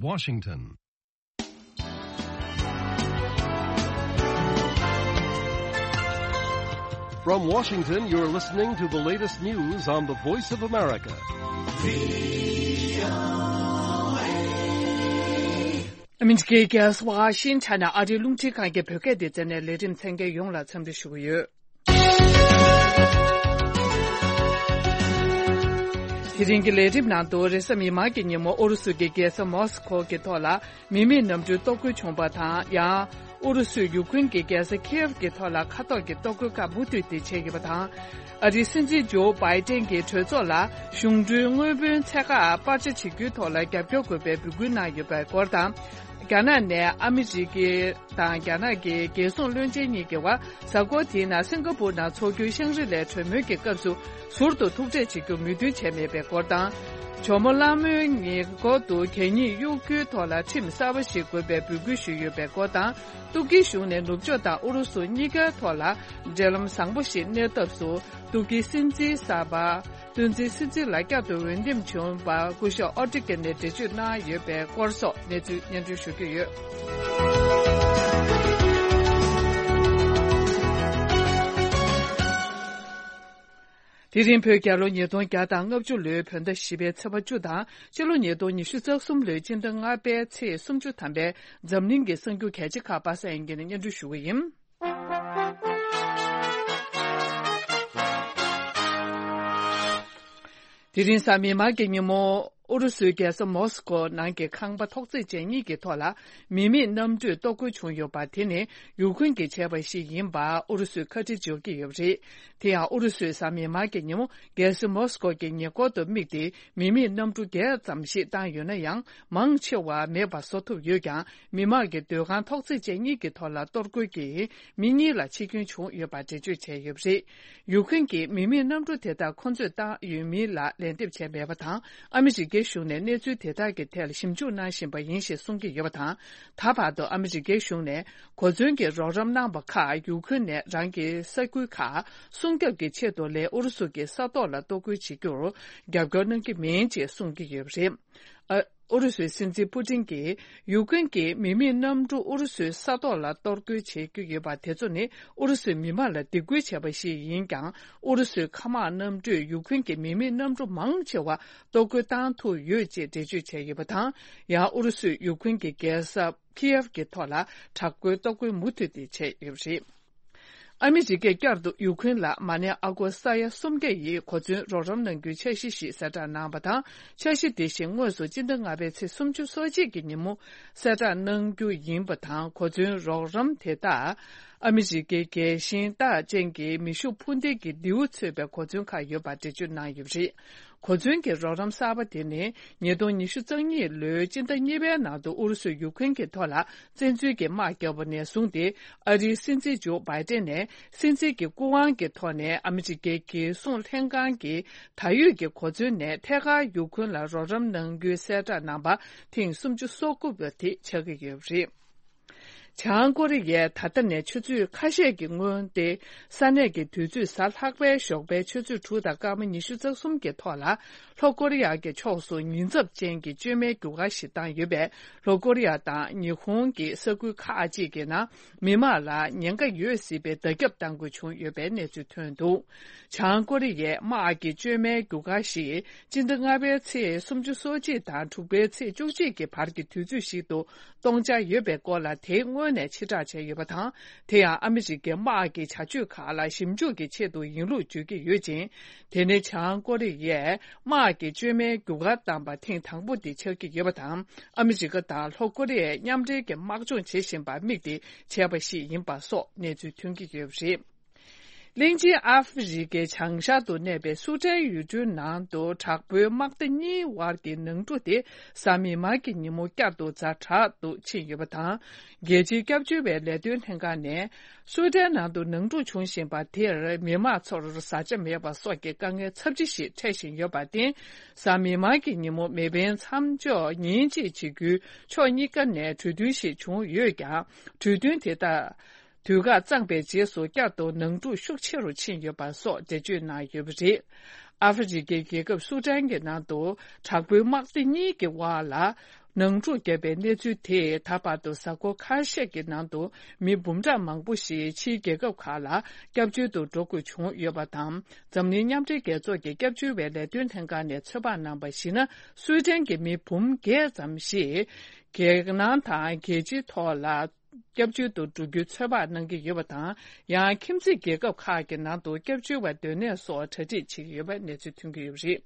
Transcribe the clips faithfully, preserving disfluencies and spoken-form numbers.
Washington. From Washington, you're listening to the latest news on the Voice of America. ཨ་མི་རི་ཀའི་རྒྱལ་ས་ཝ་ཤིང་ཊོན་ནས་ཨ་རིའི་རླུང་འཕྲིན་ཁང་གི་བོད་སྐད་སྡེ་ཚན་ནས་ལས་རིམ་གསན་མཁན་ཡོངས་ལ་འཚམས་འདྲི་ཞུ་གི་ཡོད། དེ་རིང་གི་ལས་རིམ་ནང་དུ་རེས་གཟའ་མིག་དམར་གྱི་ཉིན་མོ་ཨུ་རུ་སུ་གྱི་རྒྱལ་ས་མོ་སི་ཁོ་གི་ཐོག་ལ་མི་མེད་གནམ་གྲུའི་གཏོར་རྒོལ་བྱུང་བ་དང་། ཡང་ཨུ་རུ་སུས་ཡུ་ཁུན་གྱི་རྒྱལ་ས་ཁིའེབ་ཀྱི་ཐོག་ལ་མཁའ་ཐོག་གི་གཏོར་རྒོལ་ཁག་མུ་མཐུད་དེ་བྱས་ཡོད་པ་དང་། ཨ་རིའི་སྲིད་འཛིན་ཇོ་བྷའི་ཏན་གྱིས་གྲོས་ཚོགས་ལ་གཞུང་འབྲེལ་དངུལ་བུན་ཚད་བཀག་སྤར་ཆ་བྱེད་རྒྱུའི་ཐོག་ལ་རྒྱབ་སྐྱོར་དགོས་པའི་འབོད་སྐུལ་གནང་ཡོད་པའི་སྐོར་དང་། རྒྱ་ནག་ནས་ཨ་མི་རི་ཀའི་དང་རྒྱ་ནག་གི་རྒྱལ་སྲུང་བློན་ཆེན་གཉིས་ཀྱི་དབར་གཟའ་འཁོར་དེའི་ནང་སིང་ག་པུར་ནང་འཚོགས་རྒྱུའི་ཤང་རི་ལའི་གྲོས་མོལ་གྱི་སྐབས་སུ་ཟུར་དུ་ཐུག་འཕྲད་བྱེད་རྒྱུ་མོས་མཐུན་བྱས་མེད་པའི་སྐོར་དང་། ཇོ་མོ་གླང་མའི་ཉེ་འཁོར་དུ་གད་སྙིགས་གཡུག་རྒྱུའི་ཐོག་ལ་ཁྲིམས་གསར་པ་ཞིག་དགོས་པའི་འབོད་སྐུལ་ཞུས་ཡོད་པའི་སྐོར་དང་། ཏུར་ཀིའི་གཞུང་ནས་ནུབ་ཕྱོགས་དང་ཨུ་རུ་སུ་གཉིས་ཀའི་ཐོག་ལ་འབྲེལ་ལམ་བཟང་པོ་ཞིག་གནས་ཐབས་སུ། ཏུར་ཀིའི་སྲིད་འཛིན་གསར་པ་བསྟན་འཛིན་སྲིད་འཛིན་ལ་བསྐྱར་དུ་འོས་འདེམས་བྱུང་བར་སྐུ་ཞབས་ཨོ་ཏི་ཀེ་ནས་འགྲེལ་བརྗོད་གནང་ཡོད་པའི་སྐོར་སོགས་གནས་ཚུལ་སྙན་སྒྲོན་ཞུ་རྒྱུ་ཡོད། དེ་རིང་བོད་རྒྱལ་ལོ་ཉིས་སྟོང་བརྒྱ་དང་ལྔ་བཅུ་ལོའི་བོད་ཟླ་བཞི་པའི་ཚེས་པ་བཅུ་དང་། སྤྱི་ལོ་ཉིས་སྟོང་ཉི་ཤུ་རྩ་གསུམ་ལོའི་སྤྱི་ཟླ་ལྔ་པའི་ཚེས་སུམ་ཅུ་ཐམ་པའི་འཛམ་གླིང་གི་གསར་འགྱུར་གལ་ཆེ་ཁག་པ་སངས་དབྱངས་སྐྱིད་ནས་སྙན་སྒྲོན་ཞུ་གི་ཡིན། དེ་རིང་གཟའ་མིག་དམར་གྱི་ཉིན་མོ། ཨུ་རུ་སུའི་རྒྱལ་ས་མོ་སི་ཀོ་ནང་གི་ཁང་པ་ཐོག་བརྩེགས་ཅན་གཉིས་ཀྱི་ཐོག་ལ་མི་མེད་གནམ་གྲུས་གཏོར་རྒོལ་བྱུང་ཡོད་པ་དེ་ནི་ཡུ་ཁུན་གྱིས་བྱས་པ་ཞིག་ཡིན་པ་ཨུ་རུ་སུས་ཁ་འཕྲིན་བརྗོད་ཀྱི་ཡོད་པ་རེད། དེ་ཡང་ཨུ་རུ་སུས་གཟའ་མིག་དམར་གྱི་ཉིན་མོ་རྒྱལ་ས་མོ་སི་ཀོ་གི་ཉེ་འཁོར་དུ་དམིགས་ཏེ་མི་མེད་གནམ་གྲུ་བརྒྱད་ཙམ་ཞིག་བཏང་ཡོད་ན་ཡང་། མང་ཆེ་བ་མེད་པ་བཟོ་ཐུབ་ཡོད་ཀྱང་། མི་དམངས་ཀྱི་སྡོད་ཁང་ཐོག་བརྩེགས་ཅན་གཉིས་ཀྱི་ཐོག་ལ་གཏོར་རྒོལ་གྱིས་མི་གཉིས་ལ་འཆི་སྐྱོན་བྱུང་ཡོད་པ་འགྲེལ་བརྗོད་བྱས་ཡོད་པ་རེད། ཡུ་ཁུན་གྱིས་མི་མེད་གནམ་གྲུ་དེ་དག་ཁོ་ཚོས་བཏང་ཡོད་མིན་ལ་ལན་འདེབས་བྱས་མེད་པ་དང་། ཨ་མི་རི་ཀའི་གཞུང་ནས་གནས་ཚུལ་དེ་དག་གི་ཐད་ལ་ཞིབ་འཇུག་གནང་བཞིན་པ་ཡིན་ཞེས་གསུང་གི་ཡོད་པ་དང་། ད་བར་དུ་ཨ་མི་རི་ཀའི་གཞུང་ནས་གོ་མཚོན་གྱི་རོགས་རམ་གནང་པ་ཁག་ཡུ་ཁུན་ནས་རང་གི་ས་ཁུལ་ཁག་སྲུང་སྐྱོབ་ཀྱི་ཆེད་དུ་ལས་ཨུ་རུ་སུ་གྱི་ས་ཐོག་ལ་གཏོར་རྒོལ་བྱེད་རྒྱུར་རྒྱབ་སྐྱོར་གནང་གི་མིན་ཅེས་གསུང་གི་ཡོད་པ་རེད། ཨ། ཨུ་རུ་སུའི་སྲིད་འཛིན་པུ་ཏིན་གྱིས་ཡུ་ཁུན་གྱི་མི་མེད་གནམ་གྲུ་ཨུ་རུ་སུའི་ས་ཐོག་ལ་གཏོར་རྒོལ་བྱེད་ཀྱི་ཡོད་པ་དེ་ཚོ་ནི་ཨུ་རུ་སུའི་མི་དམངས་ལ་སྡིགས་སྐུལ་བྱས་པ་ཞིག་ཡིན་ཀྱང་། ཨུ་རུ་སུའི་མཁའ་དམག་གནམ་གྲུས་ཡུ་ཁུན་གྱི་མི་མེད་གནམ་གྲུ་མང་ཆེ་བ་གཏོར་རྒོལ་བཏང་ཐུབ་ཡོད་ཅེས་འགྲེལ་བརྗོད་བྱས་ཡོད་པ་དང་། ཡང་ཨུ་རུ་སུས་ཡུ་ཁུན་གྱི་རྒྱལ་ས་ཁིའེབ་ཀྱི་ཐོག་ལ་དྲག་པོའི་གཏོར་རྒོལ་མུ་མཐུད་དེ་བྱས་ཡོད་པ་རེད། ཨ་མི་རི་ཀས་བསྐྱར་དུ་ཡུ་ཁུན་ལ་མ་ཎི་ཨ་སྒོར་ས་ཡ་སུམ་བརྒྱ་ཡི་གོ་མཚོན་རོགས་རམ་གནང་རྒྱུའི་འཆར་གཞི་ཞིག་གསལ་བསྒྲགས་གནང་བ་དང་། འཆར་གཞི་དེ་བཞིན་དངོས་སུ་སྤྱི་ཟླ་ལྔ་པའི་ཚེས་སུམ་ཅུ་སོ་གཅིག་གི་ཉིན་མོ་གསལ་བསྒྲགས་གནང་རྒྱུ་ཡིན་པ་དང་། གོ་མཚོན་རོགས་རམ་དེ་དག་ཨ་མི་རི་ཀའི་རྒྱལ་ཞེན་རྟགས་ཅན་གྱི་མེ་ཤུགས་འཕུར་མདེལ་གྱི་མདེའུ་ཚོས་པའི་གོ་མཚོན་ཁག་ཡོད་པ་འགྲེལ་བརྗོད་གནང་ཡོད་པ་རེད། གོ་མཚོན་གྱི་རོགས་རམ་གསར་པ་དེ་ནི་ཉིས་སྟོང་ཉི་ཤུ་རྩ་གཉིས་ལོའི་སྤྱི་ཟླ་གཉིས་པའི་ནང་དུ་ཨུ་རུ་སུས་ཡུ་ཁུན་གྱི་ཐོག་ལ་བཙན་འཛུལ་གྱི་དམག་བརྒྱབ་པ་ནས་བཟུང་སྟེ། ཨ་རིའི་སྲིད་འཛིན་ཇོ་བྷའི་ཏན་ནས་སྲིད་འཛིན་གྱི་སྐུ་དབང་གི་ཐོག་ནས་ཨ་མི་རི་ཀའི་རྒྱལ་སྲུང་ལྷན་ཁང་གི་ད་ཡོད་ཀྱི་གོ་མཚོན་ནས་ཐད་ཀར་ཡུ་ཁུན་ལ་རོགས་རམ་གནང་རྒྱུའི་གསལ་བསྒྲགས་གནང་བ་ཐེངས་སུམ་ཅུ་སོ་དགུ་པ་དེ་ཆགས་ཀྱི་ཡོད་པ་རེད། བྱང་ཀོ་རི་ཡས་ད་ལྟ་ནས་ཆུ་ཚོད་ཁ་ཤས་ཀྱི་སྔོན་ཏེ། ས་གནས་ཀྱི་དུས་ཚོད་གཟའ་ལྷག་པའི་ཞོགས་པའི་ཆུ་ཚོད་དྲུག་དང་སྐར་མ་ཉི་ཤུ་རྩ་གསུམ་གྱི་ཐོག་ལ། ལྷོ་ཀོ་རི་ཡ་གི་ཕྱོགས་སུ་ཉེན་ཚབས་ཅན་གྱི་བཅོས་མའི་རྒྱུ་སྐར་ཞིག་བཏང་ཡོད་པས། ལྷོ་ཀོ་རི་ཡ་དང་ཉི་ཧོང་གི་ས་ཁུལ་ཁག་ཅིག་གི་ནང་མི་མང་ལ་ཉེན་ཁ་ཡོད་སྲིད་པའི་བརྡ་ཁྱབ་གཏང་དགོས་བྱུང་ཡོད་པའི་གནས་ཚུལ་ཐོན་འདུག། བྱང་ཀོ་རི་ཡས་དམག་གི་བཅོས་མའི་རྒྱུ་སྐར་ཞིག་སྤྱི་ཟླ་ལྔ་པའི་ཚེས་སུམ་ཅུ་སོ་གཅིག་དང་དྲུག་པའི་ཚེས་བཅུ་གཅིག་གི་བར་གྱི་དུས་ཚོད་ཞིག་ཏུ་གཏོང་འཆར་ཡོད་པའི་སྐོར་ལ་དེའི་སྔོན་ནས་ཕྱིར་བསྒྲགས་བྱས་ཡོད་པ་དང་། དེ་ཡང་ཨ་མི་རི་ཀའི་དམག་གི་བྱ་སྤྱོད་ཁག་ལ་ཞིབ་འཇུག་གི་ཆེད་དུ་ཡིན་ལུགས་བརྗོད་ཀྱི་ཡོད་ཅིང་། དེ་ནི་བྱང་ཀོ་རི་ཡས་དམག་གི་བཅོས་མའི་རྒྱུ་སྐར་བཏང་པ་ཐེངས་དང་པོ་དེ་ཆགས་ཀྱི་ཡོད་པ་དང་། ཨ་མི་རི་ཀ་དང་ལྷོ་ཀོ་རི་ཡས་མཉམ་འབྲེལ་གྱི་དམག་སྦྱོང་བྱེད་བཞིན་པར་དམིགས་ཏེ་བྱས་པ་ཞིག་ཡིན་པ་སོགས་གནས་ཚུལ་ཐོན་གྱི་ཡོད་པ་རེད། གླིང་ཆེན་ཨ་ཧྥེ་རི་ཁའི་བྱང་ཤར་དུ་གནས་པའི་སུ་ཏན་ཡུལ་གྲུའི་ནང་དུ་དྲག་པོའི་དམག་སྡེ་གཉིས་དབར་གྱི་ནང་འཁྲུག་དེ་གཟའ་མིག་དམར་གྱི་ཉིན་མོ་བསྐྱར་དུ་ཛ་དྲག་ཏུ་ཕྱིན་ཡོད་པ་དང་། རྒྱལ་སྤྱིའི་སྐྱབས་བཅོལ་བའི་ལས་དོན་ལྷན་ཁང་ནས་སུ་ཏན་ནང་དུ་ནང་འཁྲུག་བྱུང་བཞིན་པ་དེར་མི་མང་ཚོར་བཟའ་བཅའ་མེད་པ་སོགས་ཀྱི་དཀའ་ངལ་ཚབས་ཆེ་ཞིག་འཕྲད་བཞིན་ཡོད་པར་བརྟེན། གཟའ་མིག་དམར་གྱི་ཉིན་མོ་མེ་འཕེན་མཚམས་འཇོག་ཉིན་གཅིག་བྱེད་རྒྱུའི་ཕྱོགས་གཉིས་ཀ་ནས་གྲོས་མཐུན་ཞིག་བྱུང་ཡོད་ཀྱང་། གྲོས་མཐུན་དེ་དག་དུས་བཀག་གཙང་པའི་རྗེས་སུ་བསྐྱར་དུ་ནང་འཁྲུག་ཤུགས་ཆེ་རུ་ཕྱིན་ཡོད་པ་སོགས་འགྲེལ་བརྗོད་གནང་ཡོད་པ་རེད། ཨ་ཧྥེ་རི་ཁའི་རྒྱལ་ཁབ་སུ་ཏན་གྱི་ནང་དུ་དྲག་པོའི་དམག་སྡེ་གཉིས་ཀྱི་དབར་ལ་ ནང་འཁྲུག་བརྒྱབ་པའི་གནས་ཚུལ་དེས་ད་བར་དུ་གཟའ་འཁོར་ཁ་ཤས་ཀྱི་ནང་དུ་མི་འབུམ་ཕྲག་མང་པོ་ཞིག་ཕྱིའི་རྒྱལ་ཁབ་ཁག་ལ་སྐྱབས་བཅོལ་དུ་འགྲོ་དགོས་བྱུང་ཡོད་པ་དང་། འཛམ་གླིང་མཉམ་འབྲེལ་རྒྱལ་ཚོགས་ཀྱི་སྐྱབས་བཅོལ་བའི་ལས་དོན་ལྷན་ཁང་ནས་ཚོད་དཔག་གནང་བར་གཞིགས་ན། སུའེ་ཏན་གྱི་མི་འབུམ་བརྒྱད་ཙམ་ཞིག་རྒྱལ་ནང་དང་རྒྱལ་སྤྱིའི་ཐོག་ལ་སྐྱབས་བཅོལ་དུ་འགྲོ་རྒྱུའི་ཚོད་དཔག་གནང་གི་ཡོད་པ་དང་། ཡང་ཁྱིམ་མཚེས་རྒྱལ་ཁབ་ཁག་གི་ནང་དུ་སྐྱབས་བཅོལ་བ་སྡོད་གནས་སོགས་གྲ་སྒྲིག་བྱེད་ཀྱི་ཡོད་པའི་གནས་ཚུལ་ཐོན་གྱི་ཡོད་པ་རེད།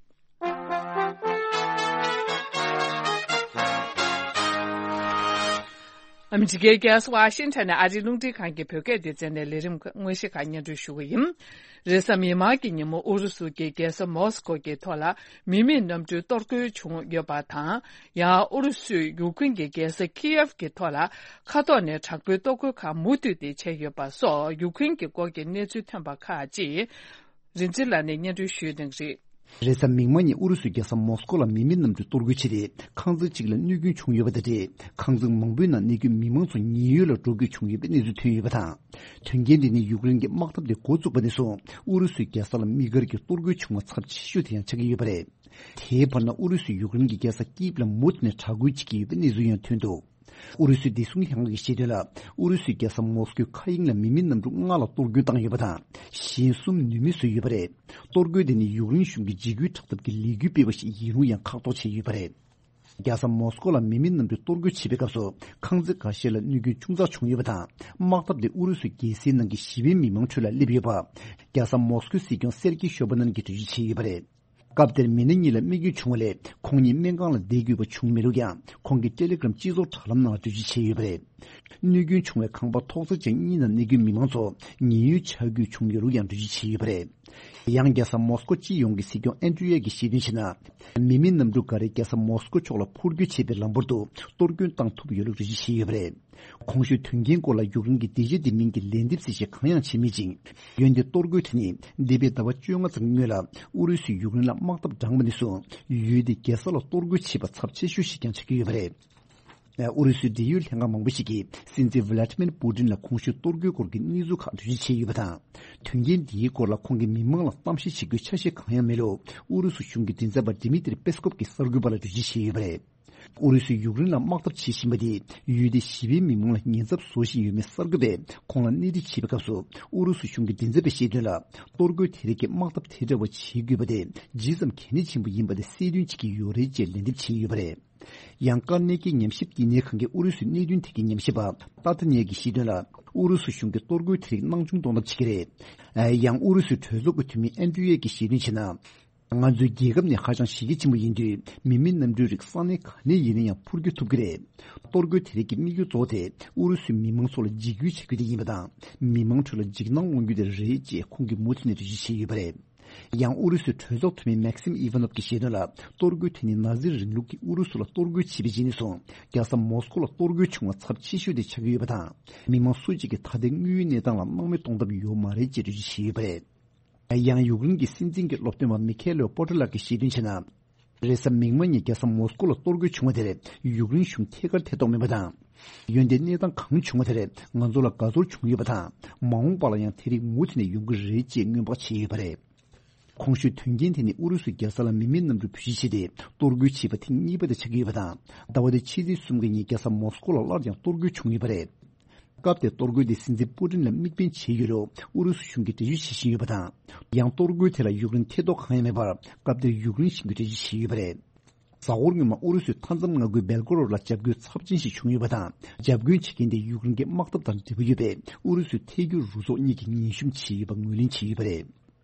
ཨ་མི་རི་ཀའི་རྒྱལ་ས་ཝ་ཤིང་ཊོན་ནས་ཨ་རིའི་རླུང་འཕྲིན་ཁང་གི་བོད་སྐད་སྡེ་ཚན་ནས་ལས་རིམ་དངོས་གཞི་ཁག་སྙན་སྒྲོན་ཞུ་གི་ཡིན། རེས་གཟའ་མིག་དམར་གྱི་ཉིན་མོ་ཨུ་རུ་སུ་གྱི་རྒྱལ་ས་མོ་སི་ཀོ་གི་ཐོག་ལ་མི་མེད་གནམ་གྲུའི་གཏོར་རྒོལ་བྱུང་ཡོད་པ་དང་། ཡང་ཨུ་རུ་སུས་ཡུཀ་རེན་གྱི་རྒྱལ་ས་ཁི་ཡེབ་ཀྱི་ཐོག་ལ་མཁའ་ཐོག་ནས་དྲག་པོའི་གཏོར་རྒོལ་ཁག་མུ་མཐུད་དེ་བྱས་ཡོད་པ་སོགས་ཡུཀ་རེན་གྱི་སྐོར་གྱི་གནས་ཚུལ་ཐོན་པ་ཁག་ཅིག་རིན་ཆེན་ལགས་ནས་སྙན་སྒྲོན་ཞུས་གནང་གི་རེད། རེས་གཟའ་མིག་དམར་ཉིན་ཨུ་རུ་སུའི་རྒྱལ་ས་མོ་སི་ཀོ་ལ་མི་མེད་གནམ་གྲུ་གཏོར་རྒོལ་བྱས་ཏེ། ཁང་བརྩེགས་གཅིག་ལ་གནོད་སྐྱོན་བྱུང་ཡོད་པ་དང་འབྲེལ། ཁང་བརྩེགས་མང་པོའི་ནང་གནས་འཁོད་མི་མང་ཚོ་ཉེན་གཡོལ་ལ་འགྲོ་དགོས་བྱུང་ཡོད་པའི་གནས་ཚུལ་ཐོན་ཡོད་པ་དང་། དོན་རྐྱེན་དེ་ནི་ཡུཀ་རེན་གྱི་དམག་འཐབ་དེ་འགོ་བཙུགས་པ་ནས་བཟུང་ཨུ་རུ་སུའི་རྒྱལ་ས་ལ་དམིགས་བཀར་གྱི་གཏོར་རྒོལ་བྱུང་བ་ཚབས་ཆེ་ཤོས་དེ་ཡང་ཆགས་ཀྱི་ཡོད་པ་རེད། དེའི་བར་ན་ཨུ་རུ་སུས་ཡུཀ་རེན་གྱི་རྒྱལ་ས་ཀིབ་ལ་མུ་མཐུད་ནས་དྲག་རྒོལ་བྱེད་ཀྱི་ཡོད་པའི་གནས་ཚུལ་ཡང་ཐོན་འདུག་ཨུ་རུ་སུའི་བདེ་སྲུང་ལྷན་ཁང་གིས་བཤད་དོན་ལ། ཨུ་རུ་སུའི་རྒྱལ་ས་མོ་སི་ཀོའི་མཁའ་དབྱིངས་ལ་མི་མེད་གནམ་གྲུ་ལྔ་ལ་གཏོར་སྐྱོན་བཏང་ཡོད་པ་དང་། གཞན་གསུམ་ནུས་མེད་བཟོས་ཡོད་པ་རེད། གཏོར་རྒོལ་དེ་ནི་ཡུཀ་རེན་གཞུང་གི་འཇིགས་སྐུལ་དྲག་འཐབ་ཀྱི་ལས་འགུལ་སྤེལ་བ་ཞིག་ཡིན་རུང་ཡང་ཁག་ཐོག་བྱས་ཡོད་པ་རེད། རྒྱལ་ས་མོ་སི་ཀོ་ལ་མི་མེད་གནམ་གྲུ་གཏོར་རྒོལ་བྱེད་པའི་སྐབས་སུ་ཁང་བརྩེགས་འགའ་ཤས་ལ་གནོད་སྐྱོན་ཆུང་ཙག་བྱུང་ཡོད་པ་དང་། དམག་འཐབ་དེ་ཨུ་རུ་སུའི་རྒྱལ་སའི་ནང་གི་ཞི་བའི་མི་མང་ཁྲོད་ལ་སླེབས་ཡོད་པ། རྒྱལ་ས་མོ་སི་ཀོའི་སྲིད་སྐྱོང་སེར་ཀི་ཤོ་པ་ནན་གྱིས་འགྲེལ་བརྗོད་བྱས་ཡོད་པ་རེད། སྐབས་དེར་མི་སྣ་གཉིས་ལ་རྨས་སྐྱོན་བྱུང་བ་ལས། ཁོང་གཉིས་སྨན་ཁང་ལ་བསྡད་དགོས་པ་བྱུང་མེད་ལུགས་ཀྱང་། ཁོང་གིས་ཏེ་ལེ་གྷི་རམ་སྤྱི་ཚོགས་དྲ་ལམ་ནང་ལ་འགྲེལ་བརྗོད་བྱས་ཡོད་པ་རེད། གནོད་སྐྱོན་བྱུང་བའི་ཁང་པ་ཐོག་བརྩེགས་ཅན་གཉིས་ནང་གནས་འཁོད་མི་མང་ཚོ་ཉེན་གཡོལ་བྱ་དགོས་བྱུང་ཡོད་ལུགས་ཡང་འགྲེལ་བརྗོད་བྱས་ཡོད་པ་རེད། ཡང་རྒྱལ་ས་མོ་སི་ཀོ་སྤྱི་ཡོངས་ཀྱི་སྲིད་སྐྱོང་ཨན་ཏྲི་ཡེ་གིས་བཤད་དོན་བྱས་ན། མི་མེད་གནམ་གྲུ་འགའ་རེ་རྒྱལ་ས་མོ་སི་ཀོ་ཕྱོགས་ལ་འཕུར་སྐྱོད་བྱེད་པའི་ལམ་བར་དུ་གཏོར་སྐྱོན་བཏང་ཐུབ་ཡོད་ལུགས་འགྲེལ་བརྗོད་བྱས་ཡོད་པ་རེད། གོང་ཞུས་དོན་རྐྱེན་སྐོར་ལ་ཡུཀ་རེན་གྱི་སྡིངས་ཆ་དེ་མིང་གི་ལན་འདེབས་གསལ་བཤད་གང་ཡང་བྱས་མེད་ཅིང་། འོན་ཏེ་གཏོར་རྒོལ་དེ་ནི་འདས་པའི་ཟླ་བ་བཅོ་ལྔ་ཙམ་སྔོན་ལ་ཨུ་རུ་སུས་ཡུཀ་རེན་ལ་དམག་འཐབ་དྲངས་པ་ནས་བཟུང་ཡུལ་དེའི་རྒྱལ་ས་ལ་གཏོར་རྒོལ་བྱས་པ་ཚབས་ཆེ་ཤོས་ཤིག་ཀྱང་ཆགས་ཀྱི་ཡོད་པ་རེད། ཨུ་རུ་སུའི་འབྲེལ་ཡོད་ལྷན་ཁང་མང་པོ་ཞིག་གིས་སྲིད་འཛིན་ཝི་ལ་ཏི་མིར་པུ་ཏིན་ལ་གོང་ཞུས་གཏོར་རྒོལ་སྐོར་གྱི་གནས་ཚུལ་ཁག་འགྲེལ་བརྗོད་བྱས་ཡོད་པ་དང་། དོན་རྐྱེན་འདིའི་སྐོར་ལ་ཁོང་གིས་མི་མང་ལ་གཏམ་བཤད་བྱེད་རྒྱུའི་ཆ་ཤས་གང་ཡང་མེད་ལུགས་ཨུ་རུ་སུ་གཞུང་གི་མགྲིན་ཚབ་པ་ཌི་མི་ཏྲི་པེ་སི་ཀོབ་ཀྱིས་གསར་འགོད་པ་ལ་འགྲེལ་བརྗོད་བྱས་ཡོད་པ་རེད། ཨུ་རུ་སུས་ཡུཀ་རེན་ལ་དམག་འཐབ་བྱེད་བཞིན་པ་དེས་ཡུལ་དེའི་ཞི་བའི་མི་མང་ལ་ཉེན་ཚབས་བཟོ་བཞིན་ཡོད་མེད་གསར་འགོད་པས་ཁོང་ལ་གནས་འདྲི་བྱས་པའི་སྐབས་སུ། ཨུ་རུ་སུ་གཞུང་གི་མགྲིན་ཚབ་པས་བཤད་དོན་ལ། གཏོར་རྒོལ་དེ་རིགས་ཀྱི་དམག་འཐབ་དེ་འདྲ་བ་བྱེད་དགོས་པ་དེ་ཇི་ཙམ་གལ་གནད་ཆེན་པོ་ཡིན་པ་དེ་གསལ་སྟོན་བྱེད་ཀྱི་ཡོད་རེད་ཅེས་ལན་འདེབས་བྱས་ཡོད་པ་རེད། ཡང་ཀར་ནེ་ཀི་ཉམས་ཞིབ་བསྟི་གནས་ཁང་གི་ཨུ་རུ་སུའི་གནད་དོན་ཐད་ཀྱི་ཉམས་ཞིབ་པ་ཏཱ་ཏི་ནེ་གིས་བཤད་དོན་ལ། ཨུ་རུ་སུ་གཞུང་གིས་གཏོར་རྒོལ་དེ་རིགས་སྣང་ཆུང་གཏོང་ཐབས་བྱེད་ཀྱི་རེད། ཡང་ཨུ་རུ་སུའི་གྲོས་ཚོགས་ཀྱི་འཐུས་མི་ཨན་ཏུ་ཡེ་གིས་བཤད་དོན་བྱས་ན། ང་ཚོའི་རྒྱལ་ཁབ་ནི་ཧ་ཅང་གཞི་རྒྱ་ཆེན་པོ་ཡིན་དུས། མི་མེད་གནམ་གྲུའི་རིགས་ས་གནས་ག་ནས་ཡིན་ན་ཡང་འཕུར་སྐྱོད་ཐུབ་ཀྱི་རེད། གཏོར་རྒོལ་དེ་རིགས་ཀྱི་དམིགས་ཡུལ་གཙོ་བོ་དེ་ཨུ་རུ་སུའི་མི་མང་ཚོ་ལ་འཇིགས་སྐུལ་བྱ་རྒྱུ་དེ་ཡིན་པ་དང་། མི་མང་ཁྲོད་ལ་འཇིགས་སྣང་སློང་རྒྱུ་དེ་རེད་ཅེས་ཁོང་གིས་མུ་མཐུད་ནས་འགྲེལ་བརྗོད་བྱས་ཡོད་པ་རེད། ཡང་ཨུ་རུ་སུའི་གྲོས་ཚོགས་འཐུས་མི་མེག་སིམ་ཨི་ཝ་ནོབ་ཀྱིས་བཤད་དོན་ལ། གཏོར་རྒོལ་དེ་ནི་ན་ཛི་རིང་ལུགས་ཀྱིས་ཨུ་རུ་སུ་ལ་གཏོར་རྒོལ་བྱས་པའི་རྗེས་ནས་བཟུང་རྒྱལ་ས་མོ་སི་ཀོ་ལ་གཏོར་རྒོལ་བྱུང་བ་ཚབས་ཆེ་ཤོས་དེ་ཆགས་ཀྱི་ཡོད་པ་དང་། མི་མང་སུ་གཅིག་གིས་ད་ལྟའི་དངོས་ཡོད་གནས་སྟངས་ལ་སྣང་མེད་གཏོང་ཐབས་ཡོད་མ་རེད་ཅེས་འགྲེལ་བརྗོད་བྱས་ཡོད་པ་རེད། ཡང་ཡུཀ་རེན་གྱི་སྲིད་འཛིན་གྱི་སློབ་སྟོན་པ་མི་ཁེ་ལོ་པོ་ཏྲ་ལགས་ཀྱིས་བཤད་དོན་བྱས་ན། རེས་གཟའ་མིག་དམར་ཉིན་རྒྱལ་ས་མོ་སི་ཀོ་ལ་གཏོར་རྒོལ་བྱུང་བ་དེར་ཡུཀ་རེན་གཞུང་ཐད་ཀར་ཐེ་གཏོགས་མེད་པ་དང་། འོན་ཏེ་གནས་སྟངས་གང་བྱུང་བ་དེར་ང་ཚོ་ལ་དགའ་ཚོར་བྱུང་ཡོད་པ་དང་། མ་འོངས་པ་ལ་ཡང་དེ་རིགས་མུ་མཐུད་ནས་ཡོང་གི་རེད་ཅེས་སྔོན་དཔག་བྱས་ཡོད་པ་རེད། གོང་ཞུས་དོན་རྐྱེན་དེ་ནི་ཨུ་རུ་སུས་རྒྱལ་ས་ལ་མི་མེད་གནམ་གྲུ་བེད་སྤྱོད་བྱས་ཏེ་གཏོར་རྒོལ་བྱས་པ་ཐེངས་གཉིས་པ་དེ་ཆགས་ཀྱི་ཡོད་པ་དང་། ཟླ་བ་འདིའི་ཕྱི་ཚེས་གསུམ་གྱི་ཉིན་རྒྱལ་ས་མོ་སི་ཀོ་ལ་སླར་ཡང་གཏོར་རྒོལ་བྱུང་ཡོད་པ་རེད། སྐབས་དེར་གཏོར་རྒོལ་དེ་སྲིད་འཛིན་པུ་ཏིན་ལ་དམིགས་འབེན་བྱས་ཡོད་ལུགས་ཨུ་རུ་སུ་གཞུང་གིས་འགྲེལ་བརྗོད་བྱེད་བཞིན་ཡོད་པ་དང་། ཡང་གཏོར་རྒོལ་དེ་ལ་ཡུཀ་རེན་ཐེ་གཏོགས་གང་ཡང་མེད་པར་སྐབས་དེར་ཡུཀ་རེན་གཞུང་གིས་འགྲེལ་བརྗོད་བྱས་ཡོད་པ་རེད། གཟའ་འཁོར་སྔོན་མ་ཨུ་རུ་སུའི་མཐའ་མཚམས་མངའ་ཁུལ་སྦེལ་ཀོ་རོད་ལ་འཇབ་རྒོལ་ཚབས་ཆེན་ཞིག་བྱུང་ཡོད་པ་དང་། འཇབ་རྒོལ་བྱེད་མཁན་དེ་ཡུཀ་རེན་གྱི་དམག་འཐབ་དང་འབྲེལ་བ་ཡོད་པའི་ཨུ་རུ་སུའི་ཐལ་འགྱུར་རུ་ཚོགས་གཉིས་ཀྱིས་ངན་ཞུམ་བྱས་ཡོད་པ་ངོས་ལེན་བྱས་ཡོད་པ་རེད།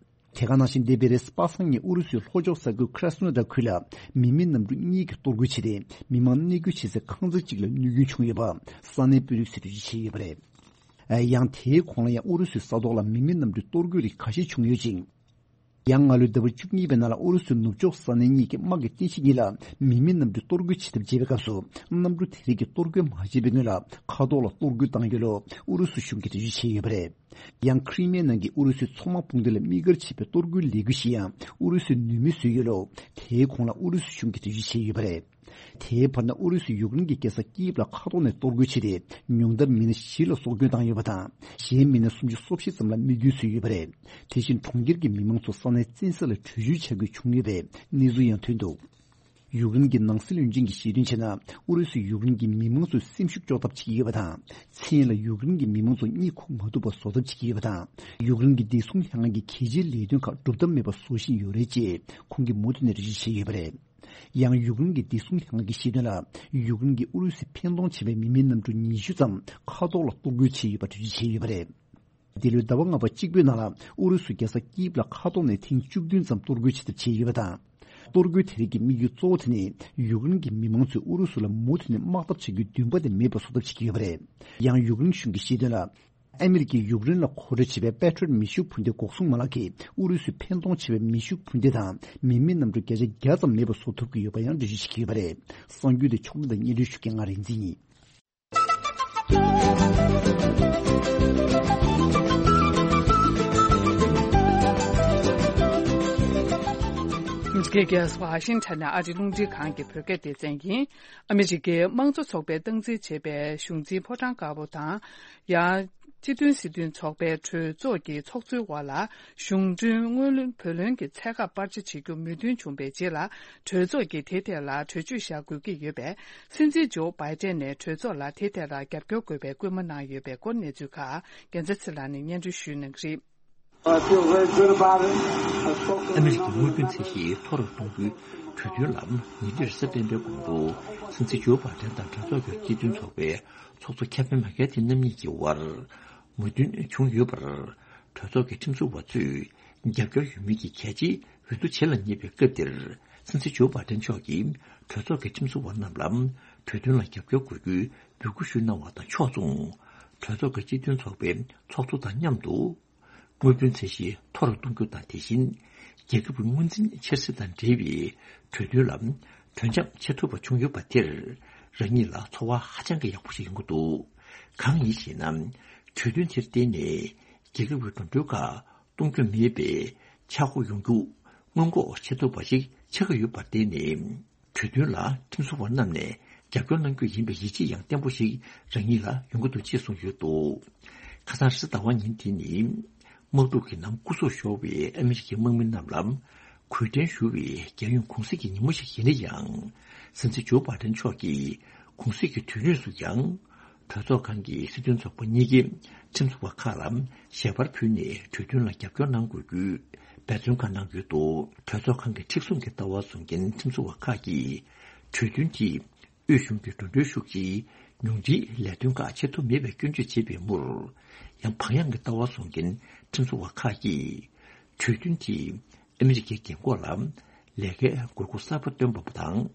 དེ་ག་ནང་བཞིན་འདས་པའི་རེས་གཟའ་པ་སངས་ཉིན་ཨུ་རུ་སུའི་ལྷོ་ཕྱོགས་ས་ཁུལ་ཁྲ་སི་ནོ་དར་ཁུལ་ལ་མི་མེད་གནམ་གྲུ་གཉིས་ཀྱིས་གཏོར་རྒོལ་བྱས་ཏེ། མི་མང་གནས་སྐོར་བྱེད་སའི་ཁང་བརྩེགས་གཅིག་ལ་གནོད་སྐྱོན་བྱུང་ཡོད་པ་ས་གནས་དཔོན་རིགས་ཚོས་འགྲེལ་བརྗོད་བྱས་ཡོད་པ་རེད། ཡང་དེའི་གོང་ལ་ཡང་ཨུ་རུ་སུའི་ས་ཐོག་ལ་མི་མེད་གནམ་གྲུའི་གཏོར་རྒོལ་རིགས་ཁ་ཤས་བྱུང་ཡོད་ཅིང་། ཡང་སྔ་ལོའི་ཟླ་བ་བཅུ་གཉིས་པའི་ནང་ལ་ཨུ་རུ་སུའི་ནུབ་ཕྱོགས་ས་གནས་གཉིས་ཀྱི་དམག་གི་རྟེན་གཞི་གཉིས་ལ་མི་མེད་གནམ་གྲུས་གཏོར་རྒོལ་བྱེད་ཐབས་བྱས་པའི་སྐབས་སུ། གནམ་གྲུ་དེ་རིགས་ཀྱིས་གཏོར་རྒོལ་མ་བྱས་པའི་སྔོན་ལ་མཁའ་ཐོག་ལ་གཏོར་རྒོལ་བཏང་ཡོད་ལུགས་ཨུ་རུ་སུ་གཞུང་གིས་འགྲེལ་བརྗོད་བྱས་ཡོད་པ་རེད། ཡང་ཁྲི་མེ་ནང་གི་ཨུ་རུ་སུའི་མཚོ་དམག་དཔུང་སྡེ་ལ་དམིགས་བཀར་བྱས་པའི་གཏོར་རྒོལ་ལས་འགུལ་ཞིག་ཡང་ཨུ་རུ་སུས་ནུས་མེད་བཟོས་ཡོད་ལུགས་དེའི་གོང་ལ་ཨུ་རུ་སུ་གཞུང་གིས་འགྲེལ་བརྗོད་བྱས་ཡོད་པ་རེད། དེའི་བར་ན་ཨུ་རུ་སུས་ཡུཀ་རེན་གྱི་རྒྱལ་ས་ཀིབ་ལ་མཁའ་ཐོག་ནས་གཏོར་རྒོལ་བྱས་ཏེ། ཉུང་མཐར་མི་སྣ་བཞི་ལ་སྲོག་སྐྱོན་བཏང་ཡོད་པ་དང་། གཞན་མི་སྣ་སུམ་ཅུ་སོ་བཞི་ཙམ་ལ་རྨས་སྐྱོན་བཟོས་ཡོད་པ་རེད། དེ་བཞིན་གྲོང་ཁྱེར་གྱི་མི་མང་ཚོ་ས་གནས་བཙན་ས་ལ་བྲོས་བྱོལ་བྱ་དགོས་བྱུང་ཡོད་པའི་གནས་ཚུལ་ཡང་ཐོན་འདུག་ཡུཀ་རེན་གྱི་ནང་སྲིད་བློན་ཆེན་གྱིས་བཤད་དོན་བྱས་ན། ཨུ་རུ་སུས་ཡུཀ་རེན་གྱི་མི་མང་ཚོའི་སེམས་ཤུགས་གཅོག་ཐབས་བྱེད་ཀྱི་ཡོད་པ་དང་། མཚན་ལ་ཡུཀ་རེན་གྱི་མི་མང་ཚོ་གཉིད་ཁུག་མ་ཐུབ་པ་བཟོ་ཐབས་བྱེད་ཀྱི་ཡོད་པ་དང་། ཡུཀ་རེན་གྱི་བདེ་སྲུང་ལྷན་ཁང་གི་གལ་ཆེའི་ལས་དོན་ཁག་སྒྲུབ་ཐབས་མེད་པ་བཟོ་བཞིན་ཡོད་རེད་ཅེས་ཁོང་གིས་མུ་མཐུད་ནས་འགྲེལ་བརྗོད་བྱས་ཡོད་པ་རེད། ཡང་ཡུཀ་རེན་གྱི་བདེ་སྲུང་ལྷན་ཁང་གིས་བཤད་དོན་ལ། ཡུཀ་རེན་གྱིས་ཨུ་རུ་སུའི་ཕན་སྟོང་བྱས་པའི་མི་མེད་གནམ་གྲུ་ཉི་ཤུ་ཙམ་མཁའ་ཐོག་ལ་གཏོར་རྒོལ་བྱས་ཡོད་པ་འགྲེལ་བརྗོད་བྱས་ཡོད་པ་རེད། འདི་ལོའི་ཟླ་བ་ལྔ་པ་གཅིག་པོའི་ནང་ལ་ཨུ་རུ་སུས་རྒྱལ་ས་ཀིབ་ལ་མཁའ་ཐོག་ནས་ཐེངས་བཅུ་བདུན་ཙམ་གཏོར་རྒོལ་བྱེད་ཐབས་བྱས་ཡོད་པ་དང་། གཏོར་རྒོལ་དེ་རིགས་ཀྱི་དམིགས་ཡུལ་གཙོ་བོ་དེ་ནི་ཡུཀ་རེན་གྱི་མི་མང་ཚོས་ཨུ་རུ་སུ་ལ་མུ་མཐུད་ནས་དམག་འཐབ་བྱ་རྒྱུའི་འདུན་པ་དེ་མེད་པ་བཟོ་ཐབས་བྱེད་ཀྱི་ཡོད་པ་རེད། ཡང་ཡུཀ་རེན་གཞུང་གིས་བཤད་དོན་ལ། ཨ་མི་རི་ཀས་ཡུཀ་རེན་ལ་མཁོ་སྤྲོད་བྱེད་པའི་པེ་ཊྲི་ཡོཊ་མེ་ཤུགས་འཕུར་མདེལ་འགོག་སྲུང་མ་ལག་གིས་ཨུ་རུ་སུའི་ཕན་སྟོང་ཆེ་བའི་མེ་ཤུགས་འཕུར་མདེལ་དང་མི་མེད་གནམ་གྲུ་བརྒྱ་ཆ་བརྒྱ་ཙམ་མེད་པ་བཟོ་ཐུབ་ཀྱི་ཡོད་པ་ཡང་འགྲེལ་བརྗོད་བྱེད་ཀྱི་ཡོད་པ་རེད། གསར་འགྱུར་དེ་ཕྱོགས་སྒྲིག་དང་སྙན་སྒྲོན་ཞུ་མཁན་ང་རིག་འཛིན་ཡིན། ཨ་མི་རི་ཀའི་རྒྱལ་ས་ཝ་ཤིང་ཊོན་ནས་ཨ་རི་རླུང་འཕྲིན་ཁང་གི་བོད་སྐད་སྡེ་ཚན་ཡིན། ཨ་མི་རི་ཀའི་དམངས་གཙོ་ཚོགས་པས་སྟངས་འཛིན་བྱེད་པའི་གཞུང་འཛིན་ཕོ་བྲང་དཀར་པོ་དང་། ཡང་། སྤྱི་མཐུན་སྲིད་དོན་ཚོགས་པའི་གྲོས་ཚོགས་ཀྱི་ཚོགས་གཙོའི་འོག་ལ་གཞུང་གྲོན་སྔོན་བུ་ལོན་གྱི་ཚད་བཀག་སྤར་ཆ་བྱེད་རྒྱུ་མོས་མཐུན་བྱུང་བའི་རྗེས་ལ། གྲོས་ཚོགས་ཀྱིས་དེ་ཐད་ལ་གྲོས་ཆོད་བཞག་དགོས་ཀྱི་ཡོད་པས། སྲིད་འཛིན་ཇོ་བྷའི་ཏན་ནས་གྲོས་ཚོགས་ལ་དེ་ཐད་ལ་རྒྱབ་སྐྱོར་དགོས་པའི་སྐུལ་མ་གནང་ཡོད་པའི་སྐོར་གནས་ཚུལ་ཁག་རྒྱལ་མཚན་ཚེ་ལགས་ནས་སྙན་སྒྲོན་ཞུ་གནང་གི་རེད། I feel very good about it. I spoke to the ཨ་མི་རི་ཀའི་དངུལ་བུན་ཚད་གཞི་མཐོ་རུ་གཏོང་རྒྱུའི་གྲོས་མཐུན་ལ་ཉིན་དེར་གཟའ་སྤེན་པའི་གོང་དུ་སྲིད་འཛིན་ཇོ་བྷའི་ཏན་དང་གྲོས་ཚོགས་ཀྱི་སྤྱི་མཐུན་ཚོགས་པའི་ཚོགས་གཙོ་ཁེ་ཕེན་མེ་ཀར་ཐི་རྣམ་གཉིས་ཀྱི་དབར་མོས་མཐུན་བྱུང་ཡོད་པར། གྲོས་ཚོགས་ཀྱི་ཁྲིམས་བཟོ་བ་ཚོས་རྒྱབ་སྐྱོར་ཡོད་མིན་གྱི་གལ་ཆེའི་འོས་བསྡུ་བྱེད་ལ་ཉེ་བའི་སྐབས་འདིར། སྲིད་འཛིན་ཇོ་བྷའི་ཏན་མཆོག་གིས་གྲོས་ཚོགས་ཀྱི་ཁྲིམས་བཟོ་བ་རྣམས་ལ་གྲོས་མཐུན་ལ་རྒྱབ་སྐྱོར་དགོས་རྒྱུའི་འབོད་སྐུལ་ཞུས་གནང་བ་དང་ཕྱོགས་མཚུངས། གྲོས་ཚོགས་ཀྱི་སྤྱི་མཐུན་ཚོགས་པའི་ཚོགས་གཙོ་དང་མཉམ་དུ། དངུལ་བུན་ཚད་གཞི་མཐོ་རུ་གཏོང་རྒྱུ་དང་། དེ་བཞིན་རྒྱལ་ཁབ་ཀྱི་དངུལ་འཛིན་འཆར་ཟིན་དང་འབྲེལ་བའི་གྲོས་མཐུན་ལ་གྲོས་འཆམ་བྱེད་ཐུབ་པ་བྱུང་ཡོད་པ་དེར། རང་ཉིད་ལ་ཚོར་བ་ཧ་ཅང་གི་ཡག་པོ་ཞིག་ཡོང་གི་འདུག། གང་ཡིན་ཞེ་ན། གྲོས་མཐུན་དེར་བརྟེན་ནས་རྒྱལ་ཁབ་ཀྱི་འགྲོ་གྲོན་ཁག་གཏོང་རྒྱུ་མེད་པའི་ཆག་སྒོ་ཡོང་རྒྱུ་སྔོན་འགོག་བྱེད་ཐུབ་པ་ཞིག་ཆགས་ཀྱི་ཡོད་པར་བརྟེན་ནས། གྲོས་མཐུན་ལ་ཁྲིམས་བཟོ་བ་རྣམས་ནས་རྒྱབ་སྐྱོར་གནང་རྒྱུ་ཡིན་པའི་ཡིད་ཆེས་ཡང་བརྟན་པོ་ཞིག་རང་ཉིད་ལ་ཡོང་གི་འདུག་ཅེས་གསུངས་ཡོད་འདུག། ཁ་སང་རེས་གཟའ་ཟླ་བ་ཉིན་དེ་ནི། དམག་འཁྲུག་གི་ནང་སྐུ་སྲོག་ཤོར་བའི་ཨ་མི་རི་ཀའི་དམག་མི་རྣམས་ལ་གུས་བརྟན་ཞུ་བའི་རྒྱལ་ཡོངས་གུང་གསེང་གི་ཉིན་མོ་ཞིག་ཡིན་ན་ཡང་། སྲིད་འཛིན་ཇོ་བྷའི་ཏན་མཆོག་གིས་གུང་གསེང་གི་དུས་ཡུན་སུ་ཡང་། གྲོས་ཚོགས་ཁང་གི་སྲིད་དོན་ཚོགས་པ་གཉིས་ཀས་ཁྲིམས་བཟོ་བ་ཁག་ལ་ཞལ་པར་ཕུལ་ནས་གྲོས་མཐུན་ལ་རྒྱབ་སྐྱོར་གནང་དགོས་རྒྱུའི་འབད་བརྩོན་ཁག་གནང་ཡོད་འདུག། གྲོས་ཚོགས་ཁང་གི་མཁྲེགས་བཟུང་གི་ལྟ་བ་བཟུང་མཁན་ཁྲིམས་བཟོ་བ་ཁག་གིས་གྲོས་མཐུན་དེས་དབུས་གཞུང་གི་འགྲོ་གྲོན་ཤུགས་ཆེའི་ཉུང་འཕྲིའི་ལས་དོན་ཁག་བྱེད་ཐུབ་མེད་པའི་སྐྱོན་བརྗོད་བྱས་པའི་མུར། ཡང་བག་ཡངས་ཀྱི་ལྟ་བ་བཟུང་མཁན་ཁྲིམས་བཟོ་བ་ཁག་གིས་གྲོས་མཐུན་དེས་ཨ་མི་རི་ཀའི་རྒན་འཁོགས་ལ་ལས་ཀའི་དགོས་མཁོ་གསར་པ་བཏོན་པ་དང་།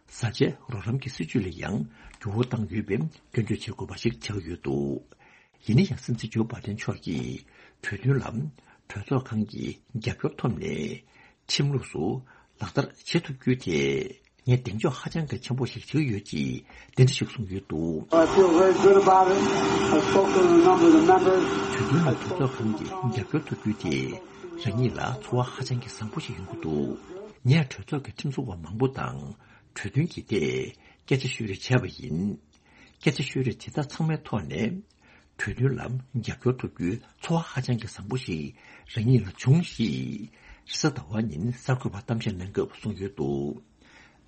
བཟའ་བཅའི་རོགས་རམ་གྱི་སྲིད་ཇུས་ལ་ཡང་འགྱུར་བ་བཏང་ཡོད་པའི་སྐྱོན་བརྗོད་བྱེད་དགོས་པ་ཞིག་ཆགས་ཡོད་འདུག། ཡིན་ན་ཡང་སྲིད་འཛིན་ཇོ་བྷའི་ཏན་མཆོག་གིས་གྲོས་མཐུན་ལ་གྲོས་ཚོགས་ཁང་གི་རྒྱབ་སྐྱོར་ཐོབ་ནས་ཁྲིམས་ལུགས་སུ་ལག་བསྟར་བྱེད་ཐུབ་རྒྱུ་དེ་ངས་གདེང་འཇོག་ཧ་ཅང་གི་ཆེན་པོ་ཞིག་བྱེད་ཀྱི་ཡོད་ཅེས་འདི་འདྲ་ཞིག་གསུངས་ཡོད་འདུག། I feel very good about it. I spoke to a number of the members. གྲོས་མཐུན་ལ་གྲོས་ཚོགས་ཁང་གི་རྒྱབ་སྐྱོར་ཐོབ་རྒྱུ་དེ་རང་ཉིད་ལ་ཚོར་བ་ཧ་ཅང་གི་བཟང་པོ་ཞིག་ཡོང་གི་འདུག། ངས་གྲོས་ཚོགས་ཀྱི་ཁྲིམས་བཟོ་བ་མང་པོ་དང་གྲོས་མཐུན་གྱི་ཐད་སྐད་ཆ་ཤོད་རེས་བྱས་པ་ཡིན། སྐད་ཆ་ཤོད་རེས་དེ་དག་ཚང་མའི་ཐོག་ནས། གྲོས་མཐུན་ལ་རྒྱབ་སྐྱོར་ཐོབ་རྒྱུའི་ཚོར་བ་ཧ་ཅང་གི་བཟང་པོ་ཞིག་རང་ཉིད་ལ་བྱུང་ཞེས་རེས་གཟའ་ཟླ་བ་ཉིན་གསར་འགོད་པར་གཏམ་བཤད་གནང་སྐབས་གསུངས་ཡོད་འདུག།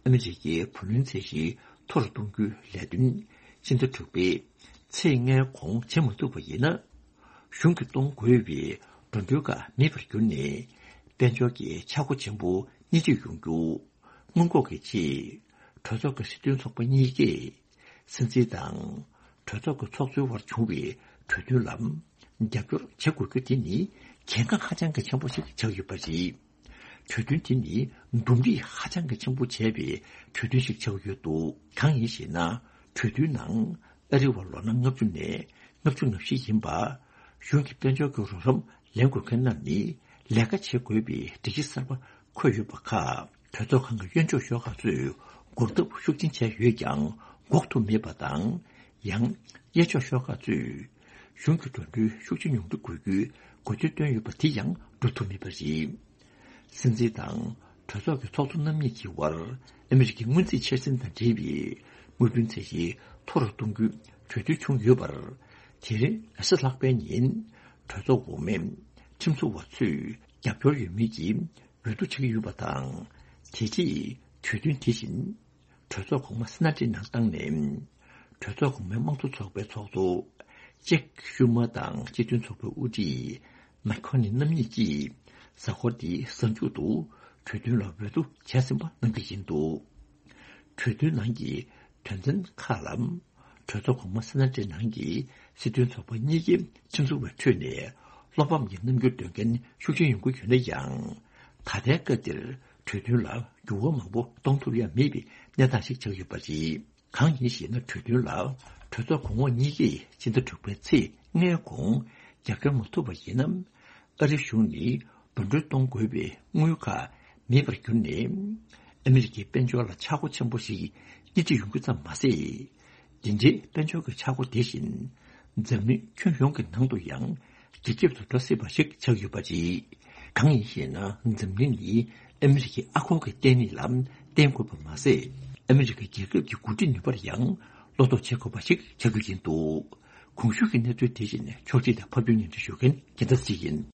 ཨ་མི་རི་ཀའི་བུ་ལོན་ཚད་གཞི་མཐོ་རུ་གཏོང་རྒྱུའི་ལས་དོན་ཕྱི་ཟླ་དྲུག་པའི་ཚེས་ལྔའི་གོང་བྱེད་མ་ཐུབ་པ་ཡིན་ན། གཞུང་གིས་གཏོང་དགོས་པའི་འགྲོ་གྲོན་ཁག་མེད་པར་གྱུར་ནས་དཔལ་འབྱོར་གྱི་ཆག་སྒོ་ཆེན་པོ་སྣེ་ཁྲིད་ཡོང་རྒྱུ་སྔོན་འགོག་གི་ཆེད་གྲོས་ཚོགས་ཀྱི་སྲིད་དོན་ཚོགས་པ་གཉིས་ཀས། སྲིད་འཛིན་དང་གྲོས་ཚོགས་ཀྱི་ཚོགས་གཙོའི་དབར་བྱུང་བའི་གྲོས་མཐུན་ལ་རྒྱབ་སྐྱོར་བྱེད་དགོས་རྒྱུ་དེ་ནི་གལ་འགངས་ཧ་ཅང་གི་ཆེན་པོ་ཞིག་ཆགས་ཡོད་པ་རེད། གྲོས་མཐུན་དེ་ནི་འདུམ་འགྲིག་ཧ་ཅང་གི་ཆེན་པོ་བྱས་པའི་གྲོས་མཐུན་ཞིག་ཆགས་ཡོད་འདུག། གང་ཡིན་ཞེ་ན། གྲོས་མཐུན་ནང་ཨ་རི་བ་ལོ་ན་ལྔ་བཅུ་ནས་ལྔ་བཅུ་ང་བཞི་ཡིན་པ། གཞུང་གི་དཔལ་འབྱོར་གྱི་རོགས་རམ་ལེན་དགོས་མཁན་རྣམས་ནི་ལས་ཀ་བྱེད་དགོས་པའི་སྒྲིག་གཞི་གསར་པ་འཁོད་ཡོད་པ་ཁག། གྲོས་ཚོགས་ཁང་གི་གཡོན་ཕྱོགས་ཤོག་ཁག་ཚོས་འགོག་ཐབས་ཤུགས་ཆེན་བྱས་ཡོད་ཀྱང་འགོག་ཐུབ་མེད་པ་དང་། ཡང་གཡས་ཕྱོགས་ཤོག་ཁག་ཚོས་གཞུང་གི་འགྲོ་གྲོན་ཤུགས་ཆེ་ཉུང་འཕྲི་དགོས་རྒྱུའི་འགོ་ཁྲིད་བཏོན་ཡོད་པ་དེ་ཡང་འགྲུབ་ཐུབ་མེད་པ་རེད། སྲིད་འཛིན་དང་གྲོས་ཚོགས་ཀྱི་ཚོགས་གཙོ་རྣམ་གཉིས་ཀྱི་དབར་ཨ་མི་རི་ཀའི་སྔོན་རྩིས་འཆར་ཟིན་དང་འབྲེལ་བའི་དངུལ་བུན་ཚད་གཞི་མཐོ་རུ་གཏོང་རྒྱུའི་གྲོས་མཐུན་བྱུང་ཡོད་པར། དེ་རིང་གཟའ་ལྷག་པའི་ཉིན་གྲོས་ཚོགས་འོག་མའི་ཁྲིམས་བཟོ་བ་ཚོས་རྒྱབ་སྐྱོར་ཡོད་མེད་ཀྱི་འོས་བསྡུ་བྱེད་ཀྱི་ཡོད་པ་དང་། དེ་རྗེས་ གྲོས་མཐུན་དེ་བཞིན་གྲོས་ཚོགས་གོང་མ་སི་ན་ཊི་ནང་བཏང་ནས། གྲོས་ཚོགས་གོང་མའི་དམངས་གཙོ་ཚོགས་པའི་ཚོགས་གཙོ་ཅེག་ཤུ་མ་དང་སྤྱི་མཐུན་ཚོགས་པའི་དབུ་ཁྲིད་མེག་ཁོ་ནི་རྣམ་གཉིས་ཀྱིས་གཟའ་འཁོར་འདིའི་གཟའ་མཇུག་ཏུ་གྲོས་མཐུན་ལ་འོས་བསྡུ་བྱས་ཟིན་པ་གནང་གི་ཡིན་འདུག་གྲོས་མཐུན་ནང་གི་དོན་ཚན་ཁག་ལ། གྲོས་ཚོགས་གོང་མ་སི་ན་ཊི་ནང་གི་སྲིད་དོན་ཚོགས་པ་གཉིས་ཀྱི་ཁྲིམས་བཟོ་བའི་ཁྲོད་ནས་བློ་ཕམ་གྱི་རྣམ་འགྱུར་སྟོན་མཁན་ཤུགས་ཆེན་ཡོང་གི་ཡོད་ན་ཡང་། ད་ལྟའི་སྐབས་འདིར་གྲོས་མཐུན་ལ་འགྱུར་བ་མང་པོ་གཏོང་ཐུབ་ཡ་མེད་པའི་གནས་སྟངས་ཤིག་ཆགས་ཡོད་པ་རེད། གང་ཡིན་ཞེ་ན། གྲོས་མཐུན་ལ་གྲོས་ཚོགས་གོང་འོག་གཉིས་ཀྱིས་སྤྱི་ཟླ་དྲུག་པའི་ཚེས་ལྔའི་གོང་རྒྱབ་སྐྱོར་མ་ཐུབ་པ་ཡིན་ན། ཨ་རིའི་གཞུང་ནི་འབུམ་སྒྲིལ་གཏོང་དགོས་པའི་དངུལ་ཁག་མེད་པར་གྱུར་ནས། ཨ་མི་རི་ཀའི་དཔལ་འབྱོར་ལ་ཆག་སྒོ་ཆེན་པོ་ཞིག་སྣེ་ཁྲིད་ཡོང་རྒྱུ་ཙམ་མ་ཟད། འདི་འདྲའི་དཔལ་འབྱོར་གྱི་ཆག་སྒོ་དེ་བཞིན་འཛམ་གླིང་ཁྱོན་ཡོངས་ཀྱི་ནང་དུ་ཡང་རྒྱ་ཁྱབ་ཏུ་འགྲོ་སྲིད་པ་ཞིག་ཆགས་ཡོད་པ་རེད། གང་ཡིན་ཞེ་ན། འཛམ་གླིང་ནི་ཨ་མི་རི་ཀའི་ཨ་སྒོར་གྱི་བརྟན་གནས་ལ་བརྟེན་དགོས་པ་མ་ཟད། ཨ་མི་རི་ཀ་རྒྱལ་ཁབ་ཀྱི་འགོ་ཁྲིད་ནུས་པར་ཡང་བློ་དོགས་བྱེད་དགོས་པ་ཞིག་ཆགས་རྒྱུ་ཡིན་འདུག་གོང་ཞུས་ཀྱི་གནས་ཚུལ་དེ་བཞིན་ཕྱོགས་སྒྲིག་དང་ཕབ་སྒྱུར་སྙན་སྒྲོན་ཞུ་མཁན་རྒྱལ་མཚན་ཅིག་ཡིན།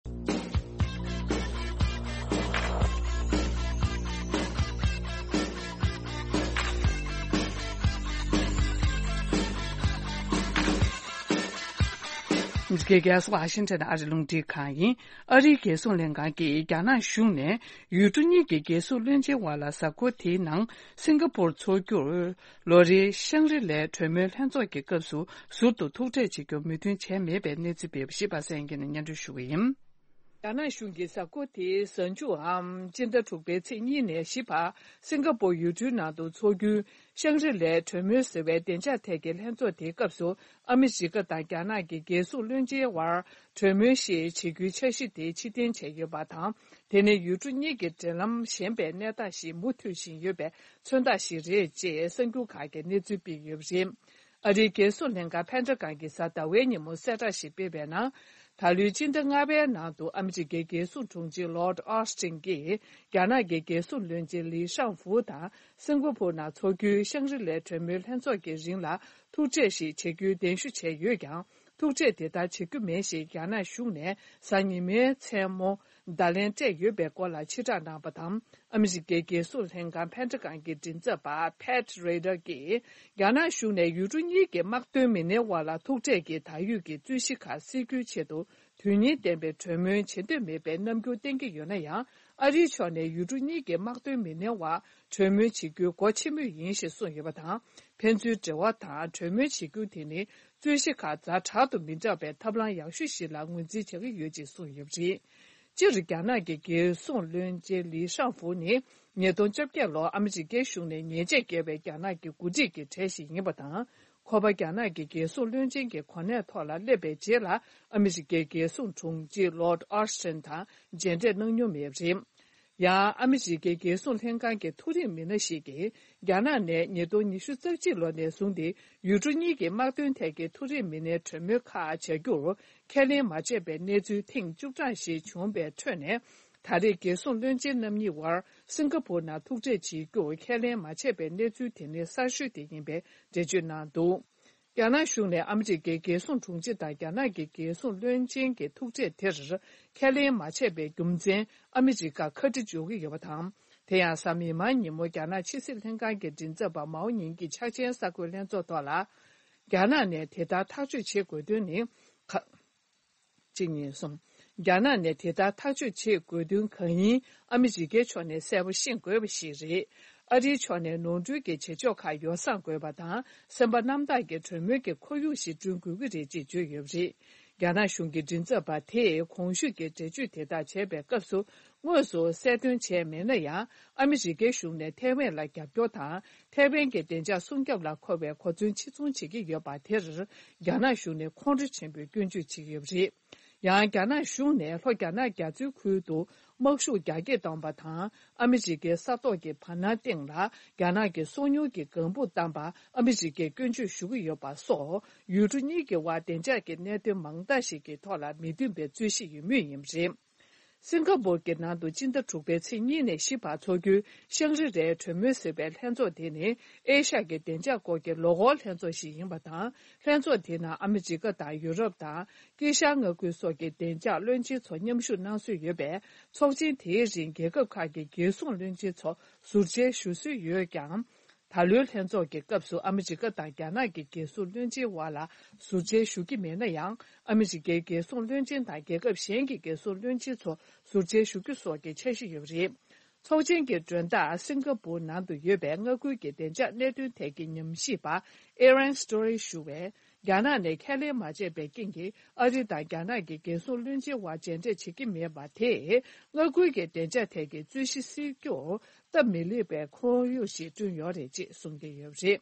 འདི་གའི་རྒྱལ་ས་ཝ་ཤིང་ཊོན་ཨ་རི་རླུང་འཕྲིན་ཁང་ཡིན། ཨ་རིའི་རྒྱལ་སྲུང་ལྷན་ཁང་གིས་རྒྱ་ནག་གཞུང་ནས་ཡུལ་གྲུ་གཉིས་ཀྱི་རྒྱལ་སྲུང་བློན་ཆེན་དབར་ལ་གཟའ་འཁོར་དེའི་ནང་སིང་ག་པུར་འཚོགས་རྒྱུར། ལོ་རེའི་ཤང་རི་ལའི་གྲོས་མོལ་ལྷན་ཚོགས་ཀྱི་སྐབས་སུ་ཟུར་དུ་ཐུག་འཕྲད་བྱེད་རྒྱུར་མོས་མཐུན་བྱས་མེད་པའི་གནས་ཚུལ་སྤེལ་བ་ཞིག་པ་སངས་སྐྱིད་ནས་སྙན་སྒྲོན་ཞུ་གི་ཡིན། རྒྱ་ནག་གཞུང་གིས་གཟའ་འཁོར་དེའི་གཟའ་མཇུག་འམ་སྤྱི་ཟླ་དྲུག་པའི་ཚེས་གཉིས་ནས་བཞི་བར་སིང་ག་པུར་ཡུལ་གྲུའི་ནང་དུ་འཚོགས་རྒྱུའི་ཤང་རི་ལའི་གྲོས་མོལ་ཟེར་བའི་བདེ་འཇགས་ཐད་ཀྱི་ལྷན་ཚོགས་དེའི་སྐབས་སུ་ཨ་མི་རི་ཀ་དང་རྒྱ་ནག་གི་རྒྱལ་སྲུང་བློན་ཆེན་དབར་གྲོས་མོལ་ཞིག་བྱེད་རྒྱུའི་འཆར་གཞི་དེ་ཕྱིར་འཐེན་བྱས་ཡོད་པ་དང་། དེ་ནི་ཡུལ་གྲུ་གཉིས་ཀྱི་འབྲེལ་ལམ་ཞན་པའི་གནས་སྟངས་ཤིག་མུ་མཐུད་བཞིན་ཡོད་པའི་མཚོན་རྟགས་ཤིག་རེད་ཅེས་གསར་འགྱུར་ཁག་གིས་གནས་ཚུལ་སྤེལ་ཡོད་པ་རེད། ཨ་རིའི་རྒྱལ་སྲུང་ལྷན་ཁང་ཕན་ཁྲ་ཁང་གིས་གཟའ་ཟླ་བའི་ཉིན་མོ་གསལ་བསྒྲགས་ཤིག་སྤེལ་བའི་ནང་། ད་ལོའི་སྤྱི་ཟླ་ལྔ་པའི་ནང་དུ་ཨ་མི་རི་ཀའི་རྒྱལ་སྲུང་དྲུང་ཆེ་ལོར་ཨོ་སི་ཊིན་གྱིས་རྒྱ་ནག་གི་རྒྱལ་སྲུང་བློན་ཆེན་ལི་ཤང་ཧྥུ་དང་སིང་ག་པུར་ནང་འཚོགས་རྒྱུའི་ཤང་རི་ལའི་གྲོས་མོལ་ལྷན་ཚོགས་ཀྱི་རིང་ལ་ཐུག་འཕྲད་ཞིག་བྱེད་རྒྱུའི་གདན་ཞུ་བྱས་ཡོད་ཀྱང་། ཐུག་འཕྲད་དེ་ལྟར་བྱེད་རྒྱུ་མེད་ཞེས་རྒྱ་ནག་གཞུང་ནས་གཟའ་ཉི་མའི་མཚན་མོ། བརྡ་ལན་སྤྲད་ཡོད་པའི་སྐོར་ལ་ཕྱིར་བསྒྲགས་གནང་བ་དང་། ཨ་མི་རི་ཀའི་རྒྱལ་སྲུང་ལྷན་ཁང་ཕན་ཁྲ་ཁང་གི་མགྲིན་ཚབ་པ་Pat Ryder་གྱིས། རྒྱ་ནག་གཞུང་ནས་ཡུལ་གྲུ་གཉིས་ཀྱི་དམག་དོན་མི་སྣའི་དབར་ལ་ཐུག་འཕྲད་ཀྱིས་ད་ཡོད་ཀྱི་རྩོད་གཞི་ཁག་སེལ་རྒྱུའི་ཆེད་དུ་དོན་སྙིང་ལྡན་པའི་གྲོས་མོལ་བྱེད་འདོད་མེད་པའི་རྣམ་འགྱུར་བསྟན་གྱི་ཡོད་ན་ཡང་། ཨ་རིའི་ཕྱོགས་ནས་ཡུལ་གྲུ་གཉིས་ཀྱི་དམག་དོན་མི་སྣའི་དབར་གྲོས་མོལ་བྱེད་རྒྱུའི་སྒོ་ཕྱེ་མུས་ཡིན་ཞེས་གསུངས་ཡོད་པ་དང་། ཕན་ཚུན་འབྲེལ་བ་དང་གྲོས་མོལ་བྱེད་རྒྱུ་དེ་ནི། རྩོད་གཞི་ཁག་ཛ་དྲག་ཏུ་མི་འདྲ་བའི་ཐབས་ལམ་ཡག་ཤོས་ཤིག་ལ་ངོས་འཛིན་བྱ་གི་ཡོད་ཅེས་གསུངས་ཡོད་པ་རེད། སྤྱིར་རྒྱ་ནག་གི་རྒྱལ་སྲུང་བློན་ཆེན་ལི་ཤང་ཧྥུ་ནི་ཉིས་སྟོང་བཅོ་བརྒྱད་ལོར་ཨ་མི་རི་ཀའི་གཞུང་ནས་ཉེས་ཆད་བཀལ་བའི་རྒྱ་ནག་གི་འགོ་ཁྲིད་ཀྱི་གྲས་ཤིག་ཡིན་པ་དང་། ཁོ་པ་རྒྱ་ནག་གི་རྒྱལ་སྲུང་བློན་ཆེན་གྱི་གོ་གནས་ཐོག་ལ་སླེབས་པའི་རྗེས་ལ་ཨ་མི་རི་ཀའི་རྒྱལ་སྲུང་དྲུང་ཆེ་ལོར་ཨོ་སི་ཊིན་དང་མཇལ་འཕྲད་གནང་མྱོང་མེད་པ་རེད། ཡང་ཨ་མི་རི་ཀའི་རྒྱལ་སྲུང་ལྷན་ཁང་གི་མཐོ་རིམ་མི་སྣ་ཞིག་གིས་རྒྱ་ནག་ནས་ཉིས་སྟོང་ཉི་ཤུ་རྩ་གཅིག་ལོ་ནས་བཟུང་སྟེ་ཡུལ་གྲུ་གཉིས་ཀྱི་དམག་དོན་ཐད་ཀྱི་མཐོ་རིམ་མི་སྣའི་གྲོས་མོལ་ཁག་བྱ་རྒྱུར་ཁས་ལེན་མ་བྱས་པའི་གནས་ཚུལ་ཐེངས་བཅུ་གྲངས་ཤིག་བྱུང་བའི་ཁྲོད་ནས། ད་རེས་རྒྱལ་སྲུང་བློན་ཆེན་རྣམ་གཉིས་དབར་སིང་ག་པུར་ནང་ཐུག་འཕྲད་བྱེད་རྒྱུར་ཁས་ལེན་མ་བྱས་པའི་གནས་ཚུལ་དེ་ནི་གསར་ཤོས་དེ་ཡིན་པའི་འགྲེལ་བརྗོད་གནང་འདུག་རྒྱ་ནག་གཞུང་ནས་ཨ་མི་རི་ཀའི་རྒྱལ་སྲུང་དྲུང་ཆེ་དང་རྒྱ་ནག་གི་རྒྱལ་སྲུང་བློན་ཆེན་གྱི་ཐུག་འཕྲད་དེར་ཁས་ལེན་མ་བྱས་པའི་རྒྱུ་མཚན་ཨ་མི་རི་ཀ་ཁ་བྲི་འཇོག་གི་ཡོད་པ་དང་། དེ་ཡང་གཟའ་མིག་དམར་ཉིན་མོ་རྒྱ་ནག་ཕྱི་སྲིད་ལྷན་ཁང་གི་མགྲིན་ཚབ་པ་མའོ་ཉིང་གིས་འཆར་ཅན་གསར་འགོད་ལྷན་ཚོགས་ཐོག་ལ། རྒྱ་ནག་ནས་དེ་ལྟར་ཐག་གཅོད་བྱེད་དགོས་དོན་ནི། གཅིག་གཉིས་གསུམ། རྒྱ་ནག་ནས་དེ་ལྟར་ཐག་གཅོད་བྱེད་དགོས་དོན་གང་ཡིན་ཨ་མི་རི་ཀའི་ཕྱོགས་ནས་གསལ་པོ་ཤེས་དགོས་པ་ཞིག་རེད། ཨ་རིའི་ཕྱོགས་ནས་ནོར་འཁྲུལ་གྱི་བྱེད་ཕྱོགས་ཁག་ཡོ་བསྲང་དགོས་པ་དང་སེམས་པ་རྣམ་དག་གི་གྲོས་མོལ་གྱི་ཁོར་ཡུག་ཞིག་བསྐྲུན་དགོས་ཀྱི་རེད་ཅེས་བརྗོད་ཡོད་པ་རེད། རྒྱ་ནག་གཞུང་གི་མགྲིན་ཚབ་པ་དེས་གོང་ཞུས་ཀྱི་འགྲེལ་བརྗོད་དེ་དག་བྱས་པའི་སྐབས་སུ་དངོས་སུ་གསལ་སྟོན་བྱས་མེད་ན་ཡང་ཨ་མི་རི་ཀའི་གཞུང་ནས་ཐའེ་ཝན་ལ་རྒྱབ་སྐྱོར་དང་། ཐའེ་ཝན་གྱི་བདེ་འཇགས་སྲུང་སྐྱོབ་ལ་མཁོ་བའི་གོ་མཚོན་ཕྱིར་ཚོང་བྱེད་ཀྱི་ཡོད་པ་དེར་རྒྱ་ནག་གཞུང་ནས་ཁོང་ཁྲོ་ཆེན་པོས་སྐྱོན་བརྗོད་བྱེད་ཀྱི་ཡོད་པ་རེད། ཡང་རྒྱ་ནག་གཞུང་ནས་ལྷོ་རྒྱ་ནག་རྒྱ་མཚོའི་ཁུལ་དུ་དམག་ཤུགས་རྒྱ་སྐྱེད་བཏང་བ་དང་ཨ་མི་རི་ཀའི་ས་ཐོག་གི་བར་སྣང་སྟེང་ལ་རྒྱ་ནག་གི་སོ་ཉུལ་གྱི་ལྒང་བུ་བཏང་པ་ཨ་མི་རི་ཀས་སྐྱོན་བརྗོད་ཞུ་གི་ཡོད་པ་སོགས་ཡུལ་གྲུ་གཉིས་ཀྱི་དབར་བདེ་འཇགས་ཀྱི་གནད་དོན་མང་དག་ཞིག་གི་ཐོག་ལ་མི་མཐུན་པའི་རྩོད་གཞི་ཡོད་མུས་ཡིན་པ་རེད། སིང་ག་པུར་གྱི་ནང་དུ་སྤྱི་ཟླ་དྲུག་པའི་ཚེས་གཉིས་ནས་བཞི་བར་འཚོགས་རྒྱུའི་ཤང་རི་རའི་གྲོས་མོལ་ཟེར་བའི་ལྷན་ཚོགས་དེ་ནི་ཨེ་ཤ་ཡའི་བདེ་འཇགས་སྐོར་གྱི་ལོ་འཁོར་ལྷན་ཚོགས་ཤིག་ཡིན་པ་དང་། ལྷན་ཚོགས་དེའི་ནང་ཨ་མི་རི་ཀ་དང་ཡུ་རོབ་དང་དཀྱིལ་ཤར་མངའ་ཁུལ་སོགས་ཀྱི་བདེ་འཇགས་བློན་ཆེན་ཚོ་མཉམ་ཞུགས་གནང་སྲོལ་ཡོད་པས། ཚོགས་ཆེན་དེའི་རིང་རྒྱལ་ཁབ་ཁག་གི་རྒྱལ་སྲུང་བློན་ཆེན་ཚོ་ཟུར་མཇལ་ཞུ་སྲོལ་ཡོད་ཀྱང་། ད་ལོའི་ལྷན་ཚོགས་ཀྱི་སྐབས་སུ་ཨ་མི་རི་ཀ་དང་རྒྱ་ནག་གི་རྒྱལ་སྲུང་བློན་ཆེན་བར་ལ་ཟུར་མཇལ་ཞུ་གི་མེད་ན་ཡང་། ཨ་མི་རི་ཀའི་རྒྱལ་སྲུང་བློན་ཆེན་དང་རྒྱལ་ཁབ་གཞན་གྱི་རྒྱལ་སྲུང་བློན་ཆེན་ཚོ་ཟུར་མཇལ་ཞུ་རྒྱུ་སོགས་ཀྱི་འཆར་གཞི་ཡོད་པ་རེད། ཚོགས་ཆེན་གྱི་མགྲོན་བདག་སིང་ག་པུར་ནང་དུ་ཡོད་པའི་མངའ་ཁུལ་གྱི་བདེ་འཇགས་གནད་དོན་ཐད་ཀྱི་ཉམས་ཞིབ་པ་ཨེ་རན་སི་ཏོ་རི་ཞུ་བས། རྒྱ་ནག་ནས་ཁས་ལེན་མ་བྱས་པའི་རྐྱེན་གྱིས་ཨ་རི་དང་རྒྱ་ནག་གི་རྒྱལ་སྲུང་བློན་ཆེན་བར་མཇལ་འཕྲད་བྱེད་ཀྱི་མེད་པ་དེས། མངའ་ཁུལ་གྱི་བདེ་འཇགས་ཐད་ཀྱི་རྩོད་གཞི་སེལ་རྒྱུར་སྟབས་མི་ལེགས་པའི་ཁོར་ཡུག་ཞིག་བསྐྲུན་ཡོད་རེད་ཅེས་གསུང་གི་ཡོད་པ་རེད།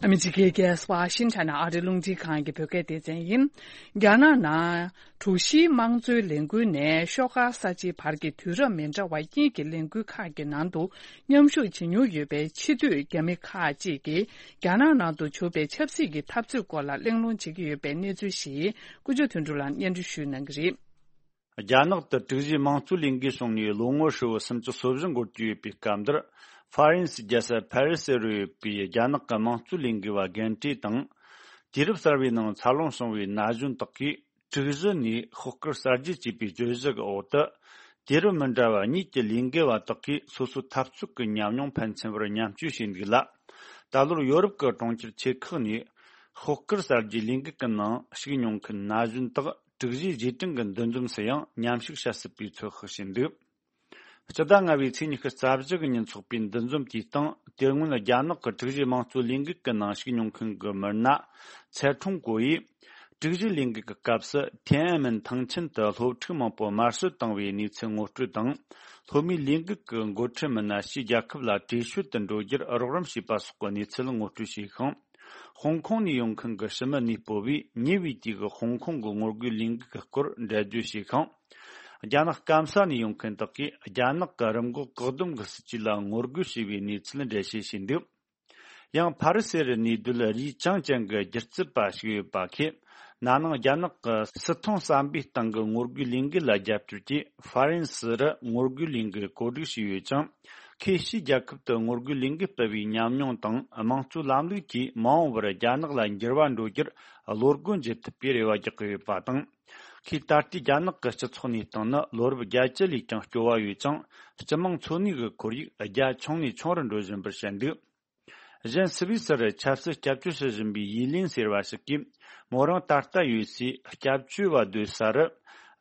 ཨ་མི་རི་ཀའི་རྒྱལ་ས་ཝ་ཤིང་ཊོན་ནས་ཨ་རིའི་རླུང་འཕྲིན་ཁང་གི་བོད་སྐད་སྡེ་ཚན་ཡིན། རྒྱ་ནག་ནང་དྲུག་བཞིའི་དམངས་གཙོའི་ལས་འགུལ་ནས་ཤོག་དཀར་གསར་བརྗེའི་བར་གྱི་དུས་རབས་མི་འདྲ་བ་གཉིས་ཀྱི་ལས་འགུལ་ཁག་གི་ནང་དུ་མཉམ་ཞུགས་བྱེད་མྱོང་ཡོད་པའི་ཕྱི་སྡོད་རྒྱ་མི་ཁག་ཅིག་གིས་རྒྱ་ནག་ནང་དུ་བྱུང་བའི་ཆབ་སྲིད་ཀྱི་འཐབ་རྩོད་སྐོར་ལ་གླེང་སློང་བྱེད་ཀྱི་ཡོད་པའི་གནས་ཚུལ་ཞིག་ཀུན་སྤྱོད་དོན་གྲུབ་ལགས་སྙན་སྒྲོན་ཞུ་གནང་གི་རེད། རྒྱ་ནག་ཏུ་དྲུག་བཞིའི་དམངས་གཙོའི་ལས་འགུལ་བྱུང་ནས་ལོ་ངོ་ཧྲིལ་བོ་སུམ་ཅུ་སོ་བཞི་འགོར་གྱི་ཡོད་པའི་སྐབས་འདིར། ཧྥ་རན་སིའི་རྒྱལ་ས་ཕ་རི་སི་རུ་ཡོད་པའི་རྒྱ་ནག་གི་དམངས་གཙོའི་ལས་འགུལ་བ་རྒན་གྲས་དང་། དུས་རབས་གསར་བའི་ནང་འཚར་ལོངས་བྱུང་བའི་ན་གཞོན་དག་གིས། དྲུག་བཞི་ནས་ཤོག་དཀར་གསར་བརྗེ་ཅེས་པའི་བརྗོད་གཞི་གི་འོག་ཏུ། དུས་རབས་མི་འདྲ་བ་གཉིས་ཀྱི་ལས་འགུལ་བ་དག་གིས་སོ་སོའི་འཐབ་རྩོད་ཀྱི་ཉམས་མྱོང་ཕན་ཚུན་བར་མཉམ་སྤྱོད་བྱས་འདུག་ལ། ད་ལོར་ཡོ་རོབ་ཀྱི་གྲོང་ཁྱེར་ཆེ་ཁག་ནས་ཤོག་དཀར་གསར་བརྗེའི་ལས་འགུལ་གྱི་ནང་ཞུགས་མྱོང་མཁན་ན་གཞོན་དག་དྲུག་བཞིའི་རྗེས་དྲན་གྱི་འདུ་འཛོམས་སུ་ཡང་མཉམ་ཞུགས་བྱ་སྲིད་པའི་ཚོད་དཔག་བྱས་འདུག་སྤྱི་ཟླ་ལྔ་བའི་ཚེས་ཉི་ཤུ་རྩ་བཞི་གི་ཉིན་འཚོགས་པའི་འདུ་འཛོམས་དེའི་སྟེང་དེ་སྔོན་རྒྱ་ནག་གི་དྲུག་བཞིའི་དམངས་གཙོའི་ལས་འགུལ་གྱི་ནང་ཞུགས་མྱོང་མཁན་གྱི་མི་སྣ་ཚེ་ཁྲུང་ཀོ་ཡིས། དྲུག་བཞིའི་ལས་འགུལ་གྱི་སྐབས་སུ་ཐེན་ཨན་མིན་ཐང་ཆེན་དུ་སློབ་ཕྲུག་མང་པོ་དམར་གསོད་བཏང་བའི་གནས་ཚུལ་ངོ་སྤྲོད་དང་། སློབ་མའི་ལས་འགུལ་གྱི་འགོ་ཁྲིད་མི་སྣ་ཕྱིའི་རྒྱལ་ཁབ་ལ་བྲོས་བྱོལ་དུ་འགྲོ་རྒྱུར་རོགས་རམ་བྱས་པ་སོགས་ཀྱི་གནས་ཚུལ་ངོ་སྤྲོད་བྱས་ཤིང་། ཧོང་ཀོང་ནས་ཡོང་མཁན་གྱི་ཕྱི་མི་གནས་སྤོ་བས་ཉེ་བའི་དུས་ཀྱི་ཧོང་ཀོང་གི་ངོ་རྒོལ་ལས་འགུལ་གྱི་སྐོར་འགྲེལ་བརྗོད་བྱས་ཤིང་། རྒྱ་ནག་སྐམ་ས་ནས་ཡོང་མཁན་དག་གིས་རྒྱ་ནག་གི་རིམས་འགོག་བཀག་སྡོམ་གྱི་སྲིད་ཇུས་ལ་ངོ་རྒོལ་བྱས་པའི་གནས་ཚུལ་འགྲེལ་བཤད་བྱས་འདུག་ཡང་ཕ་རི་སི་རུ་གནས་སྡོད་རུས་ཅང་ཅན་གྱི་སྒྱུ་རྩལ་པ་ཞིག་ཡོད་པ་ཁེ། ན་ནིང་རྒྱ་ནག་གི་སྲིད་ཐོང་ཟམ་པའི་སྟེང་གི་ངོ་རྒོལ་ལས་འགུལ་ལ་རྒྱབ་སྐྱོར་གྱིས་ཧྥ་རན་སི་རུ་ངོ་རྒོལ་ལས་འགུལ་གོ་སྒྲིག་བྱས་ཡོད་ཅིང་། ཁོས་ཕྱིའི་རྒྱལ་ཁབ་ཏུ་ངོ་རྒོལ་ལས་འགུལ་སྤེལ་བའི་ཉམས་མྱོང་དང་དམངས་གཙོའི་ལམ་ལུགས་ཀྱིས་མ་འོངས་པར་རྒྱ་ནག་ལ་འགྱུར་བ་འགྲོ་རྒྱུར་བློ་སྒོ་འབྱེད་ཐུབ་པའི་རེ་བ་རྒྱག་གི་ཡོད་པ་དང་། ཁོས་ད་ལྟའི་རྒྱ་ནག་གི་སྤྱི་ཚོགས་གནས་སྟངས་ནི་ལོ་རབས་བརྒྱད་ཅུ་ལས་ཀྱང་སྐྱོ་བ་ཡོད་ཅིང་། སྤྱི་དམངས་འཚོ་གནས་ཀྱི་ཁོར་ཡུག་རྒྱ་ཆུང་ནས་ཆུང་རུ་འགྲོ་བཞིན་པར་བཤད་འདུག་གཞན་སུད་སི་རུ་ཆབ་སྲིད་སྐྱབས་བཅོལ་བྱེད་བཞིན་པའི་ཡི་ལིན་ཟེར་བ་ཞིག་གིས། མོ་རང་ད་ལྟ་ཡོད་སའི་སྐྱབས་བཅོལ་བ་སྡོད་ས་རུ།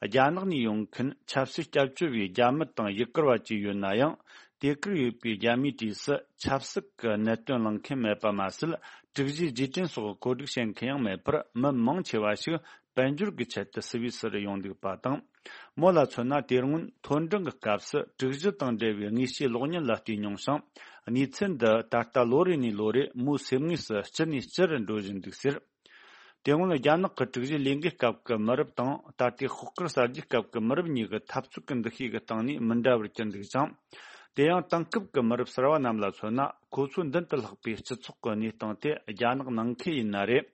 རྒྱ་ནག་ནས་ཡོང་མཁན་ཆབ་སྲིད་སྐྱབས་བཅོལ་བའི་རྒྱ་མི་དང་ཡུལ་གར་བ་བཅས་ཡོད་ན་ཡང་། དེ་གར་ཡོད་པའི་རྒྱ་མིའི་གྲས་སུ་ཆབ་སྲིད་ཀྱི་གནད་དོན་གླེང་མཁན་མེད་པ་མ་ཟད། དྲུག་བཞིའི་རྗེས་དྲན་སོགས་གོ་སྒྲིག་བྱེད་མཁན་ཡང་མེད་པར། མི་མང་ཆེ་བ་ཞིག་དཔལ་འབྱོར་གྱི་ཆེད་དུ་སུད་སི་རུ་ཡོང་འདུག་པ་དང་། མོ་ལ་མཚོན་ན། དེ་སྔོན་མཐོ་འབྲིང་གི་སྐབས་སུ་དྲུག་བཞི་དང་འབྲེལ་བའི་དངོས་བཤེར་གློག་བརྙན་ལ་བལྟས་མྱོང་ཞིང་། གནས་ཚུལ་འདི་ད་ལྟ་ལོ་རེ་ནས་ལོ་རེ་མོའི་སེམས་ངོས་སུ་ལྕི་ནས་ལྕི་རུ་འགྲོ་བཞིན་འདུག་ཟེར། དེ་སྔོན་རྒྱ་ནག་གི་དྲུག་བཞི་ལས་འགུལ་སྐབས་ཀྱི་མི་རབས་དང་། ད་ལྟའི་ཤོག་དཀར་གསར་བརྗེ་སྐབས་ཀྱི་མི་རབས་གཉིས་ཀྱི་འཐབ་རྩོད་ཀྱི་འདུ་ཤེས་ཀྱི་སྟེང་ནས་མི་འདྲ་བར་གྱུར་འདུག་ཅིང་། དེ་ཡང་དེང་སྐབས་ཀྱི་མི་རབས་གསར་བ་རྣམས་ལ་མཚོན་ན། ཁོ་ཚོའི་མདུན་དུ་ལྷགས་པའི་སྤྱི་ཚོགས་ཀྱི་གནས་སྟངས་དེ་རྒྱ་ནག་ནང་ཁུལ་ཡིན་ན་རེད།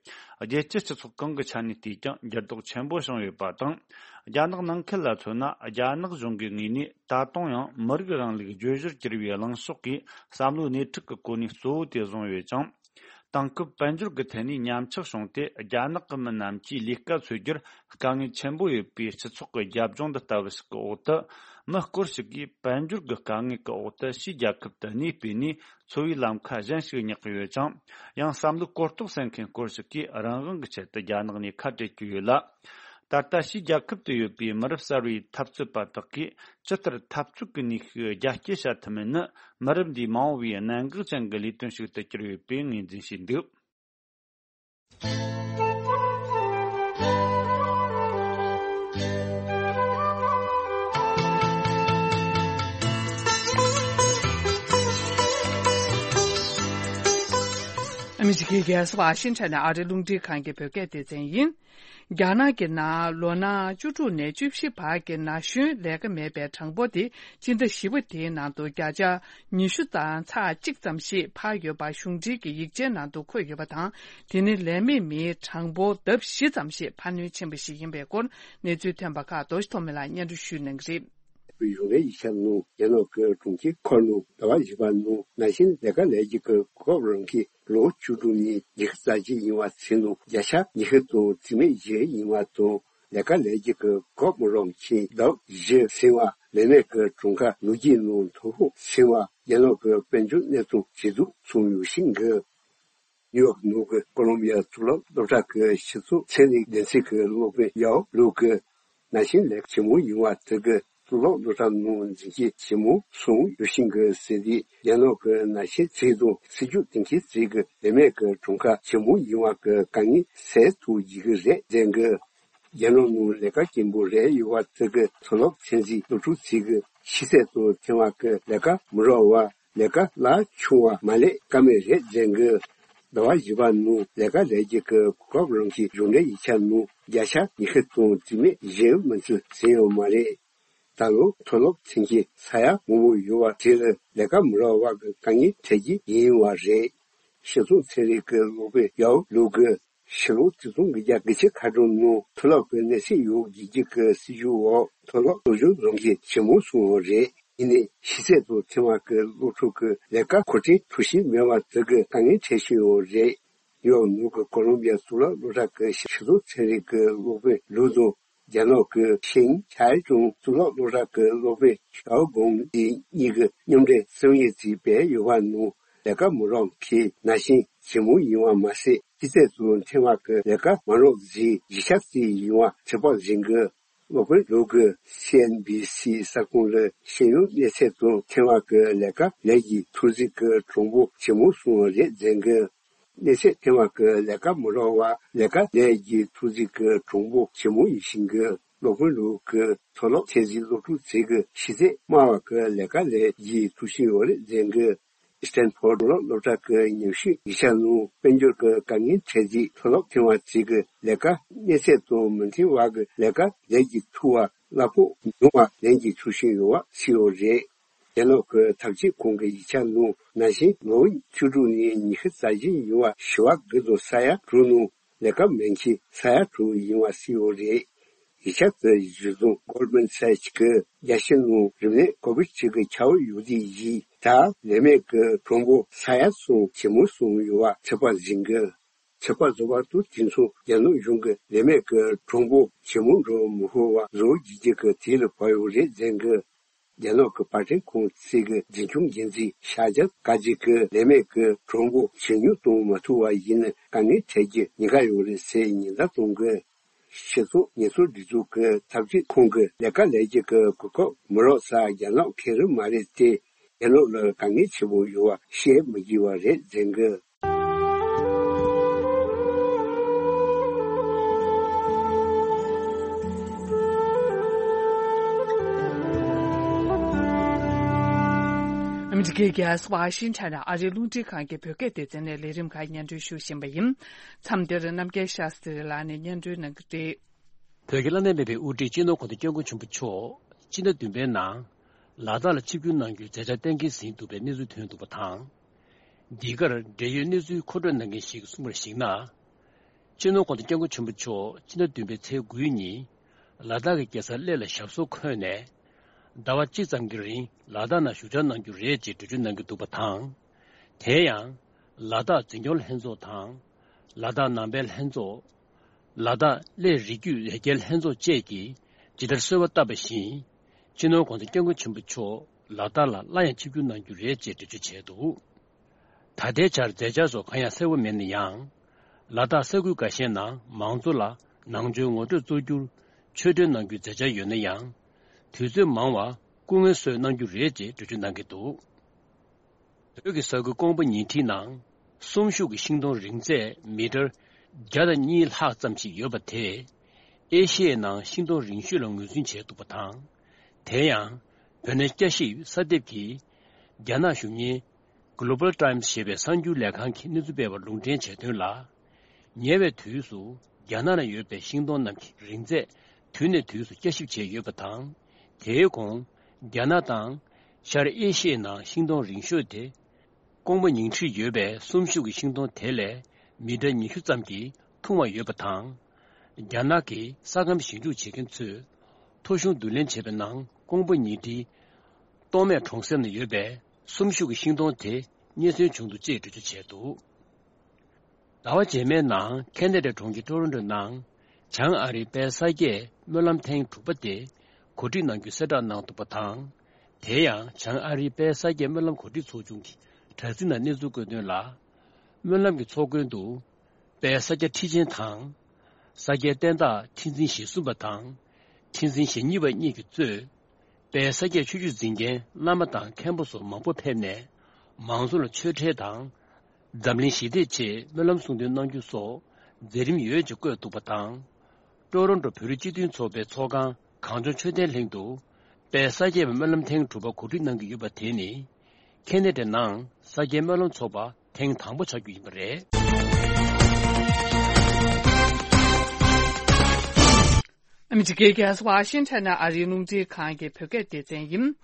རྒྱལ་སྤྱིའི་སྤྱི་ཚོགས་གང་གི་ཆ་ནས་བལྟས་ཀྱང་འགྱུར་ལྡོག་ཆེན་པོ་བྱུང་ཡོད་པ་དང་། རྒྱ་ནག་ནང་ཁུལ་ལ་མཚོན་ན། རྒྱ་ནག་གཞུང་གི་ངོས་ནས་ད་དུང་ཡང་མི་རིགས་རིང་ལུགས་བརྗོད་གཞིར་གྱུར་པའི་གླེང་ཕྱོགས་ཀྱིས་བསམ་བློའི་སྣེ་ཁྲིད་ཀྱི་གོ་གནས་གཙོ་བོ་དེ་བཟུང་ཡོད་ཅིང་། དེང་སྐབས་དཔལ་འབྱོར་གྱི་ཐད་ནས་ཉམས་ཆག་བྱུང་སྟེ། རྒྱ་ནག་གི་མི་རྣམས་ཀྱིས་ལས་ཀ་འཚོལ་རྒྱུར་དཀའ་ངལ་ཆེན་པོ་ཡོད་པའི་སྤྱི་ཚོགས་ཀྱི་རྒྱབ་ལྗོངས་འདི་ལྟ་བུ་ཞིག་གི་འོག་ཏུ། མི་སྐོར་ཞིག་གིས་དཔལ་འབྱོར་གྱི་དཀའ་ངལ་གྱི་འོག་ཏུ་ཕྱིའི་རྒྱལ་ཁབ་ཏུ་གནས་སྤོས་ནས། འཚོ་བའི་ལམ་ཁ་གཞན་ཞིག་བསྙེག་གི་ཡོད་ཅིང་། ཡང་བསམ་བློའི་གོ་རྟོགས་སད་མཁན་སྐོར་ཞིག་གིས་རང་དབང་གི་ཆེད་དུ་རྒྱ་ནག་ནས་ཁ་བྲལ་གྱི་ཡོད་ལ། ད་ལྟ་ཕྱིའི་རྒྱལ་ཁབ་ཏུ་ཡོད་པའི་མི་རབས་གསར་བའི་འཐབ་རྩོད་པ་དག་གིས་ཇི་ལྟར་འཐབ་རྩོད་ཀྱི་ནུས་ཤུགས་རྒྱ་སྐྱེད་བྱ་ཐུབ་མིན་ནི། མི་རབས་འདིའི་མ་འོངས་པའི་གནད་འགག་ཅན་གྱི་ལས་དོན་ཞིག་ཏུ་གྱུར་ཡོད་པའི་ངོས་འཛིན་བྱས་འདུག་ཨ་ ཨ་མི་རི་ཀའི་རྒྱལ་ས་ཝ་ཤིང་ཊོན་ནས་ཨ་རིའི་རླུང་འཕྲིན་ཁང་གི་བོད་སྐད་སྡེ་ཚན་ཡིན། རྒྱ་ནག་གི་ནང་ལོ་ན་བཅུ་དྲུག་ནས་བཅུ་བཞི་བར་གྱི་ན་གཞོན་ལས་ཀ་མེད་པའི་གྲངས་འབོར་དེ་སྤྱི་ཟླ་བཞི་པ་དེའི་ནང་དུ་བརྒྱ་ཆ་ཉི་ཤུ་དང་ཚེག་གཅིག་ཙམ་ཞིག་འཕར་ཡོད་པ་གཞུང་འབྲེལ་གྱི་ཡིག་ཆའི་ནང་དུ་འཁོད་ཡོད་པ་དང་། དེ་ནི་ལས་མེད་མིའི་གྲངས་འབོར་ལྡབ་བཞི་ཙམ་ཞིག་འཕར་སྣོན་ཕྱིན་པ་ཞིག་ཡིན་པའི་སྐོར་གནས་ཚུལ་ཐོན་པ་ཁག་རྡོ་རྗེ་ཐོགས་མེད་ལགས་སྙན་སྒྲོན་ཞུ་གནང་གི་རེད། གཞུང་འབྲེལ་ཡིག་ཆ་ནང་རྒྱ་ནག་གི་གྲོང་ཁྱེར་ཁོ་ནང་ཟླ་བ་བཞི་པ་ནང་ནང་བཞིན་ལས་ཀ་ལས་རྒྱུ་གི་གོ་སྐབས་རག་མཁན་ལོ་བཅུ་དྲུག་ནས་ཉི་ཤུ་རྩ་གཅིག་ཡིན་པ་ཚོའི་ནང་བརྒྱ་ཆ་ཉི་ཤུ་དང་བརྩི་མེད་བཞི་ཡིན་པ་དང་། ལས་ཀ་ལས་རྒྱུ་གི་གོ་སྐབས་མི་རག་མཁན་ལོ་བཞི་ཟིན་པ་ལས་མེད་ཀྱི་གྲངས་ཀ་ལོ་རྒྱུས་ནང་མཐོ་ཤོས་ཟིན་པ་རྒྱ་ནག་གི་དཔལ་འབྱོར་གནས་སྟངས་ཇེ་སྡུག་སོང་ཡོད་བཞིན་གི། ནིའུ་ཡོག་ནང་གི་ཀོ་ལོམ་བི་ཡ་གཙུག་ལག་སློབ་གྲྭ་གི་སྤྱི་ཚོགས་ཚན་རིག་སྡེ་ཚན་གྱི་སློབ་དཔོན་ཡའོ་ལུའུ་གིས་ནང་བཞིན་ལས་ཀ་ཇེ་མང་ཡོང་བ་དེ་གིས་གཙུག་ལག་སློབ་གྲྭ་ནང་འཛིན་སྐྱེས་ཇེ་མང་སོང་ཡོད་བཞིན་གི་ཟེར་ཏེ། རྒྱ་ནག་གི་ནང་བཞིན་ཚིག་དང་སྲིད་ཇུས་དེ་གའི་ཚིག་གི་ལས་མེད་ཀྱི་གྲངས་ཀ་ཇེ་མང་ཡོང་བ་གི་དཀའ་ངལ་སེལ་ཐུབ་ཀྱི་རེད་ཟེར་གི། རྒྱ་ནག་ནང་ལས་ཀ་སྐྱིན་པོ་རག་ཡོད་པ་དེ་གིས་མཐོ་སློབ་ཚན་རིག་སློབ་ཕྲུག་ཚོ་གི་ཤེས་ཚད་དང་འཚམ་པ་གི་ལས་ཀ་མི་རག་པར་ལས་ཀ་གླ་ཆུང་བ་མ་ལས་ཀ་མེད་རེད་ཟེར་གི། ཟླ་བ་བཞི་པ་ནང་ལས་ཀ་ལས་རྒྱུ་གི་གོ་སྐབས་རག་མཁན་གཞུང་འབྲེལ་ཡིག་ཆ་ནང་བརྒྱ་ཆ་ཉི་ཤུ་དང་བརྩི་མེད་བཞི་མ་ཚད་ཟིན་ཡོད་མ་རེད། ད་ལོ་མཐོ་སློབ་ཚན་ཆེན་ས་ཡ་མང་པོ་ཡོད་པ་དེ་ལ་ལས་ཀ་མི་རག་པ་གི་དཀའ་ངལ་འཕྲད་ཀྱི་ཡིན་པ་རེད། སྤྱི་ཚོགས་ཚན་རིག་གི་སློབ་དཔོན་ཡའོ་ལུའུ་གིས་ཕྱི་ལོ་ཆིག་སྟོང་དགུ་བརྒྱ་དགུ་བཅུ་གོ་གྲངས་ནང་མཐོ་སློབ་ཀྱི་གནས་ཚད་ཡོད་དགོས་ཀྱི་གི་སྲིད་ཇུས་འོག་མཐོ་སློབ་སློབ་སྦྱོང་རང་གི་ཇེ་མང་སོང་བ་རེད། ཡིན་ནའི་ཤེས་ཚད་དང་འཚམ་པ་གི་སློབ་ཕྲུག་གི་ལས་ཀ་མཁོ་སྤྲོད་ཐུབ་བཞིན་མེད་པ་དེ་གི་དཀའ་ངལ་འཕྲད་བཞིན་ཡོད་རེད། ཡོག་ནང་གི་ཀོ་ལོམ་བི་ཡ་གཙུག་ལག་སློབ་གྲྭ་གི་སྤྱི་ཚོགས་ཚན་རིག་གི་སློབ་དཔོན་ལུའུ་དང་། རྒྱ་ནག་གི་ཤིན་ཅང་ཀྲུང་གཙུག་ལག་སློབ་གྲྭ་གི་སློབ་དཔོན་ཞའོ་གོང་ཏེ་གཉིས་ཀྱིས་མཉམ་འབྲེལ་གསུང་བཤད་ཅིག་སྤེལ་ཡོད་པ་ནང་ལས་ཀ་མི་རག་མཁན་ནང་བཞིན་ཇེ་མང་ཡིན་པ་མ་ཟད། ཤེས་ཚད་དང་འཚམ་པ་གི་ལས་ཀ་མ་རག་ཅིག་བཞི་ཆ་ཙམ་ཡིན་པ་ཚོད་དཔག་ཟིན་གི། སློབ་དཔོན་ལུའུ་གིས་སི་ཨེན་བྷི་སི་གསར་ཁང་ལ་ཤེས་ཡོན་གནས་ཚད་དང་འཚམ་པ་གི་ལས་ཀ་ལས་ཀྱི་ཐོབ་ཚད་ཀྱི་གྲངས་འབོར་ཇེ་མང་སོང་བ་རེད་ཟེར་གི། གནས་ཚད་འཚམ་པ་གི་ལས་ཀ་མི་རག་པར་ལས་ཀ་ལས་ཀྱི་ཐོབ་ཚད་ཀྱི་གྲངས་འབོར་ཇེ་མང་ཡིན་བཞིན་གི། སློབ་དཔོན་ལུའུ་གིས་མཐོ་སློབ་ཚད་འཛིན་སློབ་ཕྲུག་ཚོ་གི་ཤེས་ཚད་དམའ་བ་གི་ལས་ཀ་ལས་ཀྱི་ཐོབ་བཞིན་ཡོད་རེད་ཟེར་གི། སི་ཏན་ཕོར་མཐོ་སློབ་སློབ་གྲྭ་གི་ཉམས་ཞིབ་ཡིག་ཆ་ནང་དཔལ་འབྱོར་གྱི་དཀའ་ངལ་འཕྲད་རྗེས་མཐོ་སློབ་འཚམ་པ་ཚོ་གི་ལས་ཀ་གནས་ཚད་དང་མི་འཚམ་པ་གི་ལས་ཀ་ལས་ཀྱི་ཐུབ་པ་གླ་ཕོགས་ཉུང་བ་ལེན་གྱི་ཐུབ་བཞིན་ཡོད་པ་གསལ་ཡོད་རེད། རྒྱ་ནག་གི་ཐབས་ཇུས་ཁང་གི་ཡིག་ཆ་ནང་ནང་བཞིན་ལོ་བཅུ་དྲུག་ནས་ཉི་ཤུ་རྩ་བཞི་ཡིན་པ་བྱེ་བ་དགུ་དང་ས་ཡ་དྲུག་ནང་ལས་ཀ་མེད་མཁན་ས་ཡ་དྲུག་ཡིན་པ་གསལ་ཡོད་རེད། ཡིག་ཆ་དེ་གཞིར་བཟུང་Goldman Sachs་གིས་རྒྱལ་སྤྱི་ནང་རིམས་ནད་ཀོ་བིད་བཅུ་དགུ་ཁྱབ་ཡོད་དུས་ཡིན་ད་ལས་མེད་ཀྱི་གྲངས་འབོར་ས་ཡ་གསུམ་ཇེ་མང་སོང་ཡོད་པ་ཚོད་དཔག་ཟིན་གི། ཚོད་དཔག་བཟོ་བ་དང་དུས་མཚུངས་རྒྱ་ནག་གཞུང་གི་ལས་མེད་ཀྱི་གྲངས་འབོར་ཇེ་མང་འགྲོ་མི་ཤོར་བ་བཟོ་རྒྱུ་གི་དུས་ལ་བབ་ཡོད་རེད་ཟེར་གི། རྒྱ་ནག་གི་པར་སྐྲུན་ཁང་ཚོ་གི་འཛིན་སྐྱོང་འགན་འཛིན་ཤ་ཇ་ཀ་ཇི་གིས་ལས་མེད་ཀྱི་གྲངས་འབོར་ཇེ་ཉུང་གཏོང་མ་ཐུབ་པ་ཡིན་ན་དཀའ་ངལ་འཕྲད་རྒྱུ་ཉེན་ཁ་ཡོད་རེད་ཟེར་ཉེན་བརྡ་གཏོང་གི། སྤྱི་ཚོགས་ཉེན་ཚབས་སྒྲིག་འཛུགས་ཀྱི་ཐབས་ཇུས་ཁང་གི་ལས་ཀ་ལས་རྒྱུ་གི་གོ་སྐབས་མི་རག་ས་རྒྱ་ནག་གང་རུང་མ་རེད་དེ། རྒྱ་ནག་ལ་དཀའ་ངལ་ཆེན་པོ་ཡོད་པ་བཤད་མི་དགོས་པ་རེད་ཟེར་གི། ཨ་མི་རི་ཀའི་རྒྱལ་ས་ཝ་ཤིང་ཊོན་ནས་ཨ་རིའི་རླུང་འཕྲིན་ཁང་གི་བོད་སྐད་སྡེ་ཚན་ནས་ལས་རིམ་ཁག་སྙན་སྒྲོན་ཞུ་བཞིན་པ་ཡིན། མཚམས་འདིར་རྣམ་རྒྱལ་ཤཱསྟྲི་ལགས་ནས་སྙན་སྒྲོན་གནང་གི་རེད། བོད་ཀྱི་བླ་ན་མེད་པའི་དབུ་ཁྲིད་སྤྱི་ནོར་གོང་ས་སྐྱབས་མགོན་ཆེན་པོ་མཆོག་སྤྱི་ཟླ་བདུན་པའི་ནང་ལ་དྭགས་ལ་ཆིབས་བསྒྱུར་གནང་རྒྱུའི་མཛད་འཆར་གཏན་འཁེལ་ཟིན་འདུག་པའི་གནས་ཚུལ་ཐོན་འདུག་པ་དང་། འདི་གར་འབྲེལ་ཡོད་གནས་ཚུལ་མཁོ་སྤྲོད་གནང་མཁན་ཞིག་གིས་གསུངས་པར་གཞིགས་ན། སྤྱི་ནོར་གོང་ས་སྐྱབས་མགོན་ཆེན་པོ་མཆོག་སྤྱི་ཟླ་བདུན་པའི་ཚེས་དགུའི་ཉིན་ལ་དྭགས་ཀྱི་རྒྱལ་ས་གླེ་ལ་ཞབས་སོར་འཁོད་ནས། ཟླ་བ་གཅིག་ཙམ་གྱི་རིང་ལ་དྭགས་ནང་བཞུགས་འཆར་གནང་རྒྱུ་རེད་ཅེས་འགྲེལ་བརྗོད་གནང་གི་འདུག་པ་དང་། དེ་ཡང་། ལ་དྭགས་འཛིན་སྐྱོང་ལྷན་ཚོགས་དང་། ལ་དྭགས་ནང་པའི་ལྷན་ཚོགས། ལ་དྭགས་གླེ་རི་རྒྱུད་ལས་འགུལ་ལྷན་ཚོགས་བཅས་ཀྱིས་ཇི་ལྟར་གསོལ་བ་བཏབ་པ་བཞིན། སྤྱི་ནོར་གོང་ས་སྐྱབས་མགོན་ཆེན་པོ་མཆོག་ལ་དྭགས་ལ་སླར་ཡང་ཆིབས་བསྒྱུར་གནང་རྒྱུ་རེད་ཅེས་འགྲེལ་བརྗོད་བྱས་འདུག་ད་ལྟའི་ཆར་མཛད་འཆར་སོགས་གང་ཡང་གསལ་བོ་མེད་ན་ཡང་། ལ་དྭགས་ས་ཁུལ་འགའ་ཤས་ནང་མང་གཙོ་ལ་ནང་ཆོས་ངོ་སྤྲོད་གཙོ་གྱུར་ཆོས་འབྲེལ་གནང་རྒྱུའི་མཛད་འཆར་ཡོད་ན་ཡང་། དུས་ཚོད་མང་བ་སྐུ་ངལ་གསོས་གནང་རྒྱུ་རེད་ཅེས་འགྲེལ་བརྗོད་གནང་གི་འདུག་བོད་ཀྱི་ས་ཁུལ་ཀོང་པོ་ཉེ་འཁྲིས་ནང་གསོན་ཤུགས་ཀྱི་ཤིང་སྡོང་རིང་ཚད་མི་ཊར་བརྒྱ་དང་གཉིས་ལྷག་ཙམ་ཞིག་ཡོད་པ་དེས་ཨེ་ཤི་ཡའི་ནང་ཤིང་སྡོང་རིང་ཤོས་ལ་ངོས་འཛིན་བྱས་འདུག་པ་དང་། དེ་ཡང་བོད་གནས་བསྐྱར་ཞིབ་གསར་འདེབས་ཀྱིས་རྒྱ་ནག་གཞུང་གཉེར་ Global Times ཞེས་པའི་གསར་འགྱུར་ལས་ཁང་གིས་གནས་ཚུལ་སྤེལ་བར་ལུང་འདྲེན་བྱས་དོན་ལ། ཉེ་བའི་དུས་སུ་རྒྱ་ནག་ན་ཡོད་པའི་ཤིང་སྡོང་རྣམས་ཀྱི་རིང་ཚད་དུས་ནས་དུས་སུ་བསྐྱར་ཞིབ་བྱས་ཡོད་པ་དང་། དེའི་གོང་རྒྱ་ནག་དང་ཤར་ཨེ་ཤི་ཡའི་ནང་ཤིང་སྡོང་རིང་ཤོས་དེ། ཀོང་པོ་ཉིང་ཁྲིར་ཡོད་པའི་གསུམ་ཤུགས་ཀྱི་ཤིང་སྡོང་དེ་ལས་མི་ཊར་ཉི་ཤུ་ཙམ་གྱིས་ཐུང་བ་ཡོད་པ་དང་། རྒྱ་ནག་གི་ས་ཁམས་ཞིབ་འཇུག་བྱེད་མཁན་ཚོས་ཐོ་གཞུང་བསྡུ་ལེན་བྱས་པའི་ནང་ཀོང་པོ་ཉིང་ཁྲིའི་ཏོག་སྨད་གྲོང་གསེབ་ན་ཡོད་པའི་གསུམ་ཤུགས་ཀྱི་ཤིང་སྡོང་དེ་རྙེད་སོན་བྱུང་འདུག་ཅེས་འགྲེལ་བརྗོད་བྱས་འདུག་ཟླ་བ་རྗེས་མའི་ནང་ཁེ་ན་ཌའི་གྲོང་ཁྱེར་ཊོ་རོན་ཊོ་ནང་བྱང་ཨ་རིའི་དཔལ་ས་སྐྱའི་སྨོན་ལམ་ཐེངས་དྲུག་པ་དེ་གོ་སྒྲིག་གནང་རྒྱུའི་གསལ་བསྒྲགས་གནང་འདུག་པ་དང་། དེ་ཡང་བྱང་ཨ་རིའི་དཔལ་ས་སྐྱའི་སྨོན་ལམ་གོ་སྒྲིག་ཚོགས་ཆུང་གི་དྲ་ཚིགས་ནང་གནས་ཚུལ་བཀོད་དོན་ལ། སྨོན་ལམ་གྱི་ཚོགས་མགོན་དུ་དཔལ་ས་སྐྱ་ཁྲི་ཆེན་དང་། ས་སྐྱའི་བསྟན་བདག་ཁྲི་འཛིན་ཞེ་གསུམ་པ་དང་། ཁྲི་འཛིན་ཞེ་གཉིས་པ་གཉིས་ཀྱིས་གཙོས། དཔལ་ས་སྐྱའི་ཆོས་བརྒྱུད་འཛིན་མཁན་བླ་མ་དང་མཁན་པོ་སོགས་མང་པོ་ཕེབས་ནས། མང་ཚོགས་ལ་ཆོས་འབྲེལ་དང་། འཛམ་གླིང་ཞི་བདེའི་ཆེད་སྨོན་ལམ་གསུང་འདོན་གནང་རྒྱུ་སོགས་མཛད་རིམ་ཡོད་ཅེས་བཀོད་འདུག་པ་དང་། ཀྲོ་རོན་ཀྲོ་བོད་རིགས་སྤྱི་མཐུན་ཚོགས་པའི་ཚོགས་ཁང་གངས་ལྗོངས་མཆོད་རྟེན་གླིང་དུ། དཔལ་ས་སྐྱའི་སྨོན་ལམ་ཐེངས་དྲུག་པ་གོ་སྒྲིག་གནང་གི་ཡོད་པ་དེ་ནི། ཁེ་ན་ཌའི་ནང་ས་སྐྱའི་སྨོན་ལམ་ཚོགས་པ་ཐེངས་དང་པོ་ཆགས་རྒྱུ་ཡིན་པ་རེད། ཨ་མི་རི་ཀའི་རྒྱལ་ས་ཝ་ཤིང་ཊོན་ནས་ཨ་རིའི་རླུང་འཕྲིན་ཁང་གི་བོད་སྐད་སྡེ་ཚན་ཡིན།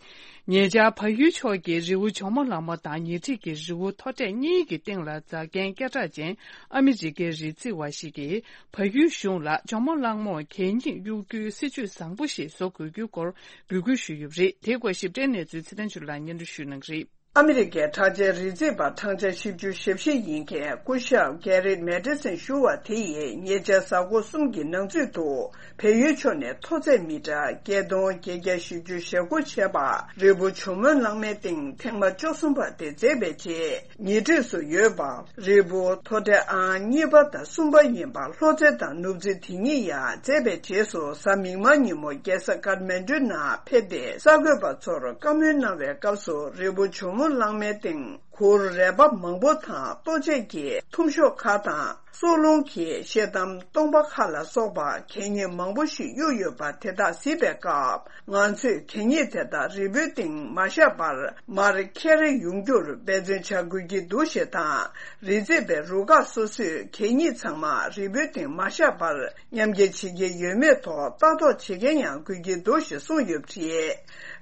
ཉེ་ཆར་བལ་ཡུལ་ཕྱོགས་ཀྱི་རི་བོ་ཇོ་མོ་གླང་མ་དང་ཉེ་འཁྲིས་ཀྱི་རི་བོ་མཐོ་གྲས་གཉིས་ཀྱི་སྟེང་ལ་འཛེག་མཁན་སྐད་གྲགས་ཅན་ཨ་མི་རི་ཀའི་རི་རྩེ་བ་ཞིག་གིས། བལ་ཡུལ་གཞུང་ལ་ཇོ་མོ་གླང་མོར་གད་སྙིགས་གཡུག་རྒྱུའི་སྲིད་ཇུས་བཟང་པོ་ཞིག་བཟོ་དགོས་རྒྱུའི་སྐོར་འབོད་སྐུལ་ཞུས་ཡོད་པ་རེད། དེའི་སྐོར་ཞིབ་ཕྲའི་གནས་ཚུལ་ཚེ་བརྟན་ཆོས་ལགས་སྙན་སྒྲོན་ཞུ་གནང་གི་རེད། ཨ་མི་རི་ཀའི་གྲགས་ཅན་རི་རྩེ་བ་གྲངས་ཆ་བཞི་བཅུ་ཞེ་བཞི་ཡིན་མཁན་སྐུ་ཞབས་Garrett Madison ཞུ་བ་དེ་ཡིས་ཉེ་ཆར་གཟའ་འཁོར་གསུམ་གྱི་ནང་ཚུད་དུ། བལ་ཡུལ་ཕྱོགས་ནས་མཐོ་ཚད་མི་ཊར་བརྒྱད་སྟོང་བརྒྱད་བརྒྱ་བཞི་བཅུ་ཞེ་དགུ་བྱས་པ་རི་བོ་ཇོ་མོ་གླང་མའི་སྟེང་ཐེངས་མ་བཅུ་གསུམ་པ་དེ་མཛད་པའི་རྗེས། ཉེ་འཁྲིས་སུ་ཡོད་པ་རི་བོ་མཐོ་གྲས་ཨང་གཉིས་པ་དང་གསུམ་པ་ཡིན་པ་ལྷོ་རྩེ་དང་ནུབ་རྩེ་དེ་གཉིས་ཡང་མཛད་པའི་རྗེས་སུ། གཟའ་མིག་དམར་ཉིན་མོ་རྒྱལ་ས་ཀཏ་མན་ཌུ་ནང་ཕེབས་ཏེ། གསར་འགོད་པ་ཚོར་བཀའ་མོལ་གནང་བའི་སྐབས་སུ། རི་བོ་ཇོ་མོ་གླང་མའི་སྟེང་གུར་རལ་པ་མང་པོ་དང་ལྟོ་ཆས་ཀྱི་ཐུམ་ཤོག་ཁག་དང་། སྲོག་རླུང་གི་ཤེལ་དམ་སྟོང་པ་ཁག་ལ་སོགས་པ་གད་སྙིགས་མང་པོ་ཞིག་གཡུགས་ཡོད་པ་དེ་དག་གཟིགས་པའི་སྐབས། ང་ཚོས་གད་སྙིགས་དེ་དག་རི་བོའི་སྟེང་མ་བཞག་པར་མར་འཁྱེར་ཡོང་རྒྱུར་འབད་བརྩོན་བྱ་དགོས་ཀྱི་འདུག་ཞེས་དང་། རི་རྩེ་བའི་རུ་ཁག་སོ་སོས་གད་སྙིགས་ཚང་མ་རི་བོའི་སྟེང་མ་བཞག་པར་མཉམ་འཁྱེར་བྱེད་ཀྱི་ཡོད་མེད་ཐོག་ལྟ་རྟོག་བྱེད་མཁན་ཡང་དགོས་ཀྱི་འདུག་ཞེས་གསུངས་ཡོད་པ་རེད།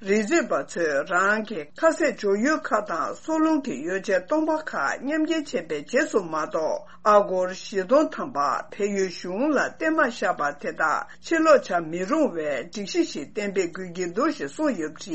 རི་རྩེ་བ་ཚོས་རང་གི་ཁ་ཟས་འཇོག་ཡུལ་ཁག་དང་སྲོག་རླུང་གི་ཡོ་བྱད་སྟོང་པ་ཁག་མཉམ་འཁྱེར་བྱས་པའི་རྗེས་སུ་མ་གཏོགས། ཨ་སྒོར་བཞི་སྟོང་ཐམ་པ་བལ་ཡུལ་གཞུང་ལ་བརྟེན་མ་བཞག་པ་དེ་དག་ཕྱིར་སློག་བྱ་མི་རུང་བའི་སྒྲིག་གཞི་ཞིག་གཏན་འབེབས་དགོས་ཀྱི་འདུག་ཞེས་གསུངས་ཡོད་པ་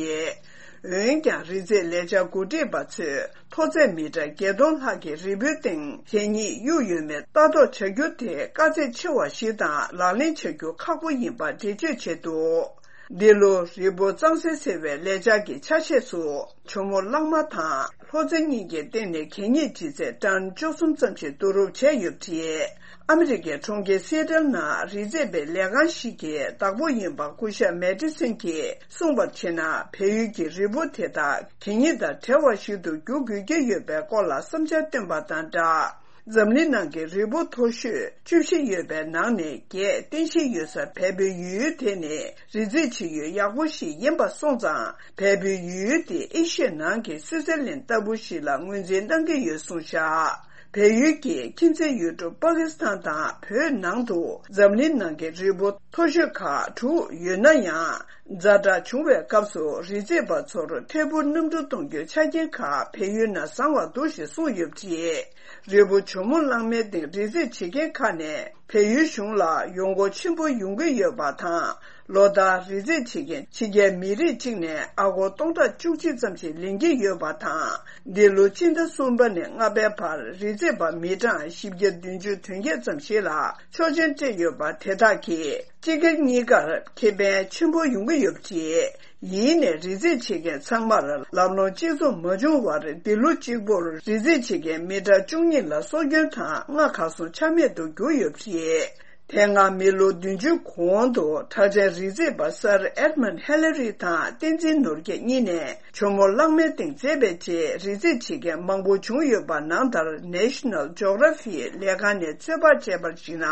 རེད། འོན་ཀྱང་། རི་རྩེ་ལས་འཆར་འགོ་ཁྲིད་པ་ཚོས་མཐོ་ཚད་མི་ཊར་བརྒྱད་སྟོང་ལྷག་གི་རི་བོའི་སྟེང་གད་སྙིགས་གཡུགས་ཡོད་མེད་ལྟ་རྟོག་བྱ་རྒྱུ་དེ་དཀའ་ཚེགས་ཆེ་བ་ཞིག་དང་། ལག་ལེན་བྱ་རྒྱུ་ཁག་པོ་ཡིན་པ་འགྲེལ་བརྗོད་བྱས་འདུག་འདི་ལོ་རི་བོ་གཙང་སེལ་ཟེར་བའི་ལས་འཆར་གྱི་ཆ་ཤས་སུ། ཇོ་མོ་གླང་མ་དང་ལྷོ་རྩེ་གཉིས་ཀྱི་སྟེང་ནས་གད་སྙིགས་ལྗིད་ཚད་ཊོན་བཅུ་གསུམ་ཙམ་ཞིག་བསྡུ་རུབ་བྱས་ཡོད་པ་རེད། ཨ་མི་རི་ཀའི་གྲོང་ཁྱེར་སི་ཨེ་ཊལ་ནང་རི་རྩེ་བའི་ལས་ཁང་ཞིག་གི་བདག་པོ་ཡིན་པ་སྐུ་ཞབས་མེ་ཏི་སན་གྱིས་གསུངས་པར་བྱས་ན། བལ་ཡུལ་གྱི་རི་བོ་དེ་དག་གད་སྙིགས་དང་བྲལ་བ་ཞིག་ཏུ་འགྱུར་དགོས་ཀྱི་ཡོད་པའི་སྐོར་ལ་བསམ་འཆར་བཏོན་པ་དང་སྦྲགས། འཛམ་གླིང་ནང་གི་རི་བོ་མཐོ་ཤོས་བཅུ་བཞི་ཡོད་པའི་ནང་ནས་བརྒྱད་རྟེན་གཞི་ཡོད་ས་བལ་པོའི་ཡུལ་དེ་ནི་རི་རྩེ་ཆེ་ཡུལ་ཡག་པོ་ཞིག་ཡིན་པ་སོང་ཙང་། བལ་པོའི་ཡུལ་དེ་ཨེ་ཤི་ཡའི་ནང་གི་སུའི་ཙེར་ལན་ལྟ་བུ་ཞིག་ལ་ངོས་འཛིན་གནང་གི་ཡོད་གསུངས་བཞག་བལ་ཡུལ་གྱི་ཁྱིམ་མཚེས་ཡུལ་གྲུ་པ་ཀི་སི་ཐན་དང་བོད་ནང་དུ་འཛམ་གླིང་ནང་གི་རི་བོ་མཐོ་ཤོས་ཁག་དྲུག་ཡོད་ན་ཡང་། ཛ་དྲག་བྱུང་བའི་སྐབས་སུ་རི་རྩེ་བ་ཚོར་ཐད་འཕུར་གནམ་གྲུ་གཏོང་རྒྱུའི་ཆ་རྐྱེན་ཁག་བལ་ཡུལ་ནང་བཟང་བ་འདུག་ཞེས་གསུངས་ཡོད་པ་རེད། རི་བོ་ཇོ་མོ་གླང་མའི་སྟེང་རི་རྩེ་བྱེད་མཁན་ཁག་ནས་བལ་ཡུལ་གཞུང་ལ་ཡོང་སྒོ་ཆེན་པོ་ཡོང་གི་ཡོད་པ་དང་། ལོ་ལྟར་རི་རྩེ་བྱེད་མཁན་ཕྱི་རྒྱལ་མི་རིགས་གཅིག་ནས་ཨ་སྒོར་སྟོང་ཕྲག་བཅུ་གཅིག་ཙམ་ཞིག་ལེན་གྱི་ཡོད་པ་དང་། འདི་ལོ་སྤྱི་ཟླ་གསུམ་པ་ནས་ལྔ་པའི་བར་རི་རྩེ་བ་མི་གྲངས་བཞི་བརྒྱ་བདུན་ཅུ་དོན་བརྒྱད་ཙམ་ཞིག་ལ་ཆོག་མཆན་སྤྲད་ཡོད་པ་དེ་དག་གིས་སྤྱི་སྒེར་གཉིས་ཀར་ཁེ་ཕན་ཆེན་པོ་ཡོང་གི་ཡོད་པ་རེད། ཡིན་ནའི་རི་རྩེ་བྱེད་མཁན་ཚང་མར་ལམ་ལྷོང་གཅིག་མཚུངས་མ་བྱུང་བར། འདི་ལོ་གཅིག་པོར་རི་རྩེ་བྱེད་མཁན་མི་གྲངས་བཅུ་གཉིས་ལ་སྲོག་སྐྱོན་དང་རྔ་གར་སོང་ཆ་མེད་དུ་གྱུར་ཡོད་པ་རེད། དེ་སྔ་མི་ལོ་བདུན་ཅུ་གོང་དུ་གྲགས་ཅན་རི་རྩེད་པ་སར་ཨེཌ་མོན་ཧེ་ལ་རི་དང་བསྟན་འཛིན་ནོར་རྒྱས་གཉིས་ནས་ཇོ་མོ་གླང་མའི་སྟེང་རྩེད་པའི་རྗེས་རི་རྩེད་བྱེད་མཁན་མང་པོ་བྱུང་ཡོད་པ་ནང་ལྟར། National Geography་ལས་ཁང་ནས་ཚོད་དཔག་བྱས་པར་གཞིགས་ན།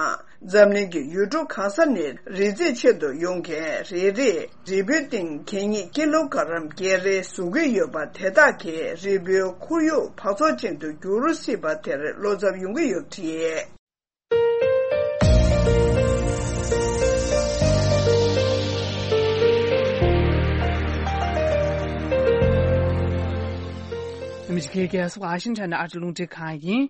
འཛམ་གླིང་གི་ཡུལ་གྲུ་གང་ས་ནས་རི་རྩེད་ཆེད་དུ་ཡོང་མཁན་རེ་རེས་རི་བོའི་སྟེང་གད་སྙིགས་ཀི་ལོ་ག་རམ་བརྒྱད་རེ་བཟོ་གི་ཡོད་པ། དེ་དག་གིས་རི་བོའི་ཁོར་ཡུག་འབག་བཙོག་ཅན་དུ་འགྱུར་སྲིད་པ་དེར་བློ་འཚབ་ཡོང་གི་ཡོད་པ་རེད། ཨ་མི་རི་ཀའི་རྒྱལ་ས་ཝ་ཤིང་ཊོན་ནས་ཨ་ཅེ་རླུང་འཕྲིན་ཁང་ཡིན།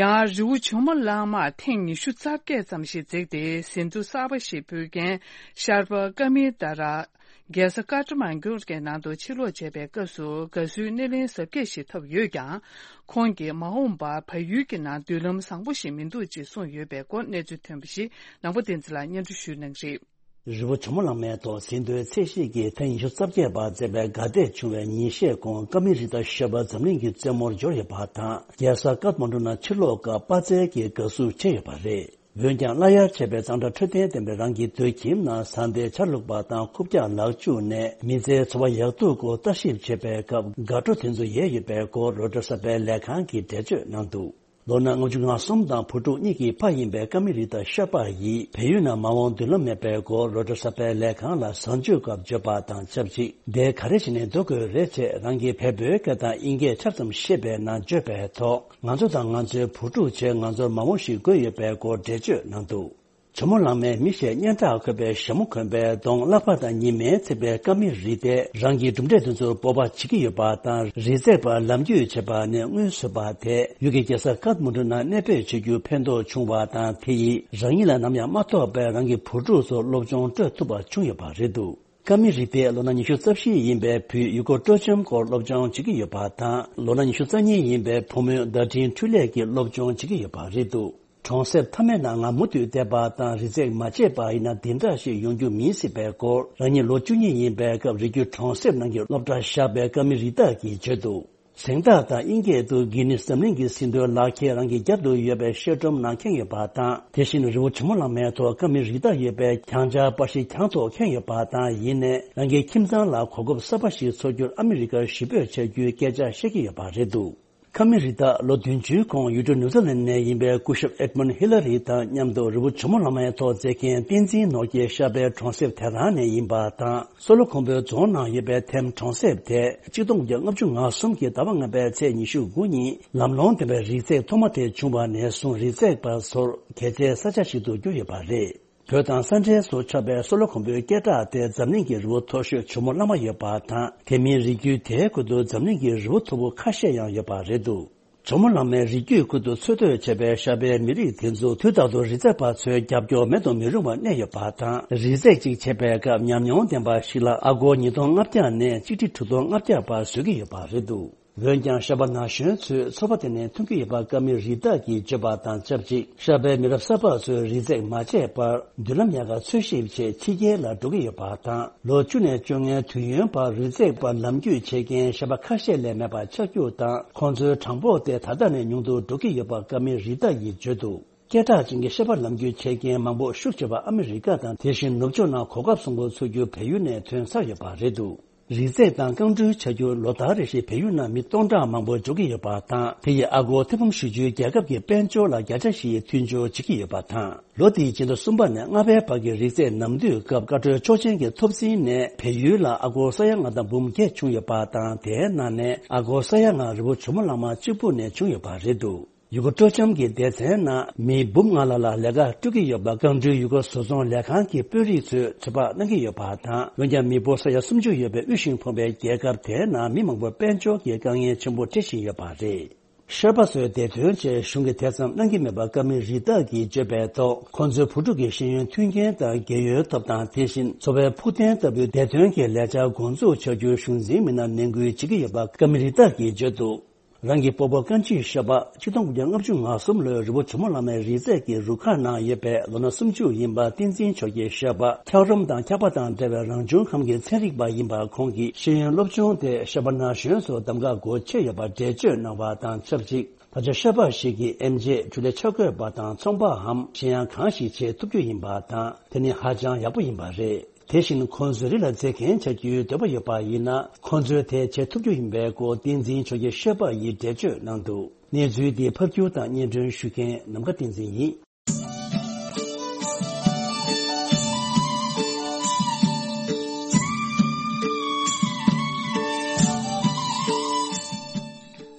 ཡང་རི་བོ་ཇོ་མོ་གླང་མར་ཐེངས་ཉི་ཤུ་རྩ་བརྒྱད་ཙམ་ཞིག་འཛེགས་ཏེ་ཟིན་ཐོ་གསར་པ་ཞིག་ཕུལ་མཁན་ཤར་པ་ཀ་མི་ཏཱ་ར། རྒྱལ་ས་ཀ་ཏ་མན་ཇུ་གི་ནང་དུ་ཕྱིར་ལོག་བྱས་པའི་སྐབས་སུ་དགའ་བསུའི་སྣེ་ལེན་གཟབ་རྒྱས་ཤིག་ཐོབ་ཡོད་ཀྱང་། ཁོང་གིས་མ་འོངས་པར་བལ་ཡུལ་གྱི་ནང་མདུན་ལམ་བཟང་པོ་ཞིག་མི་འདུག་ཅེས་གསུངས་ཡོད་པའི་སྐོར་གནས་ཚུལ་ཐོན་པ་ཞིག་ནང་པ་བསྟན་འཛིན་ལགས་སྙན་སྒྲོན་ཞུ་གནང་གི་རེད། རི་བོ་ཇོ་མོ་གླང་མའི་ཐོག་ཟིན་ཐོའི་ཚད་གཞི་གི་ཐེངས་ཉི་ཤུ་རྩ་བརྒྱད་པ་འཛེགས་པའི་དགའ་དད་བྱུང་བའི་ཉིན་ཤས་གོང་ཀ་མི་རི་ཏ་ཤར་པ་འཛམ་གླིང་གི་རྩེད་མོར་འབྱོར་ཡོད་པ་དང་། རྒྱལ་ས་ཀཏ་མན་ཌུ་ནང་ཕྱིར་ལོག་སྐབས་དཔའ་རྩལ་གྱི་དགའ་བསུ་བྱས་ཡོད་པ་རེད། འོན་ཀྱང་སླར་ཡར་བྱས་པའི་གཙང་སྦྲ་འཕྲོད་བསྟེན་ལྡན་པའི་རང་གི་སྡོད་ཁྱིམ་ནང་ཟ་འདྲེ་ཆ་ལུག་པ་དང་རྐུབ་བཀྱག་ལག་འཁྱུ་ནས་མི་ཚེའི་འཚོ་བ་ཡག་སྡུག་སྐོར་ལྟ་ཞིབ་བྱེད་པའི་སྐབས་དགའ་སྤྲོ་དེ་ཚོ་ཡལ་ཡོད་པའི་སྐོར་རོའི་ཊར་གསར་པའི་ལས་ཁང་གིས་འགྲེལ་བརྗོད་གནང་འདུག་ལོ་ན་ལྔ་བཅུ་ང་གསུམ་དང་བུ་ཕྲུག་གཉིས་ཀྱི་ཕ་ཡིན་པའི་ཀ་མི་རི་ཏ་ཤར་པ་ཡིས་བལ་ཡུལ་ནང་མ་འོངས་མདུན་ལམ་མེད་པའི་སྐོར་རོའི་ཊར་གསར་པའི་ལས་ཁང་ལ་གཟའ་མཇུག་སྐབས་བརྗོད་པ་དང་ཆབས་ཅིག་འདིར་ག་རེ་བྱས་ནས་སྡོད་དགོས་རེད་ཅེས་རང་གི་བལ་པོའི་སྐད་དང་དབྱིན་སྐད་ཆ་ཙམ་ཤེས་པའི་ནང་བརྗོད་པའི་ཐོག་ང་ཚོ་དང་ང་ཚོའི་བུ་ཕྲུག་བཅས་ང་ཚོར་མ་འོངས་ཤིག་དགོས་ཡོད་པའི་སྐོར་འགྲེལ་བརྗོད་གནང་འདུག་ཇོ་མོ་གླང་མའི་མི་ཞེས་སྙན་གྲགས་འཁོད་པའི་ཞྭ་མོ་གོན་པའི་གདོང་ཀླད་པ་དང་ཉི་མས་བརྩིགས་པའི་ཀ་མི་རི་ཏས་རང་གི་གྲུབ་འབྲས་དེ་ཚོར་སྤོབས་པ་བྱེད་ཀྱི་ཡོད་པ་དང་། རི་རྩེད་པར་ལམ་རྒྱུས་བྱེད་པ་ནས་སྔོན་བཟོས་པ་དེས་ཡུལ་གྱི་རྒྱལ་ས་ཀཏ་མན་ཌུ་ནང་གནས་སྤོས་བྱེད་རྒྱུར་ཕན་ཐོགས་བྱུང་བ་དང་། དེ་ཡིས་རང་ཉིད་ལ་ནམ་ཡང་མ་ཐོགས་པའི་རང་གི་བུ་ཕྲུག་ཚོར་སློབ་སྦྱོང་སྤྲོད་ཐུབ་པ་བྱུང་ཡོད་པ་རེད་འདུག་ཀ་མི་རི་ཏས་ལོ་ན་ཉི་ཤུ་རྩ་བཞི་ཡིན་པའི་བུས་ཡུལ་སྐོར་སྤྲོ་འཆམ་སྐོར་སློབ་སྦྱོང་བྱེད་ཀྱི་ཡོད་པ་དང་། ལོ་ན་ཉི་ཤུ་རྩ་གཉིས་ཡིན་པའི་བུ་མོས་བརྡ་འཕྲིན་འཕྲུལ་ལས་ཀྱི་སློབ་སྦྱོང་བྱེད་ཀྱི་ཡོད་པ་རེད་འདུག་གྲོང་གསེབ་མཐའ་མའི་ནང་ང་མུ་མཐུད་བསྡད་པ་དང་། རི་རྩེད་མ་བྱས་པ་ཡིན་ན་འདི་འདྲ་ཞིག་ཡོང་རྒྱུ་མིན་སྲིད་པའི་སྐོར། རང་ཉིད་ལོ་བཅུ་གཉིས་ཡིན་པའི་སྐབས་རི་རྒྱུད་གྲོང་གསེབ་ནང་གི་སློབ་གྲྭར་བཞག་པའི་ཀ་མི་རི་ཏ་གིས་བརྗོད་འདུག་གཟེངས་རྟགས་དང་དབྱིན་སྐད་དུ་གྷི་ནིས་འཛམ་གླིང་གི་ཟིན་ཐོའི་ལག་ཁྱེར་རང་གི་རྒྱབ་ཏུ་ཡོད་པའི་ཤེལ་སྒྲོམ་ནང་འཁྱེར་ཡོད་པ་དང་། དེ་བཞིན་རི་བོ་ཇོ་མོ་གླང་མའི་ཐོག་ཀ་མི་རི་ཏ་ཡོད་པའི་གྱང་ཆག་པར་ཤིང་གྱང་ཐོག་འཁྱེར་ཡོད་པ་དང་། ཡིན་ནའི་རང་གི་ཁྱིམ་ཚང་ལ་གོ་སྐབས་གསར་པ་ཞིག་འཚོལ་རྒྱུར་ཨ་མི་རི་ཀར་གཞིས་སྤོས་བྱ་རྒྱུའི་སྐད་ཆ་བཤད་ཀྱི་ཡོད་པ་རེད་འདུག་ཀ་མི་རི་ཏ་ལོ་བདུན་ཅུའི་གོང་ཡུལ་གྲུ་ནིའུ་ཛི་ལན་ནས་ཡིན་པའི་སྐུ་ཞབས་ཨེཌ་མོན་ཧི་ལ་རི་དང་མཉམ་དུ་རི་བོ་ཇོ་མོ་གླང་མའི་ཐོག་འཛེགས་མཁན་བསྟན་འཛིན་ནོར་རྒྱས་ཤར་པའི་གྲོང་གསེབ་དེ་རང་ནས་ཡིན་པ་དང་། སོ་ལོ་ཁོང་པོའི་རྫོང་ནང་ཡོད་པའི་ཐེམ་གྲོང་གསེབ་དེ་ཆིག་སྟོང་དགུ་བརྒྱ་ལྔ་བཅུ་ང་གསུམ་གྱི་ཟླ་བ་ལྔ་པའི་ཚེས་ཉི་ཤུ་དགུ་ཉིན་ལམ་ལྷོང་ལྡན་པའི་རི་རྩེད་ཐོག་མ་དེ་བྱུང་བ་ནས་བཟུང་རི་རྩེད་པ་ཚོར་གལ་ཆེའི་ས་ཆ་ཞིག་ཏུ་གྱུར་ཡོད་པ་རེད། བོད་དང་ས་འབྲེལ་སུ་ཆགས་པའི་སོ་ལོ་ཁོང་པོའི་སྐད་གྲགས་དེ་འཛམ་གླིང་གི་རི་བོ་མཐོ་ཤོས་ཇོ་མོ་གླང་མ་ཡོད་པ་དང་། དེ་མིན་རི་རྒྱུད་དེའི་ཁུལ་དུ་འཛམ་གླིང་གི་རི་བོ་མཐོ་པོ་ཁ་ཤས་ཡང་ཡོད་པ་རེད་འདུག་ཇོ་མོ་གླང་མའི་རི་རྒྱུད་ཁུལ་དུ་འཚོ་སྡོད་བྱེད་པའི་ཤར་པའི་མི་རིགས་དེ་ཚོ་དུས་རྟག་ཏུ་རི་རྩེད་པ་ཚོའི་རྒྱབ་སྐྱོར་མེད་དུ་མི་རུང་བར་གནས་ཡོད་པ་དང་། རི་རྩེད་ཅིག་བྱེད་པའི་སྐབས་ཉམས་མྱོང་ལྡན་པ་ཞིག་ལ་ཨ་སྒོར་ཉིས་སྟོང་ལྔ་བརྒྱ་ནས་ཆིག་ཁྲི་དྲུག་སྟོང་ལྔ་བརྒྱ་བར་བཟོ་གི་ཡོད་པ་རེད་འདུག་འོན་ཀྱང་ཤར་པ་ན་གཞོན་ཚོས་ཚོར་བ་དེ་ནས་ཐོན་གྱི་ཡོད་པ་ཀ་མི་རི་ཏ་གིས་བརྗོད་པ་དང་ཆབས་ཅིག་ཤར་པའི་མི་རབས་གསར་པ་ཚོས་རི་རྩེད་མ་བྱས་པར་མདུན་ལམ་ཡག་ག་འཚོལ་ཞིབ་ཆེད་ཕྱི་རྒྱལ་ལ་འགྲོ་གི་ཡོད་པ་དང་། ལོ་བཅུ་ནས་བཅོ་ལྔའི་དུས་ཡུན་བར་རི་རྩེད་པར་ལམ་རྒྱུས་བྱེད་མཁན་ཤར་པ་ཁ་ཤས་ལས་མེད་པ་ཆགས་རྒྱུ་དང་། ཁོང་ཚོའི་གྲངས་འབོར་དེ་ད་ལྟ་ནས་ཉུང་དུ་འགྲོ་གི་ཡོད་པ་ཀ་མི་རི་ཏ་ཡིས་བརྗོད་འདུག་སྐད་གྲགས་ཅན་གྱི་ཤར་པ་ལམ་རྒྱུས་བྱེད་མཁན་མང་པོ་ཤུགས་ཆེ་བ་ཨ་མི་རི་ཀ་དང་། དེ་བཞིན་ནུབ་ཕྱོགས་ནང་གོ་སྐབས་བཟང་པོ་འཚོལ་རྒྱུར་བལ་ཡུལ་ནས་ཐོན་ཚར་ཡོད་པ་རེད་འདུག་རི་རྩེད་དང་རྐང་འགྲུལ་བྱ་རྒྱུར་ལོ་ལྟར་རེ་བཞིན་བལ་ཡུལ་ནང་མི་སྟོང་ཕྲག་མང་པོ་འབྱོར་གྱི་ཡོད་པ་དང་། དེ་ཡིས་ཨ་སྒོར་ཐེར་འབུམ་བཞི་བཅུའི་རྒྱལ་ཁབ་ཀྱི་དཔལ་འབྱོར་ལ་བརྒྱ་ཆ་བཞིའི་མཐུན་སྦྱོར་བྱེད་ཀྱི་ཡོད་པ་དང་། ལོ་དེའི་ཕྱི་ཟླ་གསུམ་པ་ནས་ལྔ་པའི་བར་གྱི་རི་རྩེད་ནམ་དུས་སྐབས་བཀའ་འཁྲོལ་ཆོག་མཆན་གྱི་ཐོབ་ཟིན་ནས་བལ་ཡུལ་ལ་ཨ་སྒོར་ས་ཡ་ལྔ་དང་འབུམ་བརྒྱད་བྱུང་ཡོད་པ་དང་། དེའི་ནང་ནས་ཨ་སྒོར་ས་ཡ་ལྔ་རི་བོ་ཇོ་མོ་གླང་མ་གཅིག་པུ་ནས་བྱུང་ཡོད་པ་རེད་འདུག་ཡུལ་སྐོར་སྤྲོ་འཆམ་གྱི་སྡེ་ཚན་ནང་མི་འབུམ་ལྔ་ལྷག་ལ་ལས་ཀ་སྤྲོད་ཀྱི་ཡོད་པ་རྐང་འགྲུལ་ཡུལ་སྐོར་བཟོ་ཚོང་ལས་ཁང་གི་དཔོན་རིགས་ཚོས་ཚོད་དཔག་གནང་གི་ཡོད་པ་དང་། འོན་ཀྱང་མི་འབོར་ས་ཡ་སུམ་ཅུ་ཡོད་པའི་དབུལ་ཞིང་ཕོངས་པའི་རྒྱལ་ཁབ་དེའི་ནང་མི་མང་པོར་དཔལ་འབྱོར་གྱི་དཀའ་ངལ་ཆེན་པོ་འཕྲད་བཞིན་ཡོད་པ་རེད། ཤར་པ་ཚོའི་བདེ་དོན་ཆེད་གཞུང་གིས་དེ་ཙམ་གནང་གི་མེད་པ་ཀ་མི་རི་ཏ་གིས་བརྗོད་པའི་ཐོག་ཁོང་ཚོའི་བུ་ཕྲུག་གི་ཤེས་ཡོན་མཐུན་རྐྱེན་དང་རྒས་ཡོལ་ཐོབ་ཐང་། དེ་བཞིན་འཚོ་བའི་ཕུགས་བརྟན་ལྟ་བུའི་བདེ་དོན་གྱི་ལས་འཆར་འགོ་འཛུགས་བྱ་རྒྱུའི་གཞུང་འཛིན་མི་སྣར་ནན་སྐུལ་བྱེད་ཀྱི་ཡོད་པ་ཀ་མི་རི་ཏ་གིས་བརྗོད་འདུག་རང་གི་སྤོ་བོ་བཀའ་འཆི་ཤར་པ་ཆིག་སྟོང་དགུ་བརྒྱ་ལྔ་བཅུ་ང་གསུམ་ལོའི་རི་བོ་ཇོ་མོ་གླང་མའི་རི་རྩེད་ཀྱི་རུ་ཁག་ནང་ཡོད་པའི་ལོ་ན་སུམ་ཅུ་ཡིན་པ་བསྟན་འཛིན་ཆོས་རྒྱལ་ཤར་པ་འཁྱགས་རོམ་དང་འཁྱགས་པ་དང་འདྲ་བའི་རང་བྱུང་ཁམས་ཀྱི་ཚན་རིག་པ་ཡིན་པ། ཁོང་གིས་ཤེས་ཡོན་སློབ་སྦྱོང་དེ་ཤར་པ་ན་གཞོན་ཚོར་གདམ་ག་སྒོ་ཕྱེ་ཡོད་པ་འགྲེལ་བརྗོད་གནང་བ་དང་ཆབས་ཅིག་ད་ཆ་ཤོ་པ་ཞིག་གིས་ཨེམ་ཆི་ཇུ་ལེ་ཆ་བགོས་པ་དང་ཚོང་པའམ་གཞན་ཡང་གང་ཞིག་བྱེད་ཐུབ་རྒྱུ་ཡིན་པ་དང་། དེ་ནི་ཧ་ཅང་ཡག་པོ་ཡིན་པ་རེད། དེ་བཞིན་ཁོང་ཚོའི་རིགས་ལ་མཛེས་རྒྱན་བྱ་རྒྱུའི་འདོད་པ་ཡོད་པ་ཡིན་ན། ཁོང་ཚོས་དེ་བྱེད་ཐུབ་རྒྱུ་ཡིན་པའི་སྐོར་བསྟན་འཛིན་ཆོས་རྒྱལ་ཤོ་པ་ཡིས་འགྲེལ་བརྗོད་གནང་འདུག་གནས་ཚུལ་འདི་ཕབ་སྒྱུར་དང་སྙན་སྒྲོན་ཞུ་མཁན་ནམ་མཁའ་བསྟན་འཛིན་ཡིན།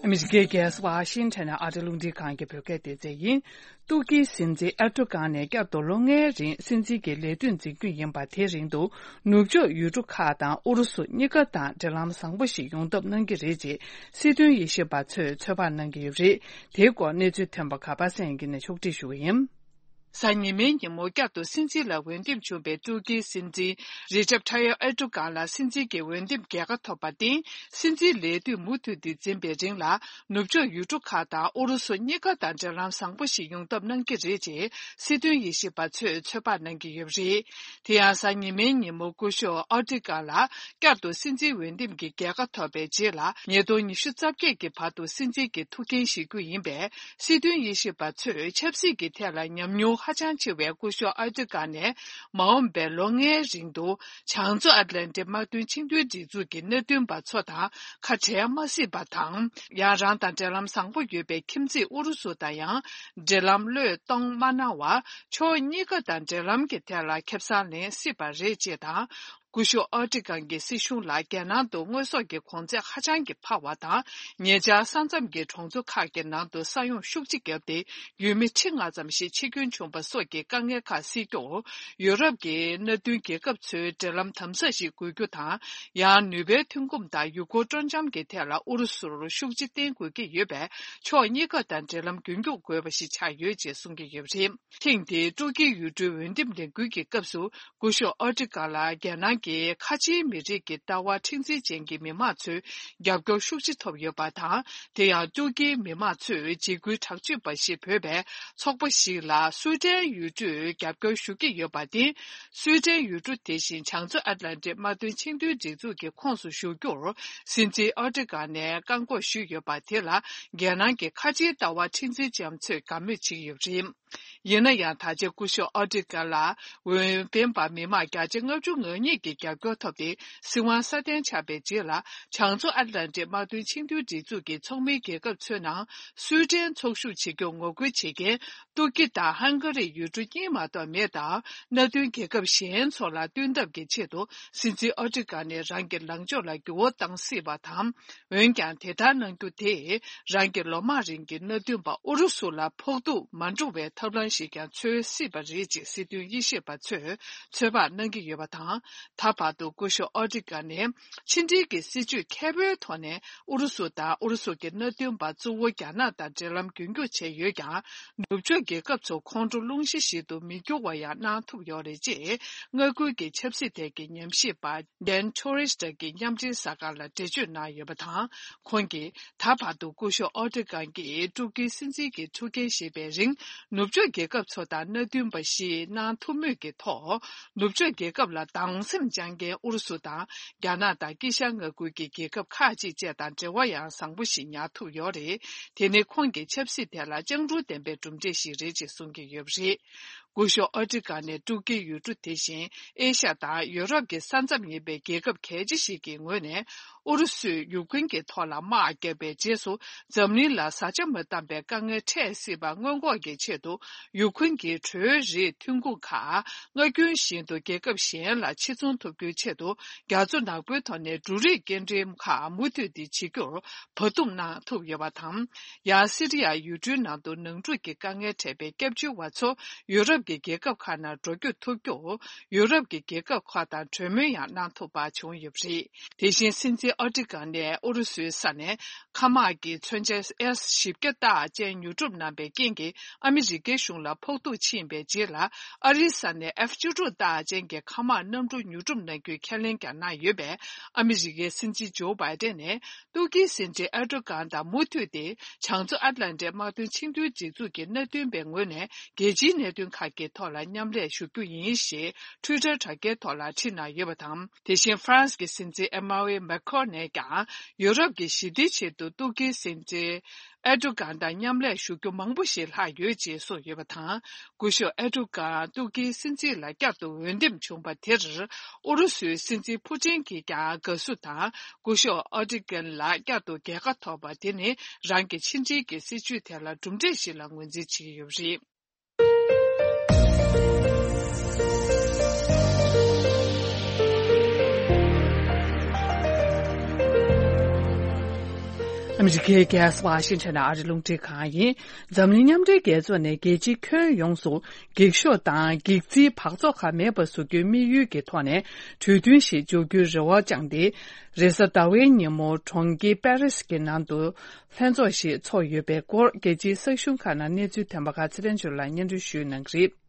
ཨ་མི་རི་ཀའི་རྒྱལ་ས་ཝ་ཤིང་ཊོན་ནས་ཨ་རི་རླུང་འཕྲིན་ཁང་གི་བོད་སྐད་སྡེ་ཚན་ཡིན། ཏུར་ཀིའི་སྲིད་འཛིན་ཨེར་ཏོ་གྷན་ནས་བསྐྱར་དུ་ལོ་ལྔའི་རིང་སྲིད་འཛིན་གྱི་ལས་དུས་འཛིན་རྒྱུ་ཡིན་པ། དེའི་རིང་དུ་ནུབ་ཕྱོགས་ཡུལ་གྲུ་ཁག་དང་ཨུ་རུ་སུ་གཉིས་ཀ་དང་འབྲེལ་ལམ་བཟང་པོ་ཞིག་ཡོང་ཐབས་གནང་གི་རེད་ཅེས་སྲིད་དོན་དབྱེ་ཞིབ་པ་ཚོས་ཚོད་དཔག་གནང་གི་ཡོད་པ་རེད། དེའི་སྐོར་གནས་ཚུལ་ཐོན་པ་ག་པ་སངས་དབྱངས་སྐྱིད་ནས་ཕྱོགས་སྒྲིག་ཞུ་གི་ཡིན། གཟའ་ཉི་མའི་ཉིན་མོ་བསྐྱར་དུ་སྲིད་འཛིན་ལ་འོས་འདེམས་བྱུང་བའི་ཏུར་ཀིའི་སྲིད་འཛིན་རི་ཇབ་ཐ་ཡབ་ཨེར་ཏོ་གྷན་ལ་སྲིད་འཛིན་གྱི་འོས་འདེམས་རྒྱལ་ཁ་ཐོབ་པར་བརྟེན། སྲིད་འཛིན་ལས་དུས་མུ་མཐུད་དེ་འཛིན་པའི་རིང་ལ། ནུབ་ཕྱོགས་ཡུལ་གྲུ་ཁག་དང་ཨུ་རུ་སུ་གཉིས་ཀ་དང་འབྲེལ་ལམ་བཟང་པོ་ཞིག་ཡོང་ཐབས་གནང་གི་རེད་ཅེས་སྲིད་དོན་དབྱེ་ཞིབ་པ་ཚོས་ཚོད་དཔག་གནང་གི་ཡོད་པ་རེད། དེ་ཡང་གཟའ་ཉི་མའི་ཉིན་མོ་སྐུ་ཞབས་ཨོ་ཏི་ཀ་ལ་བསྐྱར་དུ་སྲིད་འཛིན་འོས་འདེམས་ཀྱི་རྒྱལ་ཁ་ཐོབ་པའི་རྗེས་ལ། ཉིས་སྟོང་ཉི་ཤུ་རྩ་བརྒྱད་ཀྱི་བར་དུ་སྲིད་འཛིན་གྱི་ཐུགས་འགན་བཞེས་རྒྱུ་ཡིན་པས། སྲིད་དོན་དབྱེ་ཞིབ་པ་ཚོས་ཆབ་སྲིད་ཀྱི་ཐད་ལ་ཉམས་མྱོང་ཧ་ཅང་ཆེ་བའི་སྐུ་ཞབས་ཨོ་ཏི་ཀ་ནས་མ་འོངས་པའི་ལོ་ལྔའི་རིང་དུ། བྱང་མཚོ་ཨ་ཏི་ལན་ཏི་དམག་དོན་ཆིངས་དོན་སྒྲིག་འཛུགས་ཀྱི་མནའ་མཐུན་པ་ཚོ་དང་ཁ་བྲལ་མ་སྲིད་པ་དང་། ཡང་རང་དང་འབྲེལ་ལམ་བཟང་པོ་ཡོད་པའི་ཁྱིམ་མཚེས་ཨུ་རུ་སུ་དང་ཡང་འབྲེལ་ལམ་བློས་གཏོང་མ་གནང་བར། ཕྱོགས་གཉིས་ཀ་དང་འབྲེལ་ལམ་གྱི་ཐད་ལ་ཁེ་བཟང་ལེན་སྲིད་པ་རེད་ཅེས་དང་། སྐུ་ཞབས་ཨོ་ཏི་ཀན་གྱི་སྲིད་གཞུང་ལ་རྒྱལ་ནང་དུ་དངོས་ཟོག་གི་གོང་ཚད་ཧ་ཅང་གི་འཕར་བ་དང་། ཉེ་ཆར་ས་མཚམས་ཀྱི་གྲོང་ཚོ་ཁག་གི་ནང་དུ་ས་ཡོམ་ཤུགས་ཆེ་བརྒྱབ་སྟེ། ཡུལ་མི་ཁྲི་ལྔ་ཙམ་ཞིག་འཆི་སྐྱོན་བྱུང་བ་སོགས་ཀྱི་དཀའ་ངལ་ཁག་སེལ་རྒྱུར། ཡུ་རོབ་ཀྱི་མནའ་མཐུན་རྒྱལ་ཁབ་ཚོའི་འབྲེལ་ལམ་དམ་ཟབ་ཞིག་དགོས་རྒྱུ་དང་། ཡང་ནུས་པའི་ཐོན་ཁུངས་དང་ཡུལ་སྐོར་སྤྲོ་འཆམ་གྱི་ཐད་ལ་ཨུ་རུ་སུར་ཤུགས་རྐྱེན་བསྟེན་དགོས་ཀྱི་ཡོད་པས། ཕྱོགས་གཉིས་ཀ་དང་འབྲེལ་ལམ་རྒྱུན་འཁྱོངས་དགོས་པ་ཞིག་ཆགས་ཡོད་ཅེས་གསུང་གི་ཡོད་པ་རེད། ཐེངས་འདིའི་ཏུར་ཀིའི་ཡུལ་གྲུའི་འོས་འདེམས་ལས་འགུལ་གྱི་སྐབས་སུ། སྐུ་ཞབས་ཨོ་ཏི་ཀ་ལ་རྒྱལ་ནང་གི་ཁ་ཆེའི་མི་རིགས་ཀྱི་ལྟ་བ་མཁྲེགས་འཛིན་ཅན་གྱི་མི་མང་ཚོའི་རྒྱབ་སྐྱོར་ཤུགས་ཆེ་ཐོབ་ཡོད་པ་དང་། དེ་ཡང་ཏུར་ཀིའི་མི་མང་ཚོས་འཇིགས་སྐུལ་དྲག་སྤྱོད་པ་ཞེས་འབོད་པའི་ཚོགས་པ་ཞིག་ལ་སུའེ་ཏན་ཡུལ་གྲུས་རྒྱབ་སྐྱོར་ཞུ་གི་ཡོད་པར་བརྟེན། སུའེ་ཏན་ཡུལ་གྲུ་དེ་བཞིན་བྱང་མཚོ་ཨ་ཏི་ལན་ཏི་དམག་དོན་ཆིངས་དོན་སྒྲིག་འཛུགས་ཀྱི་ཁོངས་སུ་ཞུགས་རྒྱུར་སྲིད་འཛིན་ཨོ་ཏི་ཀ་ནས་བཀག་འགོག་ཞུས་ཡོད་པ་དེ་ལ། རྒྱལ་ནང་གི་ཁ་ཆེའི་ལྟ་བ་མཁྲེགས་འཛིན་ཅན་ཚོས་དགའ་མོས་བྱེད་ཀྱི་ཡོད་པ་རེད། ཡིན་ན་ཡང་། ད་ཆ་སྐུ་ཞབས་ཨོ་ཏི་ཀ་ལ་འོས་འཕེན་པ་མི་མང་བརྒྱ་ཆ་ལྔ་བཅུ་ང་གཉིས་ཀྱི་རྒྱབ་སྐྱོར་ཐོབ་སྟེ། སྲིད་དབང་སྲ་བརྟན་ཆགས་པའི་རྗེས་ལ། བྱང་མཚོ་ཨ་ཏི་ལན་ཏི་དམག་དོན་ཆིངས་དོན་སྒྲིག་འཛུགས་ཀྱི་ཚོགས་མིའི་རྒྱལ་ཁབ་ཚོའི་ནང་སུའེ་ཏན་ཚོགས་ཞུགས་བྱེད་རྒྱུར་ངོ་རྒོལ་བྱེད་མཁན་ཏུར་ཀི་དང་ཧང་ག་རི་ཡུལ་གྲུ་གཉིས་མ་གཏོགས་མེད་སྟབས། མནའ་མཐུན་རྒྱལ་ཁབ་གཞན་ཚོ་ལ་བསྟུན་ཐབས་ཀྱི་ཆེད་དུ། སྲིད་འཛིན་ཨོ་ཏི་ཀ་ནས་རང་གི་ལངས་ཕྱོགས་ལ་འགྱུར་བ་བཏང་སྲིད་པ་དང་། འོན་ཀྱང་། དེ་ལྟར་གནང་རྒྱུ་དེས་རང་གི་ལོ་མང་རིང་གི་མནའ་མཐུན་པ་ཨུ་རུ་སུ་ལ་ཕོག་ཐུག་མ་འགྲོ་བའི་ཐབས་ལམ་ཞིག་ཀྱང་འཚོལ་སྲིད་པ་རེད་ཅེས་སྲིད་དོན་དབྱེ་ཞིབ་པ་ཚོས་ཚོད་དཔག་གནང་གི་ཡོད་པ་དང་། ད་བར་དུ་སྐུ་ཞབས་ཨོ་ཏི་ཀ་ནས་ཕྱི་འབྲེལ་གྱི་སྲིད་ཇུས་མཁས་པོའི་ཐོག་ནས་ཨུ་རུ་སུ་དང་ཨུ་རུ་སུ་གྱི་མནའ་མཐུན་པ་གཙོ་བོ་རྒྱ་ནག་དང་འབྲེལ་ལམ་རྒྱུན་འཁྱོངས་བྱས་ཡོད་ཀྱང་། ནུབ་ཕྱོགས་རྒྱལ་ཁབ་ཚོ་ཁོང་ཁྲོ་སློང་གཞི་ཞིག་ཏུ་མི་འགྱུར་བ་ཡང་གནང་ཐུབ་ཡོད་རེད་ཅེས། མངའ་ཁུལ་གྱི་ཆབ་སྲིད་ཐད་ཀྱི་ཉམས་ཞིབ་པ། ཌན་ཊོ་རི་སི་ཀྱིས་མཉམ་འབྲེལ་གསར་ཁང་ལ་འགྲེལ་བརྗོད་གནང་ཡོད་པ་དང་། ཁོང་གིས་ད་བར་དུ་སྐུ་ཞབས་ཨོ་ཏི་ཀན་གྱིས་ཏུར་ཀིའི་སྲིད་འཛིན་གྱི་ཐུགས་འགན་བཞེས་པའི་རིང་། ནུབ་ཕྱོགས་རྒྱལ་ཁབ་ཚོ་དང་མནའ་མཐུན་པ་ཞིག་གནང་ཐུབ་མུས་ཀྱི་ཐོག་ནུབ་ཕྱོགས་རྒྱལ་ཁབ་ལ་སྡང་སེམས་བཅངས་མཁན་ཨུ་རུ་སུ་དང་རྒྱ་ནག་དང་དཀྱིལ་ཤར་མངའ་ཁུལ་གྱི་རྒྱལ་ཁབ་ཁག་ཅིག་བཅས་དང་འབྲེལ་བ་ཡང་བཟང་པོ་ཞིག་ཉར་ཐུབ་ཡོད་རེད། དེ་ནི་ཁོང་གི་ཆབ་སྲིད་ཐད་ལ་སྤྱང་གྲུང་ལྡན་པའི་གྲུབ་འབྲས་ཤིག་རེད་ཅེས་གསུང་གི་ཡོད་པ་རེད། སྐུ་ཞབས་ཨོ་ཏི་ཀ་ནས་ཏུར་ཀི་ཡུལ་གྲུ་དེ་བཞིན་ཨེ་ཤ་ཡ་དང་ཡུ་རོབ་ཀྱི་ས་མཚམས་ཡིན་པའི་རྒྱལ་ཁབ་གལ་ཆེ་ཞིག་གི་ངོས་ནས། ཨུ་རུ་སུས་ཡུཀ་རེན་གྱི་ཐོག་ལ་དམག་བརྒྱབ་པའི་རྗེས་སུ། འཛམ་གླིང་ལ་བཟའ་བཅའ་མ་བཏང་པའི་དཀའ་ངལ་འཕྲད་སྲིད་པ་སྔོན་འགོག་གི་ཆེད་དུ། ཡུཀ་རེན་གྱི་དྲོད་རིགས་ཐོན་ཁུངས་ཁག་སྔར་རྒྱུན་བཞིན་དུ་རྒྱལ་ཁབ་གཞན་ལ་ཕྱིར་ཚོང་ཐུབ་རྒྱུའི་ཆེད་དུ། རྒྱ་མཚོ་ནག་པོའི་ཐོག་ནས་འབྲུ་རིགས་སྐྱེལ་འདྲེན་ཁག་མུ་མཐུད་དེ་བྱེད་རྒྱུར་བར་འདུམ་གནང་ཐུབ་ཡོད་པ་དང་། ཡང་སི་རི་ཡ་ཡུལ་གྲུའི་ནང་དུ་ནང་འཁྲུག་གི་དཀའ་ངལ་འཕྲད་པའི་སྐྱབས་བཅོལ་བ་ཚོ་ཡུ་རོབ་ཀྱི་རྒྱལ་ཁབ་ཁག་ནང་འགྲོ་སྐྱོད་ཐུབ་རྒྱུར། ཡུ་རོབ་ཀྱི་རྒྱལ་ཁབ་ཁག་དང་གྲོས་མོལ་ཡང་གནང་ཐུབ་པ་བྱུང་ཡོད་པ་རེད། དེ་བཞིན་སྲིད་འཛིན་ཨོ་ཏི་ཀ་ནས་ཨུ་རུ་སུའི་ས་ནས་མཁའ་དམག་གི་མཚོན་ཆ་ཨེས་བཞི་བརྒྱ་རྟགས་ཅན་ཉོ་སྒྲུབ་གནང་པའི་རྐྱེན་གྱིས། ཨ་མི་རི་ཀའི་གཞུང་ལ་ཕོག་ཐུག་ཕྱིན་པའི་རྗེས་ལ། ཨ་རིའི་ས་ནས་ཨེཕ་བཅུ་དྲུག་རྟགས་ཅན་གྱི་མཁའ་དམག་གནམ་གྲུ་ཉོ་སྒྲུབ་གནང་རྒྱུའི་ཁས་ལེན་ཀྱང་གནང་ཡོད་པས། ཨ་མི་རི་ཀའི་སྲིད་འཛིན་ཇོ་བྷའི་ཏན་ནས། ཏུར་ཀིའི་སྲིད་འཛིན་ཨེར་ཏོ་གྷན་དང་མུ་མཐུད་དེ། བྱང་མཚོ་ཨ་ཏི་ལན་ཏིའི་དམག་དོན་ཆིངས་དོན་སྒྲིག་འཛུགས་ཀྱི་མནའ་མཐུན་པའི་ངོས་ནས། རྒྱལ་སྤྱིའི་གནད་དོན་ཁག་ གི་ཐོག་ལ་མཉམ་ལས་ཞུ་རྒྱུ་ཡིན་ཞེས་Twitter་དྲ་རྒྱའི་ཐོག་ལ་བྲིས་གནང་ཡོད་པ་དང་། དེ་བཞིན་ཧྥ་རན་སི་གི་སྲིད་འཛིན་Emmanuel Macron་ནས་ཀྱང་ཡུ་རོབ་ཀྱི་ཞི་བདེའི་ཆེད་དུ་ཏུར་ཀིའི་སྲིད་འཛིན་ཨེར་ཏོ་གྷན་དང་མཉམ་ལས་ཞུ་རྒྱུ་མང་པོ་ཞིག་ལྷག་ཡོད་ཅེས་གསུངས་ཡོད་པ་དང་། སྐུ་ཞབས་ཨེར་ཏོ་གྷན་ཏུར་ཀིའི་སྲིད་འཛིན་ལ་བསྐྱར་དུ་འོས་འདེམས་བྱུང་བ་དེར་ཨུ་རུ་སུའི་སྲིད་འཛིན་ཕུ་ཏིན་གྱིས་ཀྱང་དགའ་བསུ་དང་། སྐུ་ཞབས་ཨེར་ཏོ་གྷན་ལ་བསྐྱར་དུ་རྒྱལ་ཁ་ཐོབ་པ་དེ་ནི་རང་གི་ཕྱི་འབྲེལ་གྱི་སྲིད་བྱུས་དེ་ལ་གྲུབ་འབྲས་ཤིག་ལ་ངོས་འཛིན་བྱེད་ཀྱི་ཡོད་པ་རེད། ཨ་མི་རི་ཀའི་རྒྱལ་ས་ཝ་ཤིང་ཊོན་ཨ་རི་རླུང་འཕྲིན་ཁང་ཡིན། འཛམ་གླིང་མཉམ་འབྲེལ་རྒྱལ་ཚོགས་ནས་རྒྱལ་སྤྱི་ཁྱོན་ཡོངས་སུ་འགྱིག་ཤོག་དང་འགྱིག་རྩིའི་འབག་བཙོག་ཁག་མེད་པ་བཟོ་རྒྱུའི་དམིགས་ཡུལ་གྱི་ཐོག་ནས་གྲོས་མཐུན་ཞིག་འཇོག་རྒྱུའི་རེ་བ་བཅངས་ཏེ། རེས་གཟའ་ཟླ་བའི་ཉིན་མོ་གྲོང་ཁྱེར་པེ་རིས་ཀྱི་ནང་དུ་ལྷན་ཚོགས་ཤིག་ཚོགས་ཡོད་པའི་སྐོར་རྒྱལ་སྤྱིའི་གསར་ཤོག་ཁག་ནང་གནས་ཚུལ་ཐོན་པ་ཁག་ཚེ་རིང་ཇོ་ལགས་སྙན་སྒྲོན་ཞུ་གནང་གི་རེད།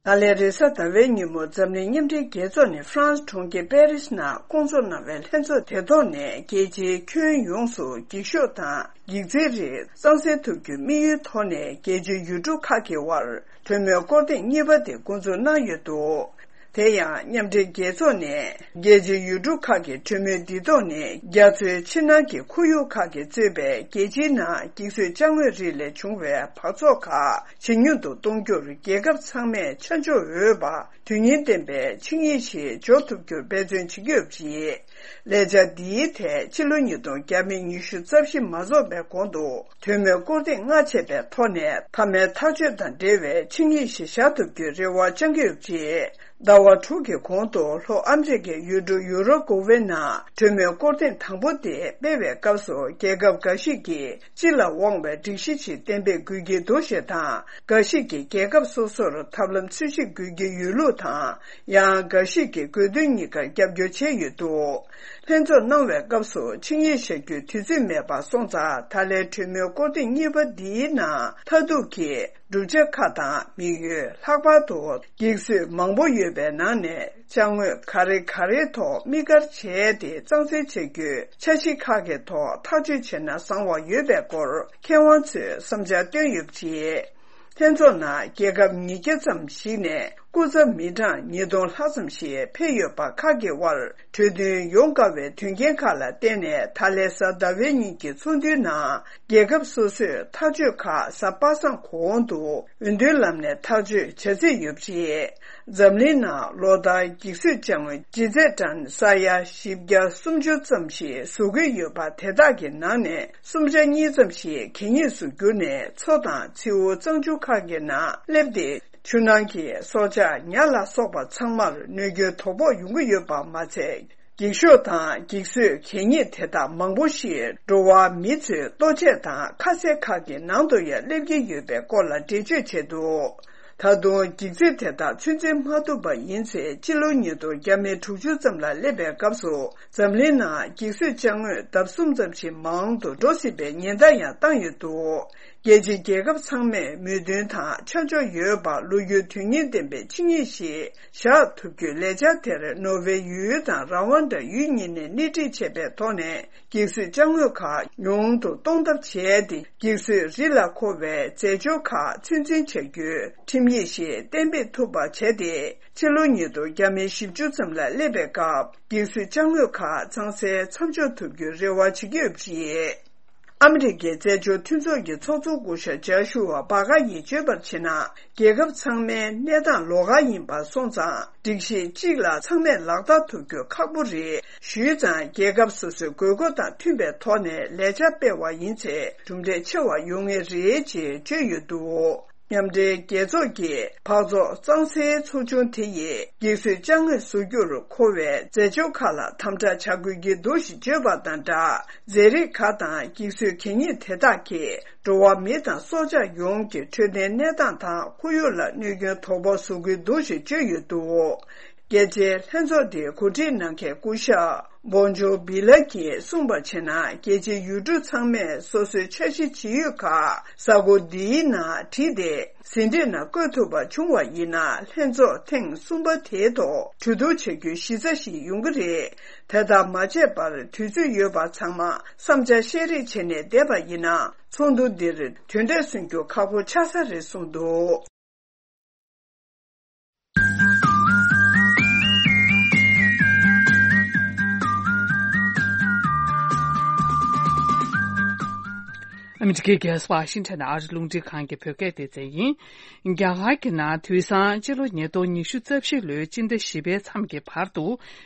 ད་ལན་རེས་གཟའ་ཟླ་བའི་ཉིན་མོ་འཛམ་གླིང་མཉམ་འབྲེལ་རྒྱལ་ཚོགས་ནས་ཧྥ་རན་སི་གྲོང་ཁྱེར་པེ་རིས་ནང་བསྐོང་ཚོགས་གནང་བའི་ལྷན་ཚོགས་དེ་ཐོག་ནས་རྒྱལ་སྤྱིའི་ཁྱོན་ཡོངས་སུ་འགྱིག་ཤོག་དང་འགྱིག་རྩིའི་རིགས་གཙང་སེལ་ཐུབ་རྒྱུའི་དམིགས་ཡུལ་ཐོག་ནས་རྒྱལ་སྤྱིའི་ཡུལ་གྲུ་ཁག་གི་དབར་གྲོས་མོལ་སྐོར་ཐེངས་གཉིས་པ་དེ་འགོ་འཛུགས་གནང་ཡོད་འདུག་དེ་ཡང་མཉམ་འབྲེལ་རྒྱལ་ཚོགས་ནས་རྒྱལ་སྤྱིའི་ཡུལ་གྲུ་ཁག་གི་གྲོས་མོལ་འདི་ཐོག་ནས་རྒྱ་མཚོའི་ཕྱི་ནང་གི་ཁོར་ཡུག་ཁག་གིས་གཙོས་པའི་རྒྱལ་སྤྱིའི་ནང་འགྱིག་བཟོས་ཅ་དངོས་རིགས་ལས་བྱུང་བའི་འབག་བཙོག་ཁག་ཇེ་ཉུང་དུ་གཏོང་རྒྱུར་རྒྱལ་ཁབ་ཚང་མས་ཆ་འཇོག་འོས་པ་དོན་སྙིང་ལྡན་པའི་ཆིངས་ཡིག་ཞིག་འཇོག་ཐུབ་རྒྱུར་འབད་བརྩོན་བྱེད་ཀྱི་ཡོད་པ་རེད། ལས་འཆར་འདིའི་ཐད་ཕྱི་ལོ་ཉིས་སྟོང་བརྒྱ་མེད་ཉི་ཤུ་རྩ་བཞི་མ་རྫོགས་པའི་གོང་དུ་གྲོས་མོལ་སྐོར་ཐེངས་ལྔ་བྱས་པའི་ཐོག་ནས་མཐའ་མའི་ཐག་གཅོད་དང་འབྲེལ་བའི་ཆིངས་ཡིག་ཞིག་བཞག་ཐུབ་རྒྱུའི་རེ་བ་བཅངས་ཀྱི་ཡོད་པ་རེད། ཟླ་བ་དྲུག་གི་གོང་དུ་ལྷོ་ཨ་མི་རི་ཀའི་ཡུལ་གྲུ་ཡུ་རོ་ཀོ་ཝེ་ནང་གྲོས་མོལ་སྐོར་ཐེངས་དང་པོ་དེ་སྤེལ་བའི་སྐབས་སུ་རྒྱལ་ཁབ་འགའ་ཞིག་གིས་སྤྱི་ལ་དབང་བའི་སྒྲིག་གཞི་ཞིག་གཏན་འབེབས་དགོས་ཀྱི་འདུག་ཞེས་དང་། འགའ་ཞིག་གིས་རྒྱལ་ཁབ་སོ་སོར་ཐབས་ལམ་འཚོལ་ཞིབ་དགོས་ཀྱི་ཡོད་ལུགས་དང་། ཡང་འགའ་ཞིག་གིས་དགོས་འདུན་གཉིས་ཀར་རྒྱབ་སྐྱོར་བྱས་ཡོད་འདུག་ལྷན་ཚོགས་གནང་བའི་སྐབས་སུ་ཆིངས་ཡིག་བཞག་རྒྱུའི་དུས་ཚོད་མེད་པ་སོང་ཙང་། ད་ལན་གྲོས་མོལ་སྐོར་ཐེངས་གཉིས་པ་འདིའི་ནང་མཐར་ཐུག་གི་བསྒྲུབ་བྱ་ཁག་དང་དམིགས་ཡུལ། ལྷག་པར་དུ་འགྱིག་བཟོས་མང་པོ་ཡོད་པའི་ནང་ནས་ཅ་དངོས་ག་རེ་ག་རེའི་ཐོག་དམིགས་བཀར་བྱས་ཏེ་གཙང་སེལ་བྱ་རྒྱུའི་འཆར་གཞི་ཁག་གི་ཐོག་ཐག་གཅོད་བྱས་ན་བཟང་བ་ཡོད་པའི་སྐོར་མཁས་དབང་ཚོས་བསམ་འཆར་བཏོན་ཡོད་པ་རེད། ལྷན་ཚོགས་ནང་རྒྱལ་ཁབ་ཉིས་བརྒྱ་ཙམ་ཞིག་ནས་སྐུ་ཚབ་མི་གྲངས་ཉིས་སྟོང་ལྷག་ཙམ་ཞིག་ཕེབས་ཡོད་པ་ཁག་གི་དབར་གྲོས་མཐུན་ཡོང་དཀའ་བའི་དོན་རྐྱེན་ཁག་ལ་བརྟེན་ནས། ད་ལན་གཟའ་ཟླ་བའི་ཉིན་གྱི་ཚོགས་འདུའི་ནང་རྒྱལ་ཁབ་སོ་སོས་ཐག་གཅོད་ཁག་གཟའ་པ་སངས་གོང་དུ་འོས་བསྡུའི་ལམ་ནས་ཐག་གཅོད་བྱ་རྩིས་ཡོད་པ་རེད། འཛམ་གླིང་ནང་ལོ་ལྟར་འགྱིག་བཟོས་ཅ་དངོས་ལྗིད་ཚད་ཊོན་ས་ཡ་བཞི་བརྒྱ་སུམ་ཅུ་ཙམ་ཞིག་བཟོ་གི་ཡོད་པ། དེ་དག་གི་ནང་ནས་སུམ་ཆ་གཉིས་ཙམ་ཞིག་གད་སྙིགས་སུ་གྱུར་ནས་མཚོ་དང་མཚེའུ་གཙང་ཆུ་ཁག་གི་ནང་སླེབས་ཏེ། ཆུ་ནང་གི་སྲོག་ཆགས་ཉ་ལ་སོགས་པ་ཚང་མར་གནོད་སྐྱོན་དོ་ཕོག་ཡོང་གི་ཡོད་པ་མ་ཚད། འགྱིག་ཤོག་དང་འགྱིག་བཟོས་གད་སྙིགས་དེ་དག་མང་པོ་ཞིག་འགྲོ་བ་མི་ཚོའི་ལྟོ་ཆས་དང་ཁ་ཟས་ཁག་གི་ནང་དུ་ཡང་སླེབས་ཀྱི་ཡོད་པའི་སྐོར་ལ་འགྲེལ་བརྗོད་བྱས་འདུག་ད་དུང་འགྱིག་རྩིས་དེ་དག་ཚོད་འཛིན་མ་ཐུབ་པ་ཡིན་ཚེ། སྤྱི་ལོ་ཉིས་སྟོང་བརྒྱ་མེད་དྲུག་ཅུ་ཙམ་ལ་སླེབས་པའི་སྐབས་སུ་འཛམ་གླིང་ནང་འགྱིག་བཟོས་ཅ་དངོས་ལྡབ་གསུམ་ཙམ་ཞིག་མང་དུ་འགྲོ་སྲིད་པའི་ཉེན་བརྡ་ཡང་བཏང་ཡོད་འདུག་རྒྱལ་སྤྱིའི་རྒྱལ་ཁབ་ཚང་མས་མོས་མཐུན་དང་ཆ་འཇོག་ཡོད་པ། ལོ་རྒྱུས་དོན་སྙིང་ལྡན་པའི་ཆིངས་ཡིག་ཞིག་བཞག་ཐུབ་རྒྱུའི་ལས་འཆར་དེར་ནོར་ཝེ་ཡུལ་དང་ར་ཝན་ཌ་ཡུལ་གཉིས་ནས་སྣེ་ཁྲིད་བྱས་པའི་ཐོག་ནས། འགྱིག་བཟོས་ཅ་དངོས་ཁག་ཉུང་དུ་གཏོང་ཐབས་བྱས་ཏེ། འགྱིག་བཟོས་རི་ལ་མཁོ་བའི་རྫས་སྦྱོར་ཁག་ཚོད་འཛིན་བྱ་རྒྱུའི་ཁྲིམས་ཡིག་ཞིག་གཏན་འབེབས་ཐུབ་པ་བྱས་ཏེ། ཕྱི་ལོ་ཉིས་སྟོང་བརྒྱ་མེད་བཞི་བཅུ་ཙམ་ལ་སླེབས་པའི་སྐབས། འགྱིག་བཟོས་ཅ་དངོས་ཁག་གཙང་སེལ་མཚམས་འཇོག་ཐུབ་རྒྱུའི་རེ་བ་བྱེད་ཀྱི་ཡོད་པ་རེད། ཨ་མི་རི་ཀའི་རྩེད་འཇོ་མཐུན་ཚོགས་ཀྱི་ཚོགས་གཙོ་སྐུ་ཞབས་ཇཱ་ཤུ་ཝ་བྷ་ག་ཡིས་བརྗོད་པར་བྱས་ན། རྒྱལ་ཁབ་ཚང་མའི་གནས་སྟངས་ལོགས་ཀ་ཡིན་པ་སོང་ཙང་། སྒྲིག་གཞི་གཅིག་ལ་ཚང་མས་ལག་བསྟར་ཐུབ་རྒྱུ་ཁག་པོ་རེད། ཞུས་ཙང་། རྒྱལ་ཁབ་སོ་སོའི་དགོས་མཁོ་དང་མཐུན་པའི་ཐོག་ནས་ལས་འཆར་སྤེལ་བ་ཡིན་ཚེ། གྲུབ་འབྲས་ཆེ་བ་ཡོང་ངེས་རེད་ཅེས་བརྗོད་ཡོད་འདུག་མཉམ་འབྲེལ་རྒྱལ་ཚོགས་ཀྱི་འབག་བཙོག་གཙང་སེལ་ཚོགས་ཆུང་དེ་ཡིས་འགྱིག་བཟོས་ཅ་དངོས་བཟོ་རྒྱུར་མཁོ་བའི་རྫས་སྦྱོར་ཁག་ལ་དམ་དྲག་བྱ་དགོས་ཀྱི་འདུག་ཞེས་བརྗོད་པ་དང་སྦྲགས། རྫས་རིགས་ཁག་དང་འགྱིག་བཟོས་གད་སྙིགས་དེ་དག་གིས་འགྲོ་བ་མི་དང་སྲོག་ཆགས་ཡོངས་ཀྱི་འཕྲོད་བསྟེན་གནས་སྟངས་དང་ཁོར་ཡུག་ལ་གནོད་སྐྱོན་དོ་ཕོག་བཟོ་གི་འདུག་ཞེས་བརྗོད་ཡོད་འདུག་རྒྱལ་སྤྱིའི་ལྷན་ཚོགས་དེ་གོ་སྒྲིག་གནང་མཁན་སྐུ་ཞབས་བོན་ཇོ་བི་ལ་གྱིས་གསུངས་པར་བྱས་ན། རྒྱལ་སྤྱིའི་ཡུལ་གྲུ་ཚང་མས་སོ་སོའི་འཆར་གཞི་ཇི་ཡོད་ཁག་གཟའ་འཁོར་འདིའི་ནང་བྲིས་ཏེ། ཟིན་བྲིས་ནང་བཀོད་ཐུབ་པ་བྱུང་བ་ཡིན་ན། ལྷན་ཚོགས་ཐེངས་གསུམ་པ་དེའི་ཐོག་གྲོས་བསྡུར་བྱ་རྒྱུའི་གཞི་རྩ་ཞིག་ཡོང་གི་རེད། དེ་ལྟར་མ་བྱས་པར་དུས་ཚོད་ཡོད་པ་ཚང་མ་བསམ་འཆར་བཤད་རེས་བྱས་ནས་བསྡད་པ་ཡིན་ན། ཚོགས་འདུ་འདིར་དོན་འབྲས་སོན་རྒྱུ་ཁག་པོ་ཆགས་ས་རེད་གསུངས་འདུག་ཨ་མི་རི་ཀའི་རྒྱལ་ས་ཝ་ཤིང་ཊོན་ཨ་རི་རླུང་འཕྲིན་ཁང་གི་བོད་སྐད་སྡེ་ཚན་ཡིན། རྒྱ་གར་གྱི་ནང་དུས་སང་སྤྱི་ལོ་ཉིས་སྟོང་ཉི་ཤུ་རྩ་བཞི་ལོའི་སྤྱི་ཟླ་བཞི་པའི་མཚམས་ཀྱི་བར་དུ།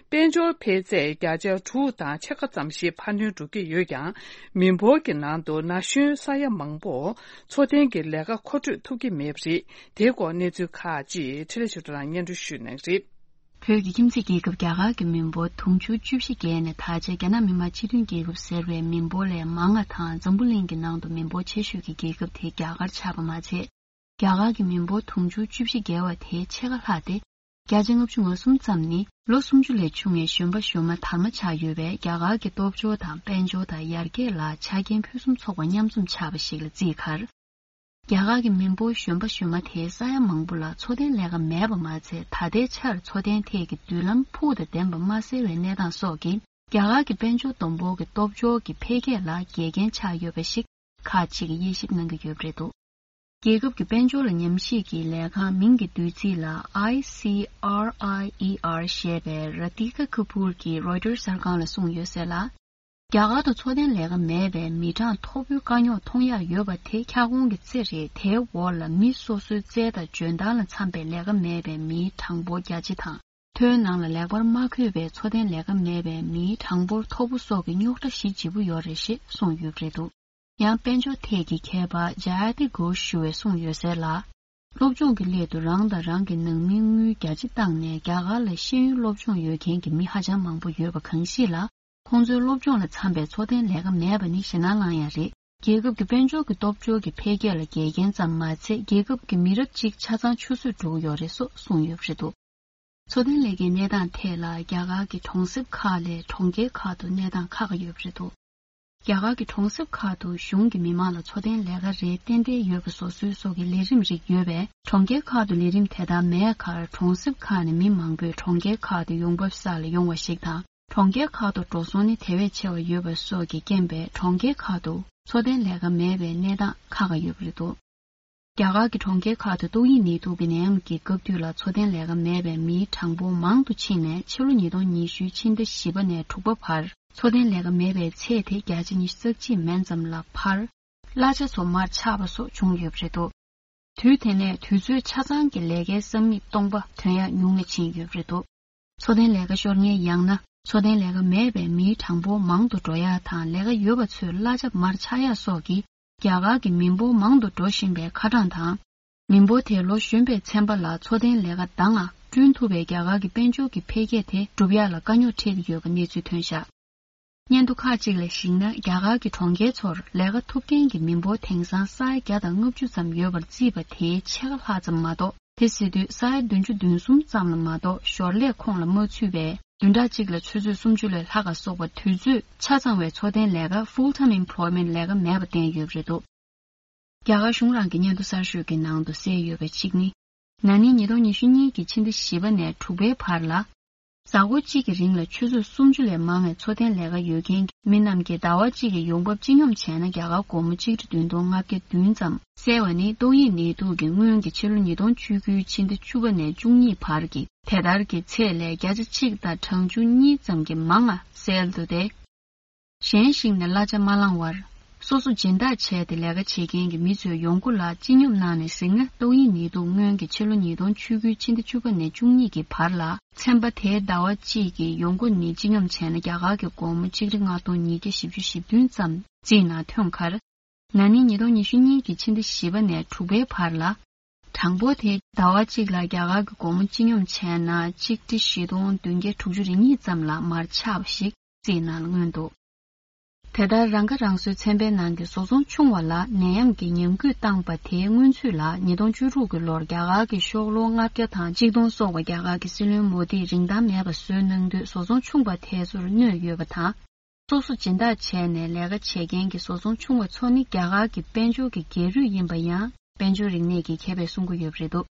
དཔལ་འབྱོར་འཕེལ་ཚད་བརྒྱ་ཆ་དྲུག་དང་ཕྱེད་ཀ་ཙམ་ཞིག་འཕར་སྣོན་འགྲོ་གི་ཡོད་ཀྱང་། མི་འབོར་གྱི་ནང་དུ་ན་གཞོན་ས་ཡ་མང་པོ་འཚོ་རྟེན་གྱི་ལས་ཀ་མཁོ་སྤྲོད་ཐུབ་ཀྱི་མེད་པ་རེད། དེའི་སྐོར་གནས་ཚུལ་ཁག་ཅིག་འཕྲིན་ལས་ཆོས་སྒྲོན་ལགས་སྙན་སྒྲོན་ཞུ་གནང་གི་རེད། བོད་ཀྱི་ཁྱིམ་མཚེས་རྒྱལ་ཁབ་རྒྱ་གར་གྱི་མི་འབོར་དུང་ཕྱུར་བཅུ་བཞི་བརྒལ་ནས། ད་ཆ་རྒྱ་ནག་མི་དམངས་སྤྱི་མཐུན་རྒྱལ་ཁབ་ཟེར་བའི་མི་འབོར་ལས་མང་བ་དང་། འཛམ་བུ་གླིང་གི་ནང་དུ་མི་འབོར་ཆེ་ཤོས་ཀྱི་རྒྱལ་ཁབ་དེ་རྒྱ་གར་ཆགས་པ་མ་ཚད། རྒྱ་གར་གྱི་མི་འབོར་དུང་ཕྱུར་བཅུ་བཞི་བརྒལ་བ་དེའི་ཕྱེད་ཀ་ལྷག་སྟེ། བརྒྱ་ཆ་ལྔ་བཅུ་ང་གསུམ་ཙམ་ནི་ལོ་སུམ་ཅུ་ལས་ཆུང་བའི་གཞོན་པ་གཞོན་མ་དར་མ་ཆགས་ཡོད་པས། རྒྱ་གར་གྱི་སྟོབས་འབྱོར་དང་དཔལ་འབྱོར་དང་ཡར་རྒྱས་ལ་ཆ་རྐྱེན་ཕུན་སུམ་ཚོགས་པ་མཉམ་འཛོམས་ཆགས་པ་ཞིག་ལ་བརྩིས་ཁར། རྒྱ་གར་གྱི་མི་འབོར་གཞོན་པ་གཞོན་མ་དེའི་ས་ཡ་མང་པོ་ལ་འཚོ་རྟེན་ལས་ཀ་མེད་པ་མ་ཚད། ད་ལྟའི་ཆར་འཚོ་རྟེན་ཐད་ཀྱི་མདུན་ལམ་ཕུགས་དང་ལྡན་པ་མ་གསལ་བའི་གནས་སྟངས་སོགས་ཀྱིས། རྒྱ་གར་གྱི་དཔལ་འབྱོར་བསྡོམས་འབོར་གྱི་སྟོབས་འབྱོར་གྱི་འཕེལ་རྒྱས་ལ་འགལ་རྐྱེན་ཆགས་ཡོད་པ་ཞིག་ཁག་ཅིག་གིས་དབྱེ་ཞིབ་གནང་གི་ཡོད་པ་རེད་འདུག་རྒྱལ་ཁབ་ཀྱི་དཔལ་འབྱོར་ལ་ཉམས་ཞིབ་ཀྱི་ལས་ཁང་མིང་གི་བསྡུས་ཚིག་ལ་ཨའི་སི་ཨར་ཨའི་ཨི་ཨར་ཞེས་པའི་ར་ཏི་ཀ་ཁ་པུར་གྱིས་རོའི་ཊར་གསར་ཁང་ལ་གསུངས་ཡོད་ཟེར་ལ། རྒྱ་གར་དུ་འཚོ་རྟེན་ལས་ཀ་མེད་པའི་མི་གྲངས་མཐོ་པོའི་དཀའ་རྙོག་མཐོང་ཡག་ཡོད་པ་དེ་ཁྱབ་ཁོངས་ཀྱི་རྩེ་རེད། དེའི་འོག་ལ་མི་སོ་སོའི་རྩལ་དང་འཇོན་ཐང་ལ་འཚམ་པའི་ལས་ཀ་མེད་པའི་མིའི་གྲངས་འབོར་རྒྱ་ཆེ་དང་། ཐོའི་ནང་ལ་ལེགས་པར་མ་འཁོད་པའི་འཚོ་རྟེན་ལས་ཀ་མེད་པའི་མིའི་གྲངས་འབོར་མཐོ་པོ་སོགས་ཀྱི་རྙོག་དྲ་ཞི་ལྗིད་པོ་ཡོད་རེད་ཞེས་གསུངས་ཡོད་པ་རེད་འདུག་ཡང་དཔལ་འབྱོར་ཐད་ཀྱི་མཁས་པ་ཇ་ཡ་ཏི་གོ་ཞུ་བས་གསུངས་ཡོད་ཟེར་ལ། སློབ་སྦྱོང་གི་སླད་དུ་རང་དང་རང་གི་ནང་མིའི་དངུལ་རྒྱ་ཆེ་བཏང་ནས་རྒྱ་གར་ལ་ཤེས་ཡོན་སློབ་སྦྱོང་ཡོད་མཁན་གྱི་མི་ཧ་ཅང་མང་པོ་ཡོད་པ་གང་ཞིག་ལ། ཁོང་ཚོའི་སློབ་སྦྱོང་ལ་འཚམ་པའི་འཚོ་རྟེན་ལས་ཀ་མེད་པ་ནི་ཞེད་སྣང་ལངས་ཡ་རེད། རྒྱལ་ཁབ་ཀྱི་དཔལ་འབྱོར་གྱི་སྟོབས་འབྱོར་གྱི་འཕེལ་རྒྱས་ལ་འགལ་རྐྱེན་ཙམ་མ་ཚད། རྒྱལ་ཁབ་ཀྱི་མི་རབས་གཅིག་ཆ་ཚང་ཆུད་ཟོས་འགྲོ་གི་ཡོད་རེད་སོགས་གསུངས་ཡོད་པ་རེད་འདུག་འཚོ་རྟེན་ལས་ཀའི་གནས་སྟངས་ཐད་ལ་རྒྱ་གར་གྱི་གྲོང་གསེབ་ཁག་ལས་གྲོང་ཁྱེར་ཁག་ཏུ་གནས་སྟངས་ཁག་ཁག་ཡོད་པ་རེད་འདུག་རྒྱ་གར་གྱི་གྲོང་གསེབ་ཁག་ཏུ་གཞུང་གི་མི་མང་ལ་འཚོ་རྟེན་ལས་ཀ་རེ་ཏན་ཏན་ཡོད་པ་བཟོ་སྲོལ་སོགས་ཀྱི་ལས་རིམ་རིགས་ཡོད་པས། གྲོང་ཁྱེར་ཁག་ཏུ་ལས་རིམ་དེ་ལྟར་མེད་ཁར། གྲོང་གསེབ་ཁག་ནས་མི་མང་པོས་གྲོང་ཁྱེར་ཁག་ཏུ་ཡོང་འབབ་བསགས་ལ་ཡོང་བ་ཞིག་དང་། གྲོང་ཁྱེར་ཁག་ཏུ་འགྲོ་སོང་ནི་དེ་བས་ཆེ་བ་ཡོད་པ་སོགས་ཀྱི་རྐྱེན་པས། གྲོང་ཁྱེར་ཁག་ཏུ་འཚོ་རྟེན་ལས་ཀ་མེད་པའི་གནས་སྟངས་ཁག་ཁག་ཡོད་པ་རེད་འདུག་རྒྱ་གར་གྱི་གྲོང་ཁྱེར་ཁག་ཏུ་ཏོག་དབྱིབས་ནད་དུག་གི་ནད་ཡམས་ཀྱི་སྐབས་དུས་ལ་འཚོ་རྟེན་ལས་ཀ་མེད་པའི་མིའི་གྲངས་འབོར་མང་དུ་ཕྱིན་ནས། ཕྱི་ལོ་ཉིས་སྟོང་ཉི་ཤུའི་ཕྱི་ཟླ་བཞི་པ་ནས་དྲུག་པ་བར་འཚོ་རྟེན་ལས་ཀ་མེད་པའི་ཚད་དེ་བརྒྱ་ཆ་ཉི་ཤུ་རྩ་གཅིག་མན་ཙམ་ལ་འཕར། གླ་ཆ་ཚོ་མར་ཆག་པ་སོགས་བྱུང་ཡོད་པ་རེད་འདུག་དུས་དེ་ནས་དུས་ཚོད་ཆ་ཚང་གི་ལས་ཀའི་ས་མིག་སྟོང་པ་ཐོན་ཡག་ཉུང་ལ་ཕྱིན་ཡོད་པ་རེད་འདུག་འཚོ་རྟེན་ལས་ཀ་ཤོར་མཁན། ཡང་ན་འཚོ་རྟེན་ལས་ཀ་མེད་པའི་མིའི་གྲངས་འབོར་མང་དུ་འགྲོ་ཡག་དང་། ལས་ཀ་ཡོད་པ་ཚོས་གླ་ཆ་མར་ཆག་ཡག་སོགས་ཀྱིས། རྒྱ་གར་གྱི་མི་འབོར་མང་དུ་འགྲོ་བཞིན་པའི་ཁ་གྲངས་དང་། མི་འབོར་དེ་ལོ་གཞོན་པའི་ཚན་པ་ལ་འཚོ་རྟེན་ལས་ཀ་འདང་ང་བསྐྲུན་ཐུབ་པའི་རྒྱ་གར་གྱི་དཔལ་འབྱོར་གྱི་འཕེལ་རྒྱས་དེ་སྒྲུབ་ཡག་ལ་དཀའ་རྙོག་འཕྲད་ཀྱི་ཡོད་པ་གནས་ཚུལ་ཐོན་བཞག་སྙན་ཐོ་ཁག་ཅིག་ལ་གཞིགས་ན། རྒྱ་གར་གྱི་གྲོང་ཁྱེར་ཚོར་ལས་ཀ་ཐོབ་མཁན་གྱི་མི་འབོར་དེང་སང་ས་ཡ་བརྒྱ་དང་ལྔ་བཅུ་ཙམ་ཡོད་པར་བརྩིས་པ་དེའི་ཕྱེད་ཀ་ལྷག་ཙམ་མ་གཏོགས། དེ་ཟེར་དུས་ས་ཡ་བདུན་ཅུ་དོན་གསུམ་ཙམ་ལ་མ་གཏོགས་ཞོར་ལས་ཁོངས་ལ་མ་ཚུད་པས། བདུན་ཕྲག་གཅིག་ལ་ཆུ་ཚོད་སུམ་ཅུ་ལས་ལྷག་ག་སོགས་པ་དུས་ཚོད་ཆ་ཚང་བའི་འཚོ་རྟེན་ལས་ཀ། ཕུལ་ཊའིམ་ཨེམ་པོལོའི་མེན་ཊི་ལས་ཀ་མེད་པ་བསྟན་ཡོད་པ་རེད་འདུག་རྒྱ་གར་གཞུང་རང་གི་སྙན་ཐོ་གསར་ཤོས་ཀྱི་ནང་དུ་གསལ་ཡོད་པའི་གཅིག་ནི། ན་ནིང་ཉིས་སྟོང་ཉི་ཤུ་གཉིས་ཀྱི་ཕྱི་ཟླ་བཞི་པ་ནས་དྲུག་པའི་བར་ལ། གཟའ་འཁོར་གཅིག་གི་རིང་ལ་ཆུ་ཚོད་སུམ་ཅུ་ལས་མང་བའི་འཚོ་རྟེན་ལས་ཀ་ཡོད་མཁན་གྱི་མི་རྣམས་ཀྱིས་ཟླ་བ་གཅིག་གི་ཡོང་འབབ་སྤྱི་སྙོམས་བྱས་ན། རྒྱ་གར་སྒོར་མོ་གཅིག་ཁྲི་བདུན་སྟོང་ལྔ་བརྒྱ་བདུན་ཙམ་གསལ་བ་ནི། ཏོག་དབྱིབས་ནད་དུག་གི་སྔོན་གྱི་ཕྱི་ལོ་ཉིས་སྟོང་བཅུ་དགུའི་ཕྱི་ཟླ་བཅུ་པ་ནས་བཅུ་གཉིས་བར་གྱི་དེ་ལྟར་གྱི་ཚད་ལས་བརྒྱ་ཆ་གཅིག་དང་གྲངས་ཆུང་གཉིས་ཙམ་གྱིས་མང་ང་གསལ་འདུག་སྟེ། གཞན་ཞིག་ནས་གླ་ཆ་མ་བླངས་བར། སོ་སོ་སྦྱིན་བདག་བྱས་ཏེ་ལས་ཀ་བྱེད་མཁན་གྱི་མི་ཚོའི་ཡོང་སྒོ་ལ་སྤྱི་སྙོམས་གནང་ནས་གཟིགས་ན། ཏོག་དབྱིབས་ནད་དུག་སྔོན་གྱི་ཕྱི་ལོ་ཉིས་སྟོང་བཅུ་དགུའི་ཕྱི་ཟླ་བཅུ་པ་ནས་བཅུ་གཉིས་ཀྱི་བར་ལ། ཚན་པ་དེའི་ཟླ་བ་གཅིག་གི་ཡོང་སྒོ་ནི་སྤྱི་སྙོམས་བྱས་ན། རྒྱ་གར་གྱི་སྒོར་མོ་གཅིག་ཁྲི་ལྔ་སྟོང་ཉིས་བརྒྱ་བཞི་བཅུ་ཞེ་བདུན་ཙམ་རྩིས་ནང་ཐོན་ཁར། ན་ནིང་ཉིས་སྟོང་ཉི་ཤུ་གཉིས་ཀྱི་ཕྱི་ཟླ་བཞི་པ་ནས་དྲུག་པའི་བར་ལ། གྲངས་འབོར་དེ་ཟླ་བ་གཅིག་ལ་རྒྱ་གར་གྱི་སྒོར་མོ་སྤྱི་སྙོམས་བྱས་ན། གཅིག་ཁྲི་བཞི་སྟོང་བདུན་བརྒྱ་དྲུག་ཅུ་རེ་གཉིས་ཙམ་ལ་མར་ཆག་པ་ཞིག་རྩིས་ནང་མངོན་འདུག་དེ་ལྟར་རང་ཁ་རང་གསོའི་ཚན་པའི་ནང་གི་བཟོ་ཚོང་ཆུང་བ་ལ་ནད་ཡམས་ཀྱི་ཉམས་རྒུད་བཏང་པ་དེའི་སྔོན་ཚུད་ལ། ཉིས་སྟོང་བཅུ་དྲུག་གི་ལོར་རྒྱ་གར་གྱི་ཤོག་ལོར་ལྔ་བརྒྱ་དང་གཅིག་སྟོང་སོགས་པ་རྒྱ་གར་གྱི་སྲིད་བློན་མོ་དིས་རིན་ཐང་མེད་པ་བཟོས་གནང་དུས། བཟོ་ཚོང་ཆུང་བ་དེ་ཚོར་གནོད་ཡོད་པ་དང་། སོ་སོ་སྦྱིན་བདག་བྱས་ནས་ལས་ཀ་བྱེད་མཁན་གྱི་བཟོ་ཚོང་ཆུང་བ་ཚོ་ནི་རྒྱ་གར་གྱི་དཔལ་འབྱོར་གྱི་སྒེར་རུས་ཡིན་པ་ཡང་དཔལ་འབྱོར་རིག་གནས་ཀྱི་མཁས་པས་གསུང་གི་ཡོད་པ་རེད་འདུག་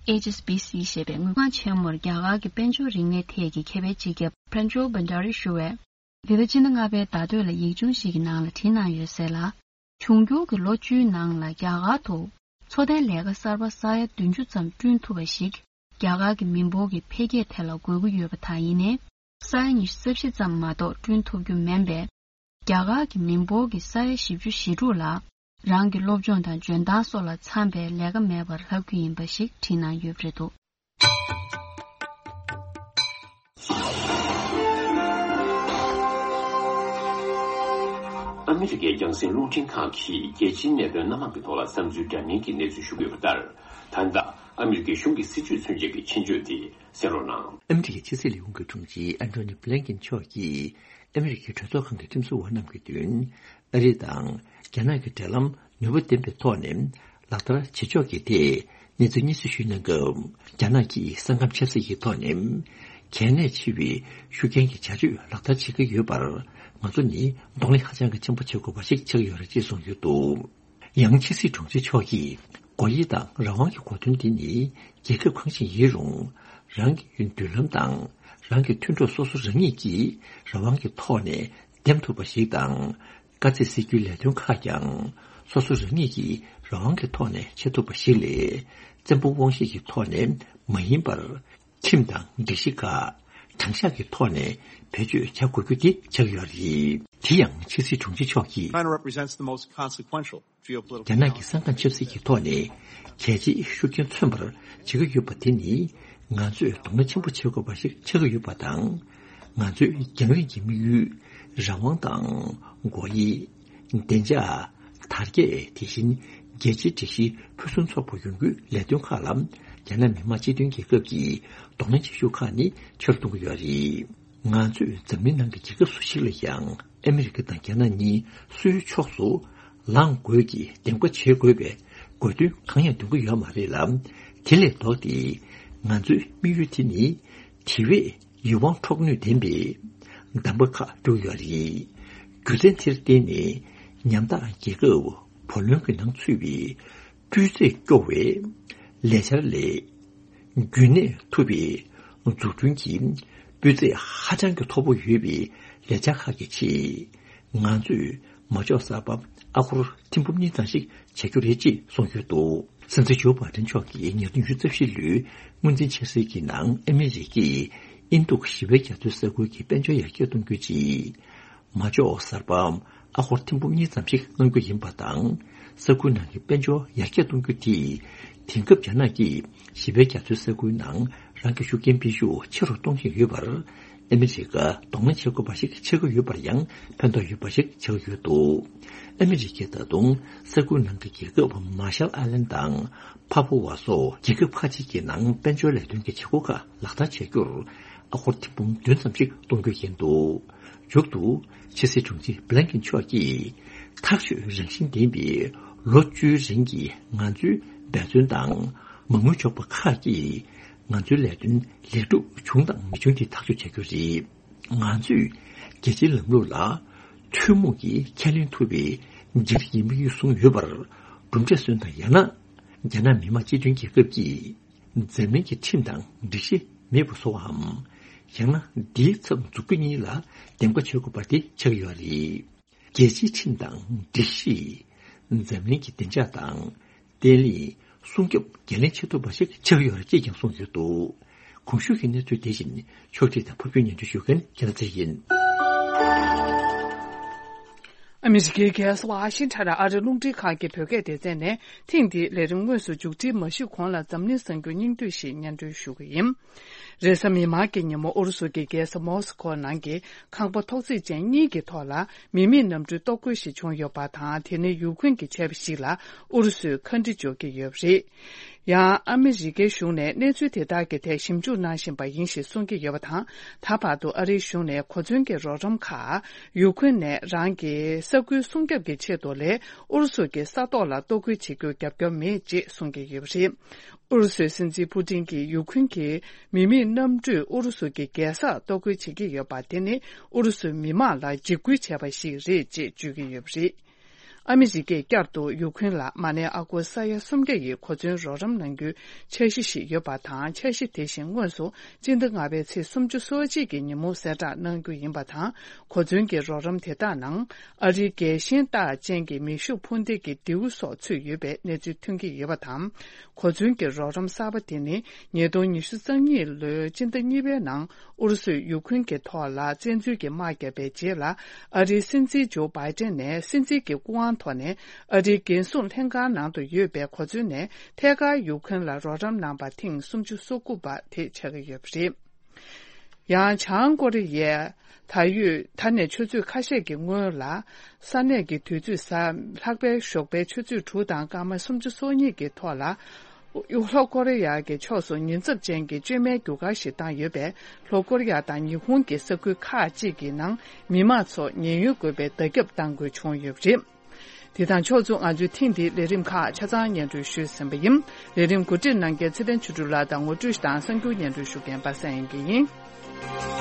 ཨེཆ་ཨེས་བི་སི་ཞེས་པའི་དངུལ་ཁང་ཆེན་མོར་རྒྱ་གར་གྱི་དཔལ་འབྱོར་རིག་གནས་ཐད་ཀྱི་མཁས་པའི་སྤྱི་ཁྱབ་Pranjal Bhandari ཞུ་བས། འདི་ཟླ་ཕྱི་ཟླ་ལྔ་པའི་ཟླ་སྟོད་ལ་ཡིག་ཆུང་ཞིག་གི་ནང་ལ་བྲིས་གནང་ཡོད་ཟེར་ལ། འབྱུང་འགྱུར་གྱི་ལོ་བཅུའི་ནང་ལ་རྒྱ་གར་དུ་འཚོ་རྟེན་ལས་ཀ་གསར་པ་ས་ཡ་བདུན་ཅུ་ཙམ་བསྐྲུན་ཐུབ་པ་ཞིག་རྒྱ་གར་གྱི་མི་འབོར་གྱི་འཕེལ་རྒྱས་དེ་ལ་དགོས་ཀྱི་ཡོད་པ་དང་། ཡིན་ནའི། ས་ཡ་ཉི་ཤུ་རྩ་བཞི་ཙམ་མ་གཏོགས་བསྐྲུན་ཐུབ་རྒྱུ་མིན་པས། རྒྱ་གར་གྱི་མི་འབོར་གྱི་ས་ཡ་བཞི་བཅུ་ཞེ་དྲུག་ལ་ རང་གི་སློབ་སྦྱོང་དང་འཇོན་ཐང་སོགས་ལ་འཚམ་པའི་ལས་ཀ་མེད་པར་ལྷག་རྒྱུ་ཡིན་པ་ཞིག་བྲིས་གནང་ཡོད་པ་རེད་འདུག། ཨ་མི་རི་ཀའི་རྒྱང་སྲིང་རླུང་འཕྲིན་ཁང་གིས་རྒྱལ་སྤྱིའི་གནད་དོན་སྣ་མང་གི་ཐོག་ལ་བསམ་ཚུལ་འདྲ་མིན་གྱི་གནས་ཚུལ་ཞུ་གི་ཡོད་པ་ལྟར། ད་ལྟ་ཨ་མི་རི་ཀའི་གཞུང་གི་སྲིད་བྱུས་མཚོན་བྱེད་ཀྱི་ཆེད་བརྗོད་དེ་གསན་རོགས་གནང་། ཨ་མི་རི་ཀའི་ཕྱི་སྲིད་ལས་ཁུངས་ཀྱི་དྲུང་ཆེ་ཨན་ཐོ་ནི་བྷི་ལན་ཀིན་མཆོག་གིས་ཨ་མི་རི་ཀའི་གྲོས་ཚོགས་ཁང་གི་ཁྲིམས་བཟོ་བ་རྣམས་ཀྱི་མདུན། ཨ་རི་དང་རྒྱ་ནག་གི་འབྲེལ་ལམ་ནུས་པ་ལྡན་པའི་ཐོག་ནས་ལག་བསྟར་བྱེད་ཕྱོགས་ཀྱི་ཐད་གནས་ཚུལ་སྙན་སེང་ཞུས་གནང་སྐབས། རྒྱ་ནག་གིས་ས་ཁམས་ཆབ་སྲིད་ཀྱི་ཐོག་ནས་གལ་གནད་ཆེ་བའི་ཤུགས་རྐྱེན་གྱི་བྱ་སྤྱོད་ལག་བསྟར་བྱེད་ཀྱི་ཡོད་པར་ང་ཚོ་ནི་གདོང་ལེན་ཧ་ཅང་གི་ཆེན་པོ་བྱེད་དགོས་པ་ཞིག་ཆགས་ཡོད་རེད་ཅེས་གསུངས་ཡོད་འདུག། ཡང་ཕྱི་སྲིད་དྲུང་ཆེ་མཆོག་གིས་སྒོ་དབྱེ་དང་རང་དབང་གི་གོ་དོན་དེ་ནི་རྒྱལ་ཁབ་གང་ཞིག་ཡིན་རུང་རང་གི་མདུན་ལམ་དང་རང་གི་མཐུན་གྲོགས་སོ་སོ་རང་ཉིད་ཀྱིས་རང་དབང་གི་ཐོག་ནས་འདེམས་ཐུབ་པ་ཞིག་དང་། དཀའ་ཚེགས་སེལ་རྒྱུའི་ལས་དོན་ཁག་ཀྱང་སོ་སོ་རང་ཉིད་ཀྱིས་རང་དབང་གི་ཐོག་ནས་བྱེད་ཐུབ་པ་ཞིག་ལས། བཙན་པོ་དབང་ཤེད་ཀྱི་ཐོག་ནས་མ་ཡིན་པར། ཁྲིམས་དང་སྒྲིག་གཞི་ཁག་དྲང་གཞག་གི་ཐོག་ནས་བེད་སྤྱོད་བྱ་དགོས་རྒྱུ་དེ་ཆགས་ཡོད་རེད། དེ་ཡང་ཕྱི་སྲིད་དྲུང་ཆེ་མཆོག་གིས། China represents the most consequential geopolitical རྒྱ་ནག་གི་ས་ཁམས་ཆབ་སྲིད་ཀྱི་ཐོག་ནས་གལ་ཆེའི་ཤུགས་རྐྱེན་མཚོན་པར་བྱེད་ཀྱི་ཡོད་པ་དེ་ནི་ང་ཚོས་དོ་སྣང་ཆེན་པོ་བྱེད་དགོས་པ་ཞིག་ཆགས་ཀྱི་ཡོད་པ་དང་། ང་ཚོའི་རྒྱང་རིང་གི་དམིགས་ཡུལ། རང་དབང་དང་། སྒོ་དབྱེ། བདེ་འཇགས། དར་རྒྱས། དེ་བཞིན་རྒྱལ་སྤྱིའི་སྒྲིག་གཞི་ཕུན་སུམ་ཚོགས་པ་ཡོང་རྒྱུའི་ལས་དོན་ཁག་ལ་རྒྱ་ནག་མི་དམངས་སྤྱི་མཐུན་རྒྱལ་ཁབ་ཀྱི་གདོང་ལེན་བྱེད་ཤུགས་ཁག་ནི་ཆེ་རུ་གཏོང་གི་ཡོད་རེད། ང་ཚོས་འཛམ་གླིང་ནང་གི་རྒྱལ་ཁབ་སུ་ཞིག་ལ་ཡང་ཨ་མི་རི་ཀ་དང་རྒྱ་ནག་གཉིས་སུའི་ཕྱོགས་སུ་ལངས་དགོས་ཀྱི་འདེམས་ཀ་བྱེད་དགོས་པའི་དགོས་འདུན་གང་ཡང་འདོན་གྱི་ཡོད་མ་རེད་ལ། དེ་ལས་ལྡོག་སྟེ་ང་ཚོའི་དམིགས་ཡུལ་དེ་ནི་དེ་བས་ཡིད་དབང་འཕྲོག་ནུས་ལྡན་པའི་གདམ་ག་ཁག་བསྒྲུགས་ཡོད་རེད། རྒྱུ་མཚན་དེར་བརྟེན་ནས་ཉམ་ཐག་རྒྱལ་ཁབ་བུ་ལོན་གྱི་ནང་ཚུད་པའི་སྤུས་ཚད་སྐྱོ་བའི་ལས་འཆར་ལས། རྒྱུན་གནས་ཐུབ་པའི་འཛུགས་སྐྲུན་གྱི་སྤུས་ཚད་ཧ་ཅང་གི་མཐོ་པོ་ཡོད་པའི་ལས་འཆར་ཁག་གི་ཆེད། ང་ཚོས་མ་འཇོག་གསར་པ་ཨ་སྒོར་ཐེར་འབུམ་གཉིས་ཙམ་ཞིག་བྱ་རྒྱུ་རེད་ཅེས་གསུངས་ཡོད་འདུག། སྲིད་འཛིན་ཇོ་བྷའི་ཌེན་མཆོག་གིས་ཉིས་སྟོང་ཉི་ཤུ་རྩ་བཞི་ལོའི་སྔོན་རྩིས་འཆར་ཟིན་གྱི་ནང་ཨ་མི་རི་ཀས་ཨིན་རྡུག་ཞི་བའི་རྒྱ་མཚོའི་ས་ཁུལ་གྱི་དཔལ་འབྱོར་ཡར་རྒྱས་གཏོང་རྒྱུའི་ཆེད། མ་འཇོག་གསར་པ་ཨ་སྒོར་ཐེར་འབུམ་གཉིས་ཙམ་ཞིག་གནང་རྒྱུ་ཡིན་པ་དང་། ས་ཁུལ་ནང་གི་དཔལ་འབྱོར་ཡར་རྒྱས་གཏོང་རྒྱུ་དེས་དེང་སྐབས་རྒྱ་ནག་གིས་ཞི་བའི་རྒྱ་མཚོའི་ས་ཁུལ་ནང་རང་གི་ཤུགས་རྐྱེན་སྤེལ་ཤུགས་ཆེ་རུ་གཏོང་བཞིན་ཡོད་པར། ཨ་མི་རི་ཀ་གདོང་ལེན་བྱེད་དགོས་པ་ཞིག་ཆགས་ཀྱི་ཡོད་པར་ཡང་ཕན་ཐོགས་ཡོད་པ་ཞིག་ཆགས་ཀྱི་ཡོད་འདུག། ཨ་མི་རི་ཀས་ད་དུང་ས་ཁུལ་ནང་གི་རྒྱལ་ཁབ་མར་ཤལ་ཨའི་ལན་དང་ཕ་ཕུ་ཝ་སོགས་རྒྱལ་ཁབ་ཁག་ཅིག་གི་ནང་དཔལ་འབྱོར་ལས་དོན་གྱི་བྱེད་སྒོ་ཁག་ལག་བསྟར་བྱ་རྒྱུར་ཨ་སྒོར་ཐེར་འབུམ་བདུན་ཙམ་ཞིག་གཏོང་རྒྱུ་ཡིན་འདུག། མཇུག་ཏུ་ཕྱི་སྲིད་དྲུང་ཆེ་བྷི་ལན་ཀིན་མཆོག་གིས་ཐག་གཅོད་རང་བཞིན་ལྡན་པའི་ལོ་བཅུའི་རིང་གི་ང་ཚོའི་འབད་བརྩོན་དང་མ་དངུལ་འཇོག་པ་ཁག་གིས་ང་ཚོའི་ལས་དོན་ལེགས་གྲུབ་བྱུང་དང་མི་བྱུང་དེ་ཐག་གཅོད་བྱ་རྒྱུ་རེད། ང་ཚོས་རྒྱལ་སྤྱིའི་ལམ་ལུགས་ལ་ཐུན་མོང་གིས་ཁས་ལེན་ཐུབ་པའི་འགྱུར་གྱི་དམིགས་ཡུལ་བཟུང་ཡོད་པར་གྲུབ་འབྲས་སོན་དང་ཡང་ན་རྒྱ་ནག་མི་དམངས་སྤྱི་མཐུན་རྒྱལ་ཁབ་ཀྱིས་འཛམ་གླིང་གི་ཁྲིམས་དང་སྒྲིག་གཞི་མེད་པ་བཟོ་བའམ། ཡང་ན་འདིའི་ཚབ་འཛུགས་རྒྱུ་གཉིས་ལ་འདེམས་ཀ་བྱེད་དགོས་པ་དེ་ཆགས་ཡོད་རེད། རྒྱལ་སྤྱིའི་ཁྲིམས་དང་སྒྲིག་གཞི། འཛམ་གླིང་གི་བདེ་འཇགས་དང་བརྟན་ལྷིང་སྲུང་སྐྱོབ་འགན་ལེན་བྱེད་ཐུབ་པ་ཞིག་ཆགས་ཡོད་རེད་ཅེས་ཀྱང་གསུངས་ཡོད་འདུག། གོང་ཞུས་ཀྱི་གནས་ཚུལ་དེ་བཞིན་ཕྱོགས་སྒྲིག་དང་ཕབ་སྒྱུར་སྙན་སྒྲོན་ཞུ་མཁན་རྒྱལ་ལ་ཚེ་རིང་ཡིན། ཨ་མི་རི་ཀའི་རྒྱལ་ས་ཝ་ཤིང་ཊོན་ཨ་རིའི་རླུང་འཕྲིན་ཁང་གི་བོད་སྐད་སྡེ་ཚན་ནས་ཐེངས་འདིའི་ལས་རིམ་དངོས་སུ་མཇུག་སྒྲིལ་མ་ཞུས་གོང་ལ་འཛམ་གླིང་གསར་འགྱུར་སྙིང་བསྡུས་ཤིག་སྙན་སྒྲོན་ཞུ་གི་ཡིན། རེས་གཟའ་མིག་དམར་གྱི་ཉིན་མོ་ཨུ་རུ་སུ་གྱི་རྒྱལ་ས་མོ་སི་ཁོ་ནང་གི་ཁང་པ་ཐོག་བརྩེགས་ཅན་གཉིས་ཀྱི་ཐོག་ལ་མི་མེད་གནམ་གྲུའི་གཏོར་རྒོལ་ཞིག་བྱུང་ཡོད་པ་དང་། དེ་ནི་ཡུ་ཁུན་གྱིས་བྱས་པ་ཞིག་ལ་ཨུ་རུ་སུས་ཁ་འདྲི་འཇོག་གི་ཡོད་པ་རེད། ཡང་ཨ་མི་རི་ཀའི་གཞུང་ནས་གནས་ཚུལ་དེ་དག་གི་ཐད་ཞིབ་འཇུག་གནང་བཞིན་པ་ཡིན་ཞེས་གསུང་གི་ཡོད་པ་དང་། ད་བར་དུ་ཨ་རིའི་གཞུང་ནས་གོ་མཚོན་གྱི་རོགས་རམ་ཁག་ཡུ་ཁུན་ནས་རང་གི་ས་ཁུལ་སྲུང་སྐྱོབ་ཀྱི་ཆེད་དུ་ལས་ཨུ་རུ་སུ་གྱི་ས་ཐོག་ལ་གཏོར་རྒོལ་བྱེད་རྒྱུར་རྒྱབ་སྐྱོར་མེད་ཅེས་གསུང་གི་ཡོད་པ་རེད། ཨུ་རུ་སུའི་སྲིད་འཛིན་ཕུ་ཏིན་གྱིས་ཡུ་ཁུན་གྱི་མི་མེད་གནམ་གྲུས་ཨུ་རུ་སུ་གྱི་རྒྱལ་སར་གཏོར་རྒོལ་བྱེད་ཀྱི་ཡོད་པ་དེ་ནི་ཨུ་རུ་སུའི་མི་དམངས་ལ་འཇིགས་སྐུལ་བྱས་པ་ཞིག་རེད་ཅེས་བརྗོད་ཀྱི་ཡོད་པ་རེད། ཨ་མི་རི་ཀས་བསྐྱར་དུ་ཡུ་ཁུན་ལ་མ་ཎི་ཨ་སྒོར་ས་ཡ་སུམ་བརྒྱ་ཡི་གོ་མཚོན་རོགས་རམ་གནང་རྒྱུའི་འཆར་གཞི་ཞིག་ཡོད་པ་དང་། འཆར་གཞི་དེ་བཞིན་དངོས་སུ་སྤྱི་ཟླ་ལྔ་པའི་ཚེས་སུམ་ཅུ་སོ་གཅིག་གི་ཉིན་མོ་གསལ་བསྒྲགས་གནང་རྒྱུ་ཡིན་པ་དང་། གོ་མཚོན་གྱི་རོགས་རམ་དེ་དག་ནང་ཨ་རིའི་རྒྱལ་ཞེན་རྟགས་ཅན་གྱི་མེ་ཤུགས་འཕུར་མདེལ་གྱི་མདེའུ་སོགས་ཚུད་ཡོད་པའི་གནས་ཚུལ་ཐོན་གྱི་ཡོད་པ་དང་། གོ་མཚོན་གྱི་རོགས་རམ་གསར་པ་དེ་ནི་ཉིས་སྟོང་ཉི་ཤུ་རྩ་གཉིས་ལོའི་སྤྱི་ཟླ་གཉིས་པའི་ནང་ཨུ་རུ་སུས་ཡུ་ཁུན་གྱི་ཐོག་ལ་བཙན་འཛུལ་གྱི་དམག་བརྒྱབ་པའི་རྗེས་ལ། ཨ་རིའི་སྲིད་འཛིན་ཇོ་བྷའི་ཏན་ནས་སྲིད་འཛིན་གྱི་སྐུ་དབང་ ཐོག་ནས་ཨ་རིའི་འགན་སྲུང་ལྷན་ཁང་ནང་དུ་ཡོད་པའི་གོ་མཚོན་ནས་ཐད་ཀར་ཡུཀ་རེན་ལ་རོགས་རམ་གནང་པ་ཐེངས་སུམ་ཅུ་སོ་དགུ་པ་དེ་ཆགས་ཀྱི་ཡོད་པ་རེད། ཡང་བྱང་ཀོ་རི་ཡས་ད་ཡོད་ད་ནས་ཆུ་ཚོད་ཁ་ཤས་ཀྱི་སྔོན་ལ་ས་གནས་ཀྱི་དུས་ཚོད་གཟའ་ལྷག་པའི་ཞོགས་པའི་ཆུ་ཚོད་དྲུག་དང་སྐར་མ་སུམ་ཅུ་སོ་གཉིས་ཀྱི་ཐོག་ལ། ལྷོ་ཀོ་རི་ཡ་གི་ཕྱོགས་སུ་ཉེན་ཚབས་ཅན་གྱི་བཅོས་མའི་རྒྱུ་སྐར་ཞིག་བཏང་ཡོད་པས། ལྷོ་ཀོ་རི་ཡ་དང་ཉི་ཧོང་གི་ས་ཁུལ་ཁག་ཅིག་གི་ནང་མི་མང་ཚོ་ཉེན་གཡོལ་དགོས་པའི་བརྡ་ཁྱབ་བཏང་དགོས་བྱུང་ཡོད་པ་རེད། དེ་དང་ཕྱོགས་མཚུངས། ང་ཚོའི་ཐེངས་འདིའི་ལས་རིམ་ཁག་ཆ་ཚང་སྙན་སྒྲོན་ཞུས་ཟིན་པ་ཡིན། ལས་རིམ་གོ་སྒྲིག་གནང་མཁན་ཚེ་བརྟན་ཆོས་སྒྲོན་ལགས་དང་ངོ་སྤྲོད་དང་གསར་འགྱུར་སྙན་སྒྲོན་ཞུ་མཁན་པ་སངས་དབྱངས་སྐྱིད་ཡིན།